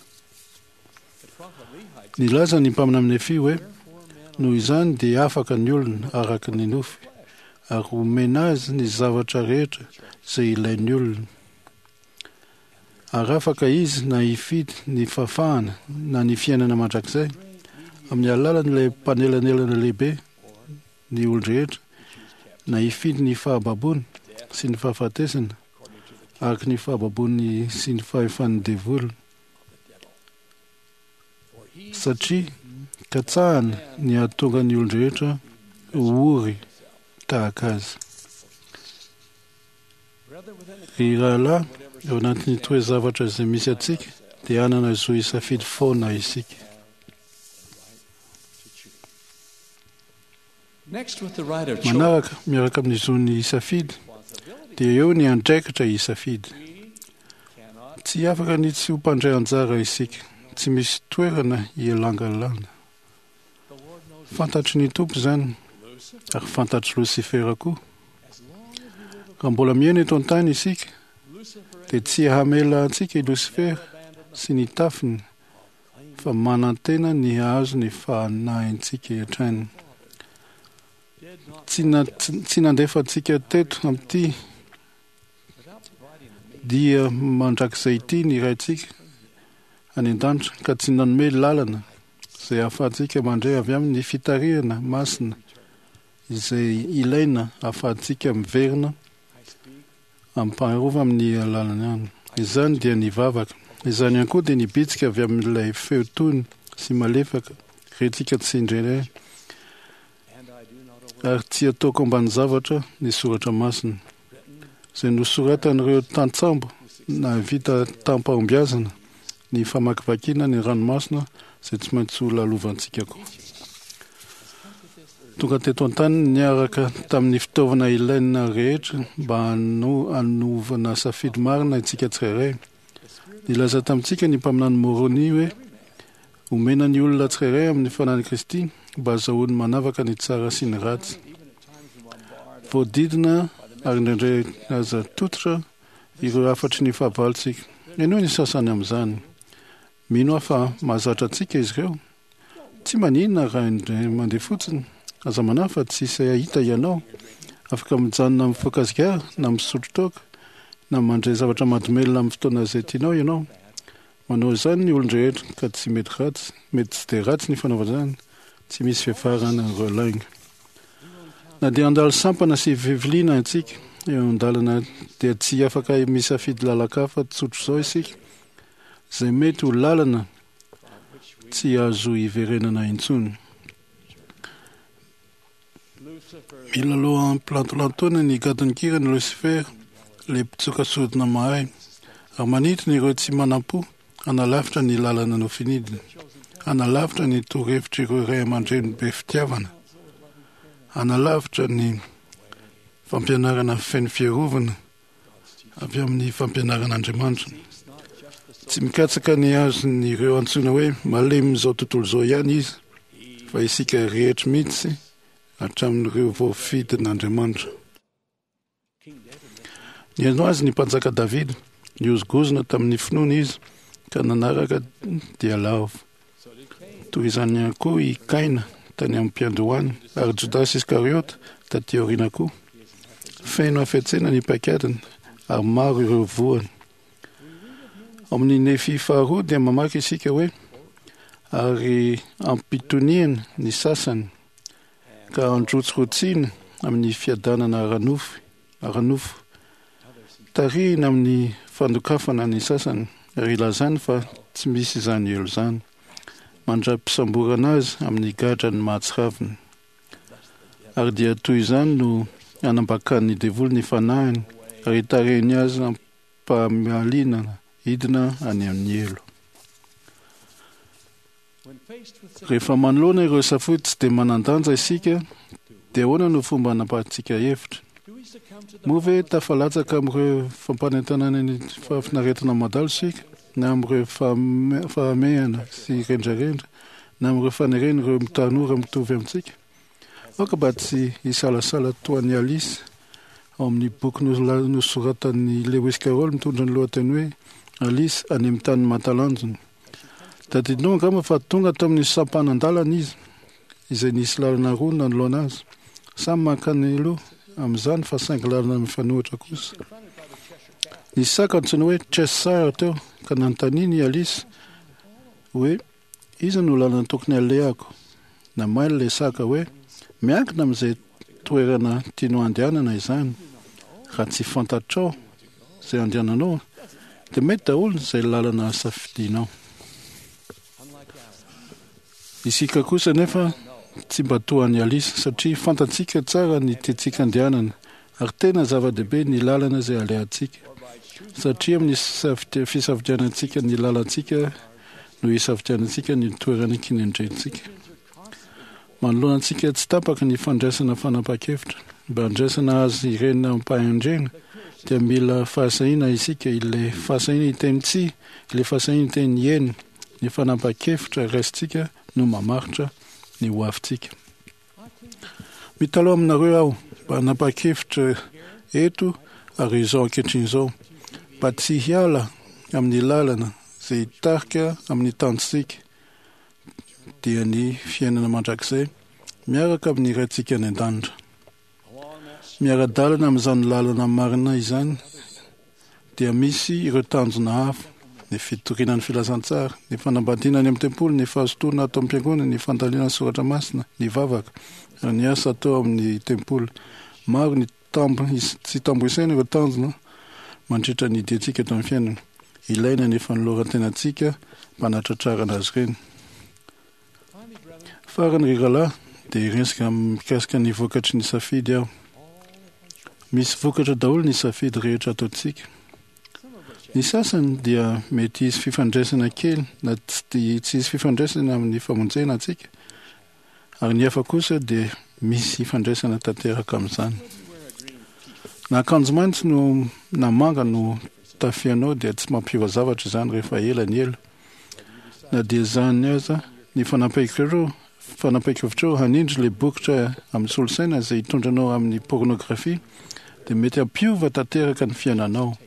Nilaza ny mpaminany Nefia hoe, Noho izany dia afaka ny olona araka ny nofy, ary homena azy ny zavatra rehetra izay ilain'ny olona. Ary afaka izy na hifidy ny fahafahana na ny fiainana mandrakizay, amin'ny alalan'ilay mpanelanelana lehibe ny olon-drehetra, na hifidy ny fahababoana sy ny fahafatesana, araka ny fahababoany sy ny fahefan'ny devoly. Satria katsahana ny hahatonga ny olon-drehetra ho ory tahaka azy. Ry rahalahy, ao anatin'ny toe-zavatra izay misy antsika, dia hanana zo hisafidy foana isika. Manaraka, miaraka amin'ny zony hisafidy, dia eo ny andraikitra hisafidy. Tsy afaka ny tsy ho mpandray anjara isika, tsy misy toerana hielangalana. Fantatry ny Tompo izany, ary fantatr'i Losifera koa. Raha mbola miaina eto an-tany isika, dia tsy hamela antsika i Losifera sy ny tafiny, fa manantena ny hahazo ny fanahintsika hatrany. Tsy nandefa antsika teto amin'ity dia mandrakizay ity ny Raintsika any an-danitra, ka tsy nanome lalana izay ahafahantsika mandray avy aminy ny fitarihana masina izay ilaina ahafahantsika miverina amim-paharova amin'ny alalany any. Izany dia ny vavaka. Izany ihany koa dia ny bitsika avy amin'ilay feo tony sy malefaka rentsika tsy indraindray, ary tsy ataoko ambany zavatra ny soratra masina izay nosoratan'ireo tantsambo nahavita tamim-pahombiazana ny famakivakiana ny ranomasina izay tsy maintsy ho lalovantsika koa. Tonga teto an-tany niaraka tamin'ny fitaovana ilaina rehetra mba hanovana safidy marina isika tsirairay. Nilaza tamintsika ny mpaminany Moroni hoe omena ny olona tsirairay amin'ny fanahin'i Kristy mba hazahoany manavaka ny tsara sy ny ratsy. Voadidina ary indraindray aza tototra ireo hafatry ny fahavalontsika. Henoy ny sasany amin'izany. Mino aho fa mahazatra antsika izy ireo. Tsy maninona raha indray mandeha fotsiny. Aza manahy fa tsy hisy hahita ianao. Afaka mijanona mifoka sigara na misotro toaka na mandre zavatra mahadomelina amin'ny fotoana izay tianao ianao. Manao izany ny olon-drehetra ka tsy mety ratsy, mety tsy dia ratsy ny fanaovana izany, tsy misy fiafarana ireo lainga. Na dia handalo sampana sy fiviliana antsika eo an-dalana dia tsy afaka misafidy lalan-kafa tsotr'izao isika, izay mety ho lalana tsy azo iverenana intsony. Milalao am-pilantolantoana ny gadon-kiran'i Lucifer, ilay mpitsoka sodina mahay, ary manintona ireo tsy manam-po hanalavitra ny lalana nofinidiny, hanalavitra ny torohevitr'ireo ray aman-dreny be fitiavana, hanalavitra ny fampianarana feno fiarovana avy amin'ny fampianaran'Andriamanitra. Tsy mikatsaka ny azon'ireo antsoina hoe malemin'izao tontolo izao ihany izy, fa isika rehetra mihitsy hatramin'ireo voafidin'Andriamanitra. Nihaino azy ny mpanjaka Davida, nihozongozona tamin'ny finoana izy ka nanaraka dia lavo. Toy izany ihany koa i Kaina tany am-piandohana ary Jodasy Iskariota taty aoriana koa. Feno hafetsena ny paikadiny ary maro ireo voany. Ao amin'ny Nefy faharoa dia mamaky isika hoe ary ampitoniany ny sasany ka androtsirotsiana amin'ny fiadanana ara-nofy ara-nofo. Tarihina amin'ny fandokafana ny sasany ary ilazany fa tsy misy izany helo izany, mandra-pisamborana azy amin'ny gadrany mahatsiravina. Ary dia toy izany no anambakan'ny devoly ny fanahiny ary itarihiny azy am-pahamalinana hidina any amin'ny helo. Rehefa manoloana ireo safidy tsy dia manan-danja isika, dia ahoana no fomba anapahantsika hevitra? Moa ve tafalatsaka amin'ireo fampanentanana ny fahafinaretana mandalo isika, na amin'ireo fahamehana sy rendrarendra, na amin'ireo faneren'ireo tanora mitovy amintsika? Aoka mba tsy hisalasala toa an'i Alice ao amin'ny boky nosoratan'i Lewis Carroll mitondra ny lohateny hoe Alice any amin'ny tany mahatalanjona. Tadidinao angamba fa tonga tao amin'ny sampanan-dalana izy, izay nisy lalana roa nanoloana azy. Samy mankany aloha amin'izany fa saingy lalana mifanohitra kosa. Nisy saka antsoina hoe Cheshire teo, ka nanontaniany i Alice hoe iza no lalana tokony alehako. Namaly ilay saka hoe miankina amin'izay toerana tianao handehanana izany. Raha tsy fantatrao izay andehananao dia mety daholo izay lalana safidianao. Isika kosa anefa tsy mba toa an'i Alice satria fantatsika tsara ny tiantsika andehanana ary tena zava-dehibe ny lalana izay alehantsika satria amin'ny fisafidianantsika ny lalantsika no isafidianantsika ny toerana kinendrentsika. Manoloana antsika tsy tapaka ny fandraisana fanapahan-kevitra. Mba handraisana azy ireny amim-pahendrena dia mila fahasahiana isika, ilay fahasahiana hiteny tsia, ilay fahasahiana hiteny eny. Ny fanapahan-kevitra raisintsika no mamaritra ny hoavintsika. Mitalaho aminareo aho mba hanapa-kevitra eto ary izao ankehitriny izao, mba tsy hiala amin'ny lalana izay hitarika amin'ny tanjontsika, dia ny fiainana mandrakizay miaraka amin'ny Raintsika any An-danitra. Miara-dalana amin'izany lalana marina izany dia misy ireo tanjona hafa, ny fitoriana ny filazantsara, ny fanambadiana any amin'ny tempoly, ny fahazotoana ato am-piangonana, ny fandalinana ny soratra masina, ny vavaka, ary ny asa atao amin'ny tempoly. Maro ny tambo tsy tambo isaina ireo tanjona mandritra ny diantsika eto amin'ny fiainana. Ilaina ny fanoloran-tenantsika mba hanatratrarana azy ireny. Farany ry rahalahy, dia hiresaka mikasika ny vokatry ny safidy aho. Misy vokatra daholo ny safidy rehetra ataontsika. Ny sasany dia mety hisy fifandraisana kely na tsy hisy fifandraisana amin'ny famonjena antsika, ary ny hafa kosa dia misy ifandraisana tanteraka amin'izany. Na akanjo maitso no na manga no tafianao dia tsy mampiova zavatra izany rehefa ela ny ela. Na dia izany aza, ny fanapahan-kevitrao fanapahan-kevitrao hanindry ilay bokotra amin'ny solosaina izay hitondra anao amin'ny pôrnôgrafia dia mety hampiova tanteraka ny fiainanao.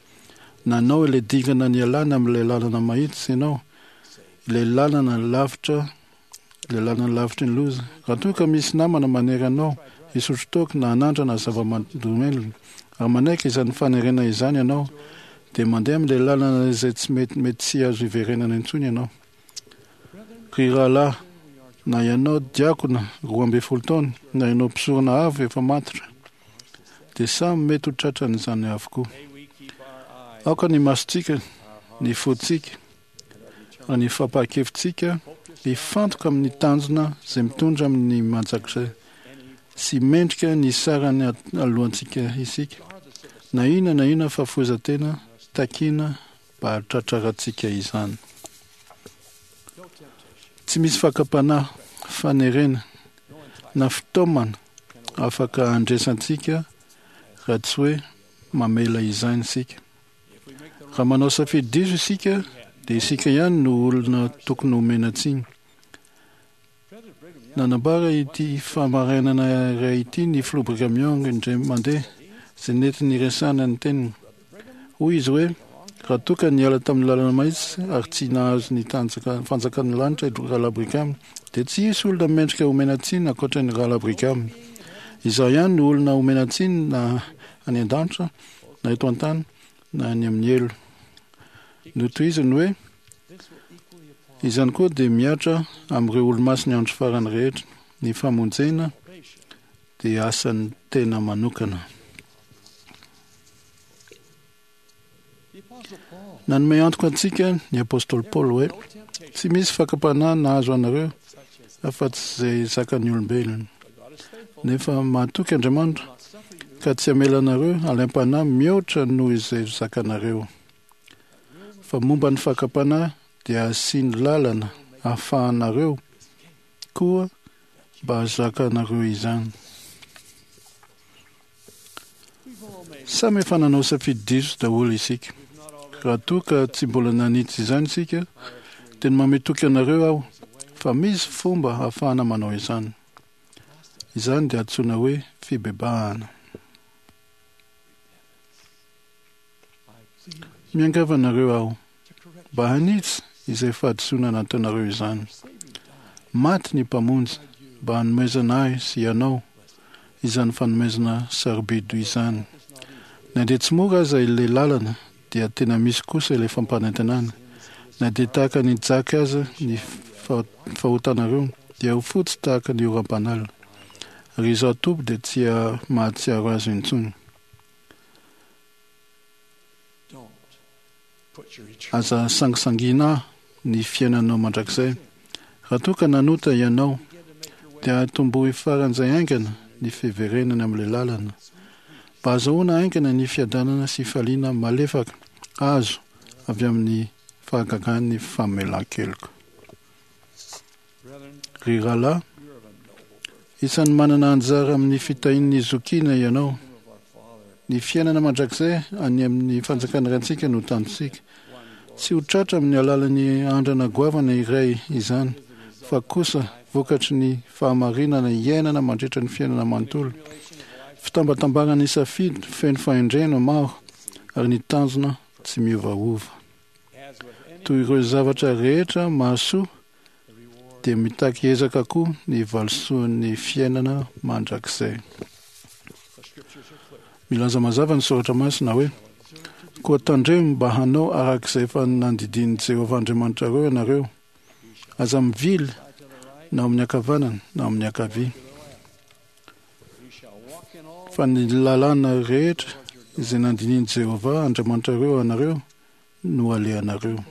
Nanao ilay dingana nialana amin'ilay lalana mahitsy ianao. Ilay lalana lavitra, ilay lalana lavitry ny loza. Raha toa ka misy namana manery anao hisotro toaka na hanandrana zava-mahadomelina, raha manaiky izany fanerena izany ianao, dia mandeha amin'ilay lalana izay tsy mety mety tsy azo iverenana intsony ianao. Ry rahalahy, na ianao diakona 12 taona, na ianao mpisorona avo efa matotra, dia samy mety ho tratran'izany avokoa. Aoka ny masontsika, ny fontsika, ary ny fampaha-kevitsika hifantoka amin'ny tanjona izay mitondra amin'ny mandrakizay sy mendrika ny sarany alohantsika isika, na inona na inona fahafoizan-tena takiana mba hahatratrarantsika izany. Tsy misy fakam-panahy, fanerena, na fitaomana afaka handresantsika raha tsy hoe mamela izany isika. Raha manao safidy diso isika, dia isika ihany no olona tokony homena tsiny. Nanambara ity fahamarinana iray ity ny filoha Brigham Young indray mandeha, izay nentiny niresahana ny teniny. Hoy izy hoe, Raha toa ka niala tamin'ny lalana mahitsy ary tsy nahazo ny fanjakan'ny lanitra i Rahalahy Brigham, dia tsy hisy olona mendrika homena tsiny ankoatra ny Rahalahy Brigham. Izaho ihany no olona homena tsiny na any an-danitra na eto an-tany na any amin'ny helo. Notohiziny hoe, Izany koa dia mihatra amin'ireo olomasin'ny andro farany rehetra. Ny famonjena dia asan'ny tena manokana. Nanome antoka antsika ny apostoly Paoly hoe, Tsy misy fakam-panahy nahazo anareo afa-tsy izay zakan'ny olombelona. Nefa mahatoky Andriamanitra ka tsy hamela anareo halaim-panahy mihoatra noho izay zakanareo. Fa momba ny fakam-panahy dia asiany lalana ahafahanareo koa mba hahazakanareo izany. Samy efa nanao safidy diso daholo isika. Raha toa ka tsy mbola nanitsy izany isika, dia ny manome toky anareo aho fa misy fomba ahafahana manao izany. Izany dia antsoina hoe fibebahana. Miangavy anareo aho mba hanitsy izay fahadisoana nataonareo izany. Maty ny Mpamonjy mba hanomezana ahy sy ianao izany fanomezana sarobidy izany. Na dia tsy mora aza ilay lalana dia tena misy kosa ilay fampanantenana. Na dia tahaka ny jaky aza ny fahotanareo dia ho fotsy tahaka ny oram-panala. Ary Izaho Tompo dia tsy mahatsiaro azy intsony. Aza sangisangiana ny fiainanao mandrakizay. Raha toa ka nanota ianao, dia atombohy faran'izay haingana ny fiverenana amin'ilay lalana, mba hahazoana haingana ny fiadanana sy fifaliana malefaka azo avy amin'ny fahagagan'ny famelan-keloka. Ry rahalahy, isan'ny manana anjara amin'ny fitahian'ny zokiana ianao. Ny fiainana mandrakizay any amin'ny fanjakan'ny Raintsika no tanjontsika. Tsy ho tratra amin'ny alalan'ny andrana goavana iray izany, fa kosa vokatry ny fahamarinana iainana mandritra ny fiainana manontolo. Fitambatambaran'ny safidy feno fahendrena maro ary ny tanjona tsy miovaova. Toy ireo zavatra rehetra mahasoa dia mitaky ezaka koa ny valisoan'ny fiainana mandrakizay. Milaza mazava ny Soratra Masina hoe, Koa tandremo mba hanao araka izay efa nandidian'i Jehovah Andriamanitrareo ianareo. Aza mivily na amin'ny ankavanana na amin'ny ankavia. Fa ny lalàna rehetra izay nandinian'i Jehovah Andriamanitrareo anareo no alehanareo.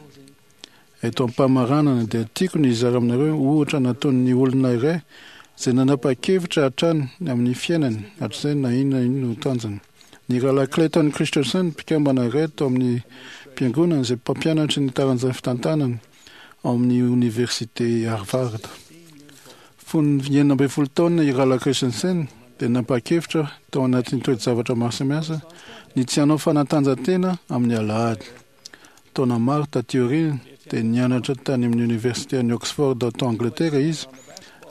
Eto am-pamaranana dia tiako ny hizara aminareo ohatra nataon'ny olona iray izay nanapa-kevitra hatrany amin'ny fiainany hatrizay na inona inona ho tanjony. Ny Rahalahy Clayton Christensen, mpikambana iray tao amin'ny mpiangonana izay mpampianatry ny taranjan'ny fitantanana ao amin'ny Oniversite Harvard. Fony 16 taona i Rahalahy Christensen dia nampa-kevitra tao anatin'ny toe-javatra maro samihafa ny tsy hanao fanatanjahantena amin'ny alahady. Taona maro taty aoriana dia nianatra tany amin'ny Oniversite an'i Oxford tao Angletera izy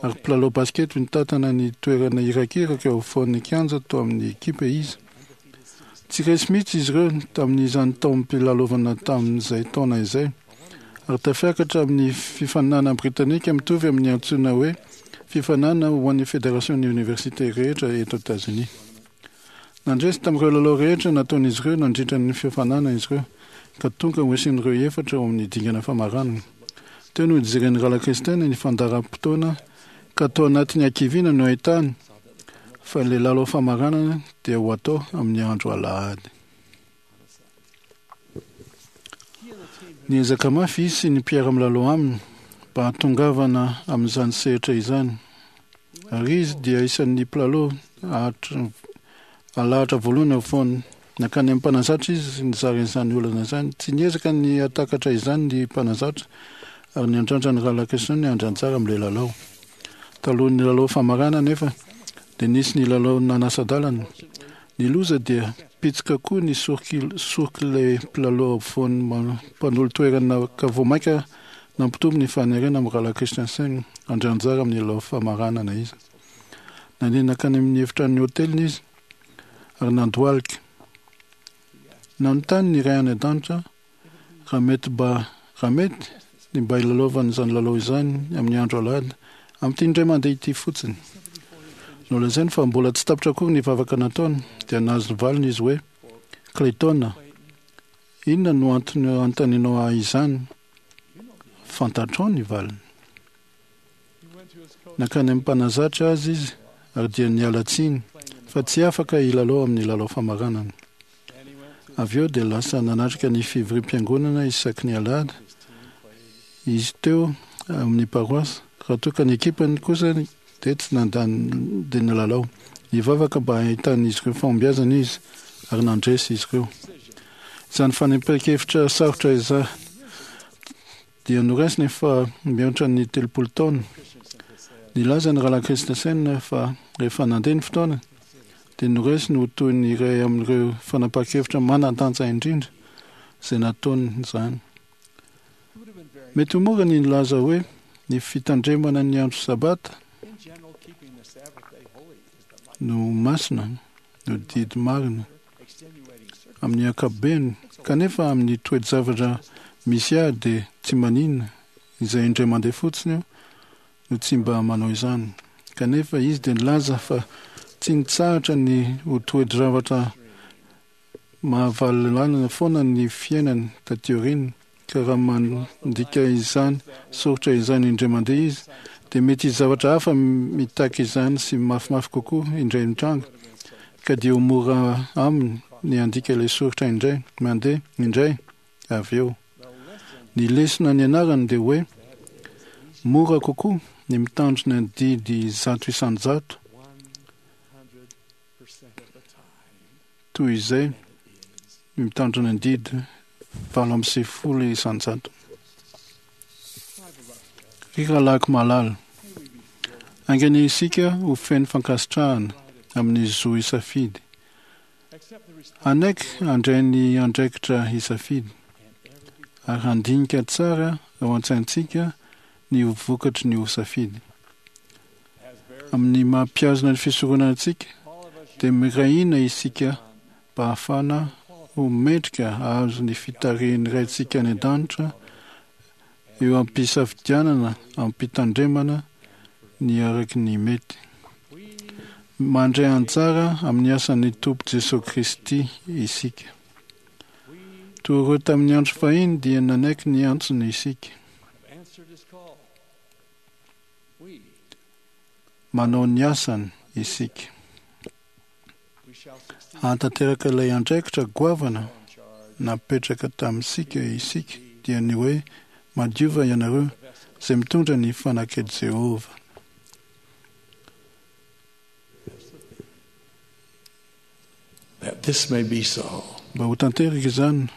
ary mpilalao basikety nitantana ny toerana irakiraka eo afovoan'ny kianja tao amin'ny ekipa izy. Tsy resy mihitsy izy ireo tamin'izany taom-pilalaovana tamin'izay taona izay. ary tafiakatra amin'ny fifaninanana britanika mitovy amin'ny antsoina hoe fifaninanana ho an'ny federasion'ny oniversite rehetra eto Etazonia. Nandresy tamin'ireo lalao rehetra nataon'izy ireo nandritra ny fiofanana izy ireo, ka tonga ho isan'ireo efatra ao amin'ny dingana famaranana. Teo no nijeren'i Rahalahy Christen ny fandaharam-potoana ka tao anatin'ny hakiviana no ahitany fa ilay lalao famaranana dia ho atao amin'ny andro alahady. Niezaka mafy izy sy ny mpiara-milalao aminy mba hahatongavana amin'izany sehatra izany. Ary izy dia isan'ny mpilalao alahatra voalohany afovoany. Nankany amin'ny mpanazatra izy nizara izany olana izany. Tsy niezaka ny hahatakatra izany ny mpanazatra ary niandrandra ny Rahalahy Christian ny handray anjara amin'ilay lalao. Talohan'ny lalao famarana anefa dia nisy ny lalao nanasa-dalana. Ny loza dia pitsika koa ny sorok'ilay mpilalao afovoany mpanolo-toerana ka vao mainka nampitombo ny fanerena amin'ny Rahalahy Christensen handray anjara amin'ny lalao famaranana izy. Nandeha nankany amin'ny efitranon'ny hoteliny izy ary nandohalika. Nanontany ny Ray any An-danitra raha mety mba raha mety ny mba hilalaovany izany lalao izany amin'ny andro alahady, amin'ity indray mandeha ity fotsiny. Nolazainy fa mbola tsy tapitra akory ny vavaka nataony dia nahazo valiny izy hoe, Clayton, inona no antony anontanianao ahy izany? Fantatrao ny valiny. Nankany amin'ny mpanazatra azy izy ary dia niala tsiny fa tsy afaka hilalao amin'ny lalao famaranana. Avy eo dia lasa nanatrika ny fivoriam-piangonana isaky ny alahady izy teo amin'ny paroasy, raha toa ka ny ekipany kosa dia tsy nandany dia nilalao. Nivavaka mba hahitan'izy ireo fahombiazana izy ary nandresy izy ireo. Izany fanapahan-kevitra sarotra izany dia noraisiny fa mihoatra ny 30 taona. Nilaza ny Rahalahy Christensen fa rehefa nandeha ny fotoana dia noraisiny ho toy ny iray amin'ireo fanapahan-kevitra manan-danja indrindra izay nataony izany. Mety ho mora ny nilaza hoe ny fitandremana ny andro Sabata no masina, no didy marina amin'ny ankapobeny, kanefa amin'ny toe-javatra misy ahy dia tsy maninona izay indray mandeha fotsiny aho no tsy mba manao izany. Kanefa izy dia nilaza fa tsy nitsahatra ny ho toe-javatra Mahavalo-lalana foana ny fiainany taty aoriana, ka raha mandika izany soritra izany indray mandeha izy, dia mety hisy zavatra hafa mitaky izany sy mafimafy kokoa indray mitranga, ka dia ho mora aminy ny handika ilay soritra indray mandeha indray avy eo. Ny lesona nianarany dia hoe mora kokoa ny mitandrina ny didy 100% Toy izay ny mitandrina ny didy 98%. Ry rahalahiko malala, haingana isika ho feno fankasitrahana amin'ny zo hisafidy. Hanaiky handray ny andraikitra hisafidy ary handinika tsara ao an-tsaintsika ny ho vokatry ny ho safidy. Amin'ny maha mpihazona ny fisoronana antsika, dia miray hina isika mba hahafahana ho mendrika hahazo ny fitarihin'ny Raintsika any An-danitra eo am-pisafidianana amim-pitandremana ny araky ny mety. Mandray anjara amin'ny asan'ny Tompo Jesoa Kristy isika. Toy ireo tamin'ny andro fahiny dia nanaiky ny antsony isika. Manao ny asany isika. Hahatanteraka ilay andraikitra goavana napetraka tamintsika isika, dia ny hoe, Madiova ianareo izay mitondra ny fanak'i Jehovah. Mba ho tanteraka izany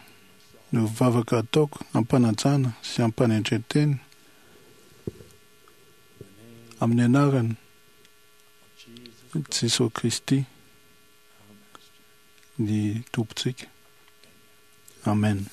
no vavaka ataoko am-panajana sy am-panetren-tena amin'ny anaran'i Jesoa Kristy, ny Tompontsika. Amen.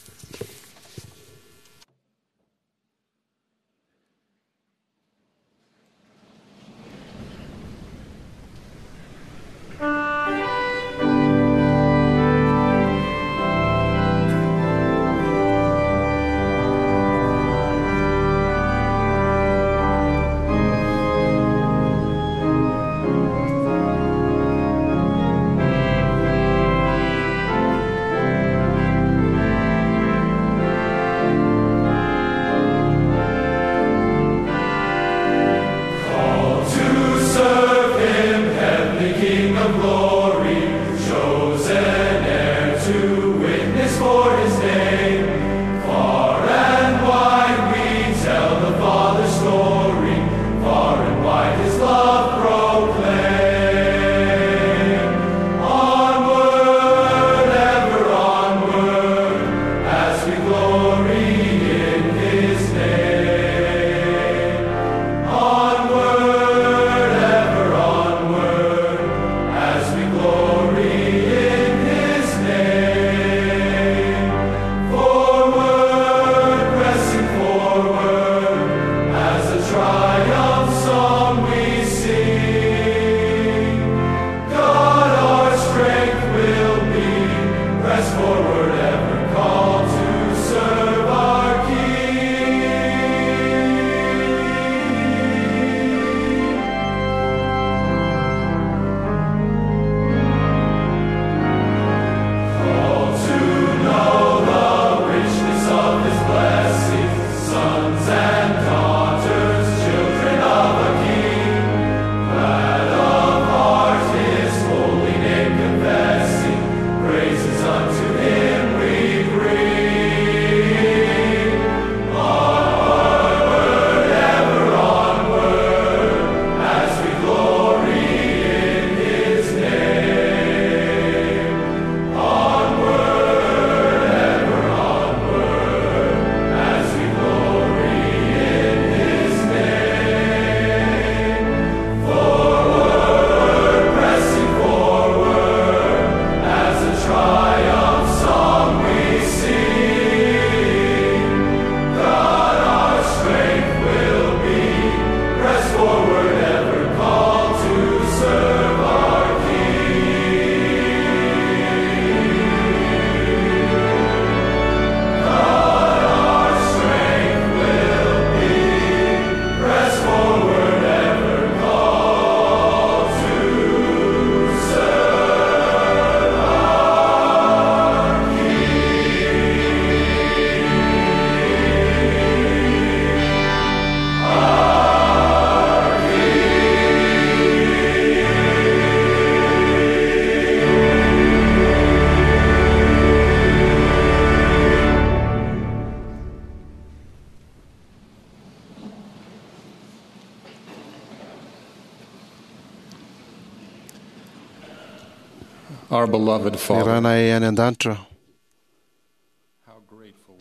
Our beloved Ny Father, Rainay any an-danitra,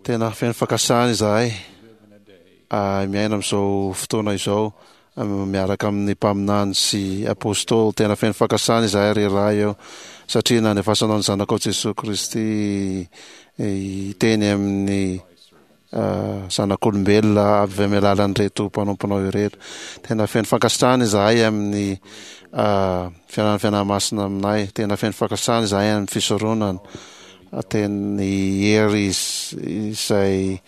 tena feno fankasitrahana izahay miaina amin'izao fotoana izao miaraka amin'ny mpaminany sy apôstôly. Tena feno fankasitrahana izahay ry Ray ô, satria nandefasanao ny Zanakao Jesoa Kristy hiteny amin'ny zanak'olombelona avy amin'ny alalan'ireto mpanomponao ireto. Tena feno fankasitrahana izahay amin'ny fiaran'ny Fanahy Masina aminay. Tena feno fankasitrahana izahay amin'ny fisoronana. Teny hery izay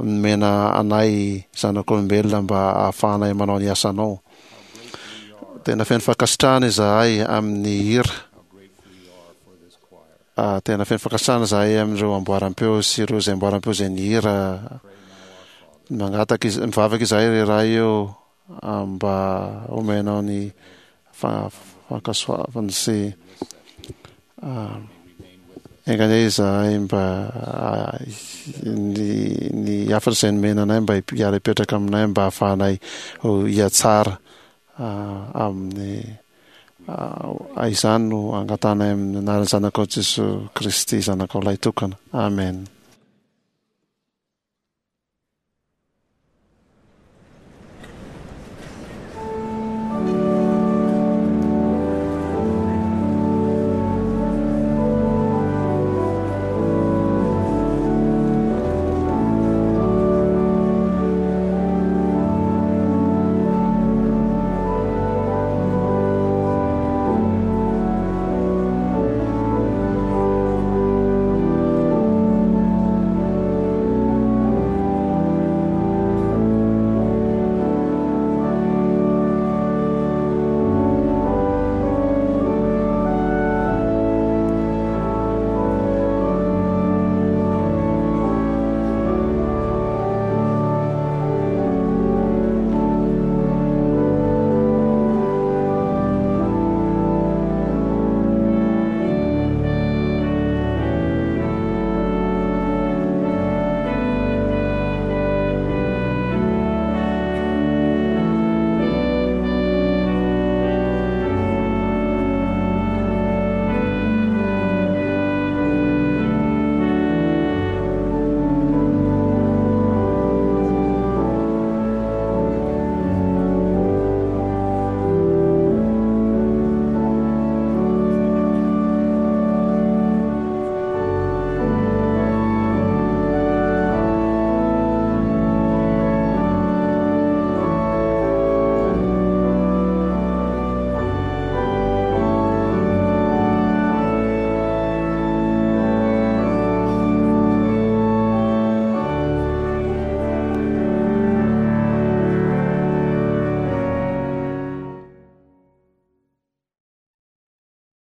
nomena anay zanak'olombelona mba hahafahanay manao ny asanao. Tena feno fankasitrahana izahay amin'ny hira. Tena feno fankasitrahana izahay amin'ireo amboaram-peo sy ireo izay amboaram-peo izay nihira. Mangataka iz-, mivavaka izahay ry Ray ô, mba omenao ny fankasoavana sy enga anie izahay mba ny ny hafatra izay nomena anay mba hiara-hipetraka aminay mba hahafahanay hihatsara amin'ny Izany no angatahanay amin'ny anaran'ny Zanakao Jesoa Kristy, Zanakao Lahitokana. Amen.